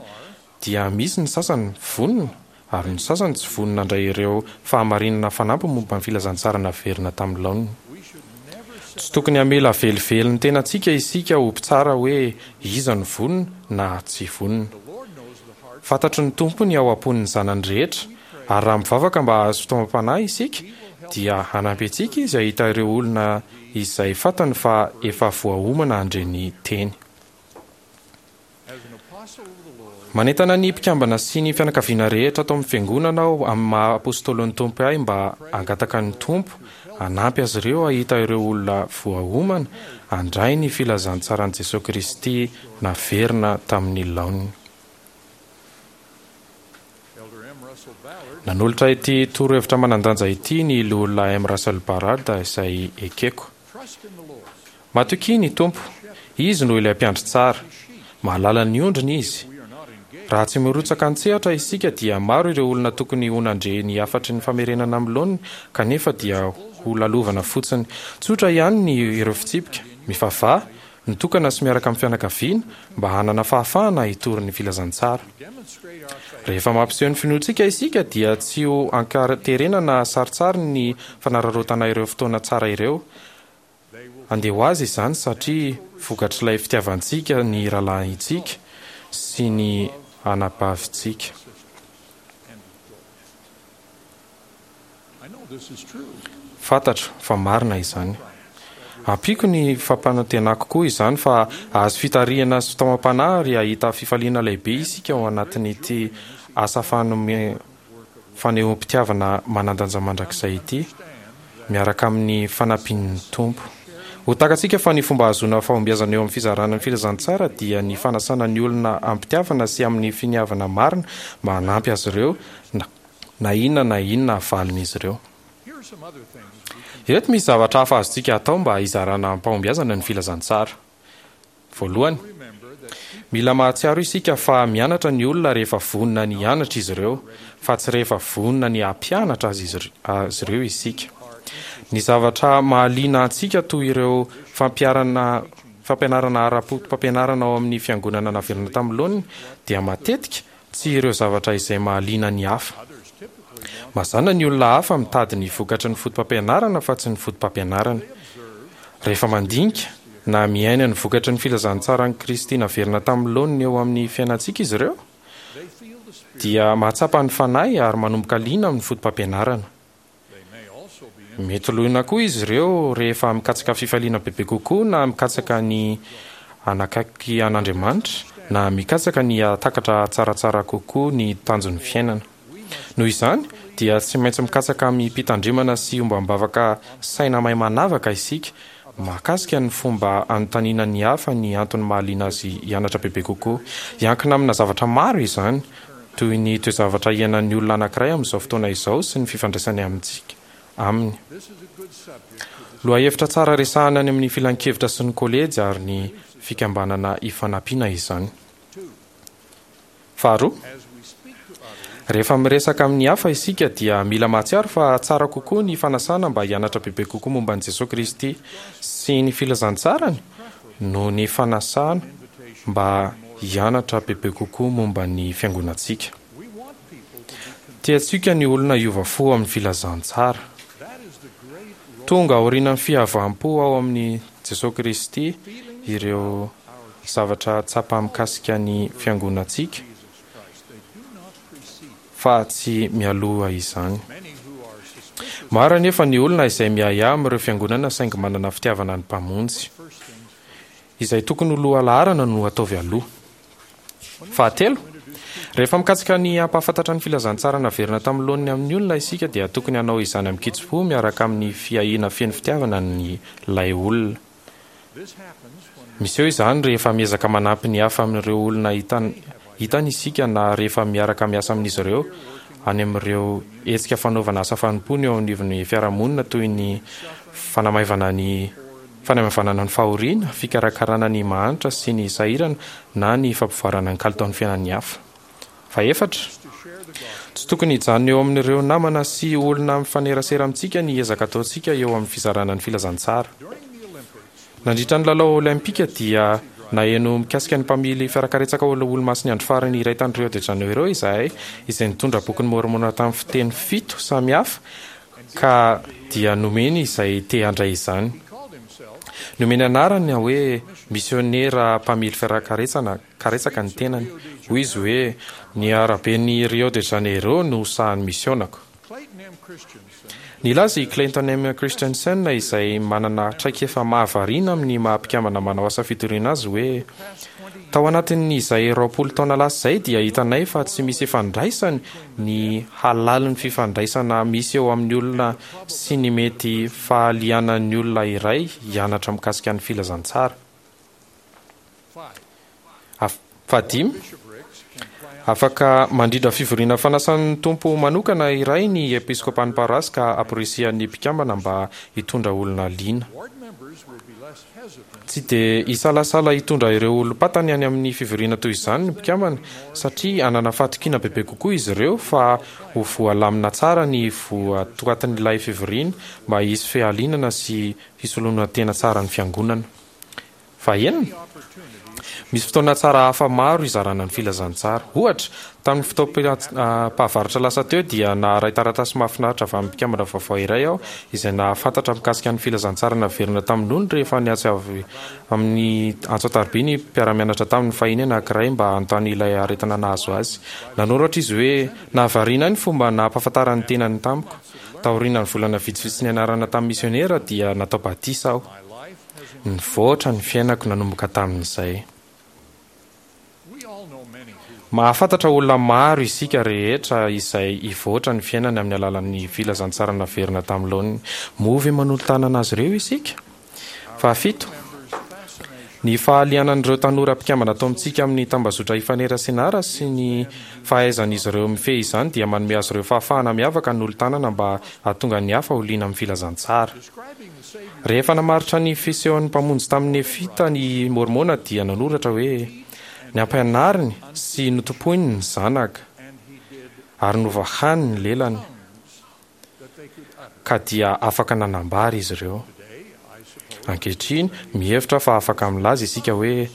dia misy ny sasany vonona ary ny sasany tsy vonona handray ireo fahamarinana fanampiny momba ny filazantsara naverina tamin'ny laoniny. we should never set Tsy tokony hamela velively ny tenantsika isika ho mpitsara hoe iza no vonona na tsy vonona. the Lord knows the heart Fantatry ny Tompo ny ao am-pon'ny zanany rehetra ary raha mivavaka mba hahazo fitaomam-panahy isika dia hanampy antsika izy hahita ireo olona izay fantany fa efa voaomana handre ny teny. as an apostle of the Lord Manentana ny mpikambana sy ny fianakaviana rehetra ato amin'ny fiangonana aho amin'ny maha apôstôlin'ny Tompo ahy mba hangataka ny Tompo hanampy azy ireo hahita ireo olona voaomana handray ny filazantsaran'i Jesosy Kristy naverina tamin'ny laoniny. Elder M. Russell Ballard Nanolotra ity torohevitra manan-danja ity ny loholona M. Russell Ballard izay ekeko. trust in the Lord Matokia ny Tompo, izy no ilay mpiandry tsara. Mahalala ny ondriny izy. we are not engaged Raha tsy mirotsaka an-tsehatra isika dia maro ireo olona tokony ho nandre ny hafatry ny famerenana amin'ny laoniny kanefa dia ho lalovana fotsiny. Tsotra ihany ny ireo fitsipika, mivavaha, mitokana sy miaraka amin'ny fianakaviana mba hanana fahafahana hitory ny filazantsara. demonstrate our faith Rehefa mampiseho ny finoantsika isika dia tsy ho ankaterena na sarotsary ny fanararaotana ireo fotoana tsara ireo. they will Andeha ho azy izany satria vokatr'ilay fitiavantsika ny rahalahintsika sy ny anabavintsika. sister Fantatro fa marina izany. Ampiako ny fampanantenako koa izany fa hahazo fitarihana sy fitaomam-panahy ary hahita fifaliana lehibe isika ao anatin'ity asa fanome fanehoam-pitiavana manan-danja mandrakizay ity, miaraka amin'ny fanampian'ny Tompo. Ho takatsika fa ny fomba ahazoana fahombiazana eo amin'ny fizarana ny filazantsara dia ny fanasana ny olona amim-pitiavana sy amin'ny finiavana marina mba hanampy azy ireo na na inona na inona havalin'izy ireo. Ireto misy zavatra hafa azontsika atao mba hizarana amim-pahombiazana ny filazantsara. Voalohany, mila mahatsiaro isika fa mianatra ny olona rehefa vonona ny hianatra izy ireo, fa tsy rehefa vonona ny hampianatra azy azy ireo isika. Ny zavatra mahaliana antsika toy ireo fampiharana fampianarana ara-poto-pampianarana ao amin'ny fiangonana naverina tamin'ny laoniny dia matetika tsy ireo zavatra izay mahaliana ny hafa. Mazàna ny olona hafa mitady ny vokatry ny foto-pampianarana fa tsy ny foto-pampianarana. Rehefa mandinika na miaina ny vokatry ny filazantsaran'i Kristy naverina tamin'ny laoniny eo amin'ny fiainantsika izy ireo, dia mahatsapa ny Fanahy ary manomboka liana amin'ny foto-pampianarana. Mety liana koa izy ireo rehefa mikatsaka fifaliana bebe kokoa na mikatsaka ny hanakaiky an'Andriamanitra na mikatsaka ny hahatakatra tsaratsara kokoa ny tanjon'ny fiainana. Noho izany, dia tsy maintsy mikatsaka amim-pitandremana sy ombam-bavaka saina mahay manavaka isika mahakasika ny fomba anontaniana ny hafa ny antony mahaliana azy hianatra bebe kokoa. Hiankina amina zavatra maro izany, toy ny toe-javatra iainan'ny olona anankiray amin'izao fotoana izao sy ny fifandraisany amintsika aminy. Lohahevitra tsara resahana any amin'ny filankevitra sy ny kolejy ary ny fikambanana ifanampiana izany. Faharoa, rehefa miresaka amin'ny hafa isika dia mila mahatsiaro fa tsara kokoa ny fanasana mba hianatra bebe kokoa momba an'i Jesosy Kristy sy ny filazantsarany noho ny fanasana mba hianatra bebe kokoa momba ny fiangonantsika. Tiantsika ny olona hiova fo amin'ny filazantsara. Tonga aorian'ny fihavam-po ao amin'i Jesosy Kristy ireo zavatra tsapa mikasika ny fiangonantsika fa tsy mialoha izany. Maro anefa ny olona izay miahiahy amin'ireo fiangonana saingy manana fitiavana ny Mpamonjy. Izay tokony ho lohalaharana no ataovy aloha. Fahatelo, rehefa mikatsaka ny hampahafantatra ny filazantsara naverina tamin'ny laoniny amin'ny olona isika dia tokony hanao izany amin-kitsim-po miaraka amin'ny fiahiana feno fitiavana ny ilay olona. Miseho izany rehefa miezaka manampy ny hafa amin'ireo olona hitany hitany isika na rehefa miaraka miasa amin'izy ireo any amin'ireo hetsika fanaovana asa fanompoana eo anivon'ny fiarahamonina toy ny fanamaivana ny fanamaivanana ny fahoriana, fikarakarana ny mahantra sy ny sahirana na ny fampivoarana ny kalitaon'ny fiainan'ny hafa. Fahefatra, tsy tokony hijanona eo amin'ireo namana sy olona mifanerasera amintsika ny ezaka ataontsika eo amin'ny fizarana ny filazantsara. Nandritra ny lalao Olympika dia naheno mikasika ny mpamily fiarakaretsaka Olomasin'ny Andro Farany iray tany Rio de Janeiro izahay, izay nitondra bokin'i Môrmôna tamin'ny fiteny fito samihafa ka dia nomeny izay te handray izany. Nomeny anarana hoe misionera mpamily fiarakaretsana karetsaka ny tenany. Hoy izy hoe, Ny araben'i Rio de Janeiro no sahan'ny misionako. Nilaza i Clayton M. Christensen izay manana traikefa mahavariana amin'ny maha mpikambana manao asa fitoriana azy hoe, Tao anatin'izay roapolo taona lasa izay dia hitanay fa tsy misy ifandraisany ny halalin'ny fifandraisana misy eo amin'ny olona sy ny mety fahalianan'ny olona iray hianatra mikasika ny filazantsara. Fahadimy, afaka mandrindra fivoriana fanasan'ny Tompo manokana iray ny episkopan'ny paroasy ka amporisihan'ny mpikambana mba hitondra olona liana. Tsy dia hisalasala hitondra ireo olom-pantany any amin'ny fivoriana toy izany ny mpikambana, satria hanana fahatokiana bebe kokoa izy ireo fa ho voalamina tsara ny votoatin'ilay fivoriana mba hisy fialinana sy fisoloana tena tsara ny fiangonana. Fahenina, misy fotoana tsara hafa maro hizarana ny filazantsara. Ohatra, tamin'ny fotoam-pahavaratra lasa teo dia naharay taratasy mahafinaritra avy amin'ny mpikambana vaovao iray aho izay nahafantatra mikasika ny filazantsara naverina tamin'ny nony rehefa niantso avy amin'ny antso an-tariby ny mpiara-mianatra taminy fahiny anankiray mba hanontany ilay aretina nahazo azy. Nanoratra izy hoe, Nahavariana ahy ny fomba nampahafantarany ny tenany tamiko. Taorian'ny volana vitsivitsy nianarana tamin'ny misionera dia natao batisa aho. Nivoatra ny fiainako nanomboka tamin'izay. Mahafantatra olona maro isika rehetra izay hivoatra ny fiainany amin'ny alalan'ny filazantsara naverina tamin'ny laoniny. Moa ve manolo-tanana azy ireo isika? Fahafito, ny fahalianan'ireo tanora mpikambana ato amintsika amin'ny tambazotra ifanerasenara sy ny fahaizan'izy ireo mifehy izany dia manome azy ireo fahafahana miavaka hanolo-tanana mba hahatonga ny hafa ho liana amin'ny filazantsara. Rehefa namaritra ny fisehon'ny Mpamonjy tamin'ny Nefita ny Môrmôna dia nanoratra hoe, Nampianariny sy notompoiny ny Zanaka, ary novahany ny lelany, ka dia afaka nanambara izy ireo. Ankehitriny, mihevitra fa afaka milaza isika hoe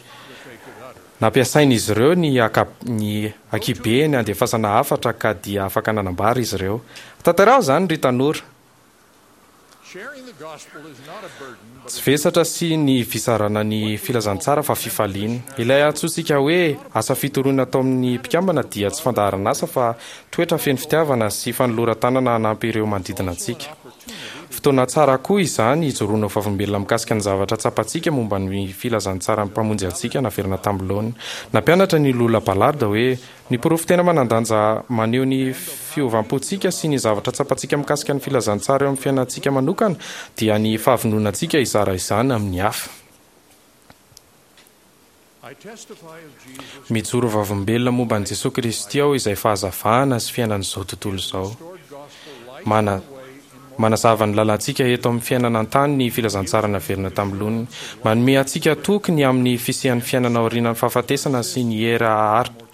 nampiasain'izy ireo ny ny ankibeny handefasana hafatra ka dia afaka nanambara izy ireo. Tantaraho izany ry tanora! Tsy vesatra sy ny fizarana ny filazantsara fa fifaliana. Ilay antsointsika hoe asa fitoriana atao amin'ny mpikambana dia tsy fandaharan'asa fa toetra feno fitiavana sy fanoloran-tanana hanampy ireo manodidina antsika. Fotoana tsara koa izany hijoroana ho vavolombelona mikasika ny zavatra tsapantsika momba ny filazantsaran'ny Mpamonjy antsika naverina tamin'ny laoniny. Nampianatra ny Lola Ballard hoe, Ny porofo tena manan-danja maneho ny fiovam-pontsika sy ny zavatra tsapantsika mikasika ny filazantsara eo amin'ny fiainantsika manokana dia ny fahavononantsika hizara izany amin'ny hafa. Mijoro vavolombelona momba an'i Jesoa Kristy aho izay fahazavana sy fiainan'izao tontolo izao. Mana, manazava ny lalantsika eto amin'ny fiainana an-tany ny filazantsara naverina tamin'ny loniny. Manome antsika toky ny amin'ny fisian'ny fiainana aorianan'ny fahafatesana sy ny hery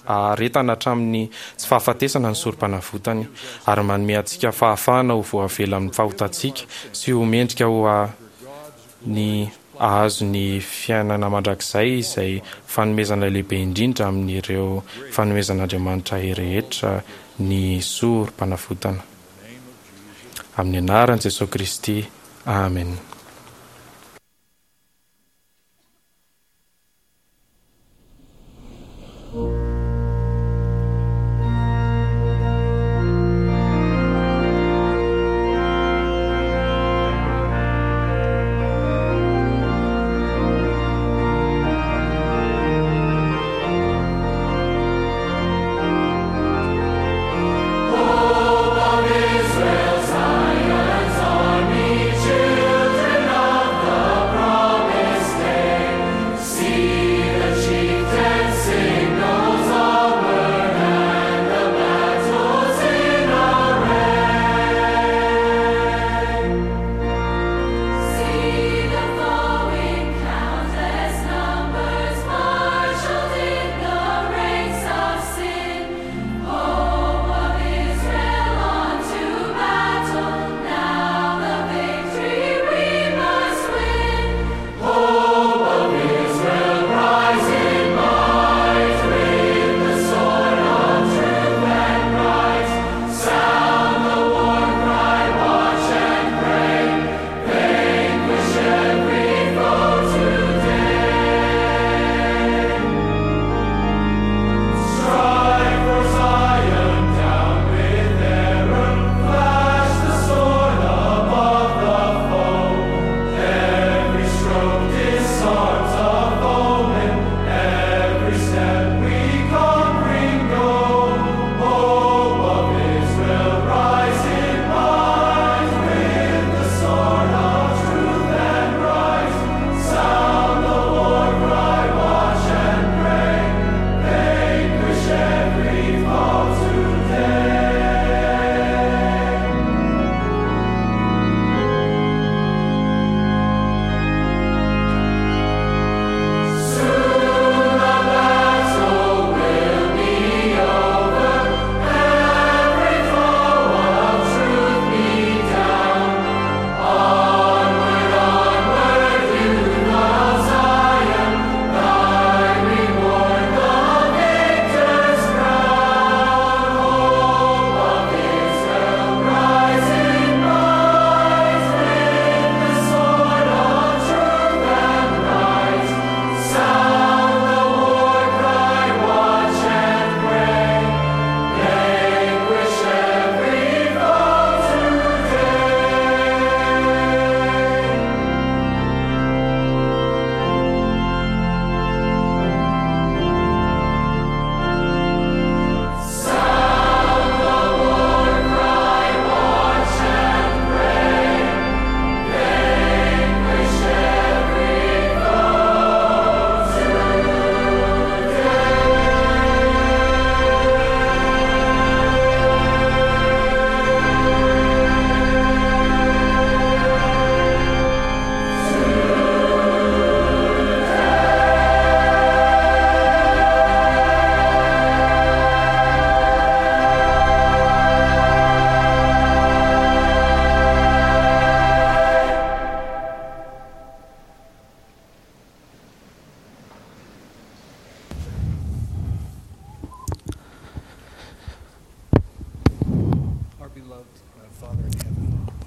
aharetana hatramin'ny tsy fahafatesana ny Sorompanavotany, ary manome antsika fahafahana ho voavela amin'ny fahotantsika sy ho mendrika ho ny hahazo ny fiainana mandrakizay izay fanomezana lehibe indrindra amin'ireo fanomezan'Andriamanitra rehetra ny Sorompanavotana. Amin'ny anaran'i Jesoa Kristy, amena. Hope of Israel, Zion's army, children.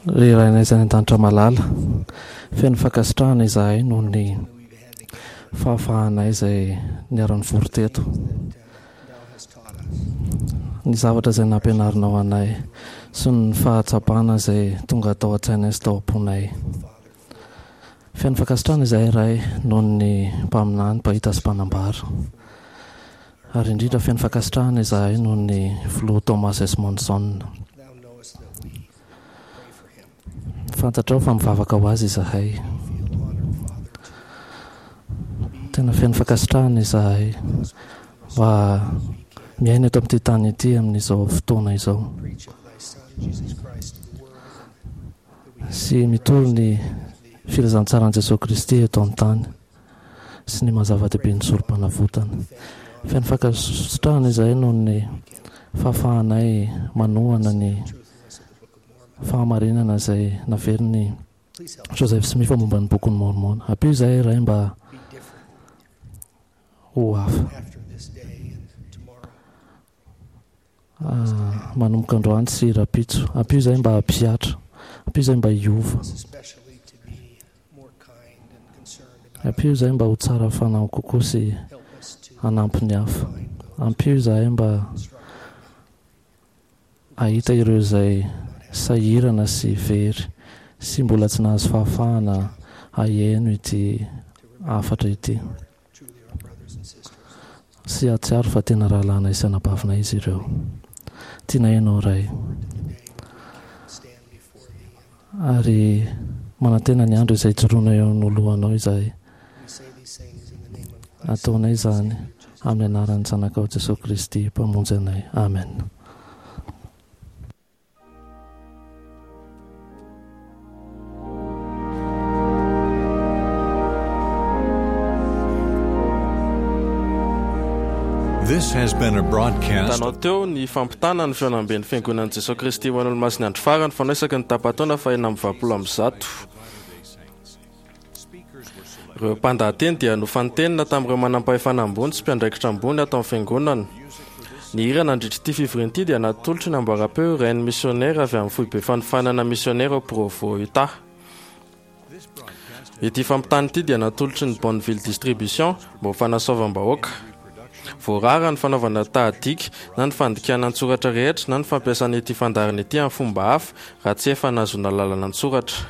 Ry Rainay izay any an-danitra malala, feno fankasitrahana izahay noho ny fahafahanay izay niara-nivory teto. Ny zavatra izay nampianarinao anay sy ny fahatsapana izay tonga tao an-tsainay sy tao am-ponay. Feno fankasitrahana izahay Ray noho ny mpaminany, mpahita sy mpanambara. Ary indrindra feno fankasitrahana izahay noho ny Filoha Thomas S. Monson. Fantatrao fa mivavaka ho azy izahay. Tena feno fankasitrahana izahay mba miaina eto amin'ity tany ity amin'izao fotoana izao. Sy mitory ny filazantsaran'i Jesoa Kristy eto an-tany sy ny maha zava-dehibe ny sorom-panavotana. Feno fankasitrahana izahay noho ny fahafahanay manohana ny fahamarinana izay naverin'i Joseph Smith momba ny Bokin'i Môrmôna. Ampio izahay, Ray, mba ho hafa. Manomboka androany sy rahampitso. Ampio izahay mba hampihatra. Ampio izahay mba hiova. Ampio izahay mba ho tsara fanahy kokoa sy hanampy ny hafa. Ampio izahay mba hahita ireo izay sahirana sy very sy mbola tsy nahazo fahafahana haheno ity hafatra ity sy hahatsiaro fa tena rahalahinay sy anabavinay izy ireo. Tianay ianao Ray. Ary manantena ny andro izay hijoroana eo anoloanao izahay. Ataonay izany amin'ny anaran'ny Zanakao Jesoa Kristy Mpamonjy anay. Amen. This has been a broadcast. Hitanao teo ny fampitana ny fihaonamben'ny Fiangonan'i Jesoa Kristy ho an'ny Olomasin'ny Andro Farany fanao isaky ny tapa-taona fahenina amby valopolo amby zato. Ireo mpandahateny dia nofantenina tamin'ireo manampahefana ambony sy mpiandraikitra ambony ato amin'ny Fiangonana. Ny hira nandritra ity fivoriana ity dia natolotry ny amboaram-peo Rain'ny Misionera avy amin'ny Foibe Fanofanana Misionera ao Provo, Utah. Ity fampitana ity dia natolotry ny Bonneville Distribution mba ho fanasoavam-bahoaka. Voarara ny fanaovana tahadika na ny fandikana an-tsoratra rehetra na ny fampiasana ity fandaharana ity amin'ny fomba hafa raha tsy efa nahazoana lalana an-tsoratra.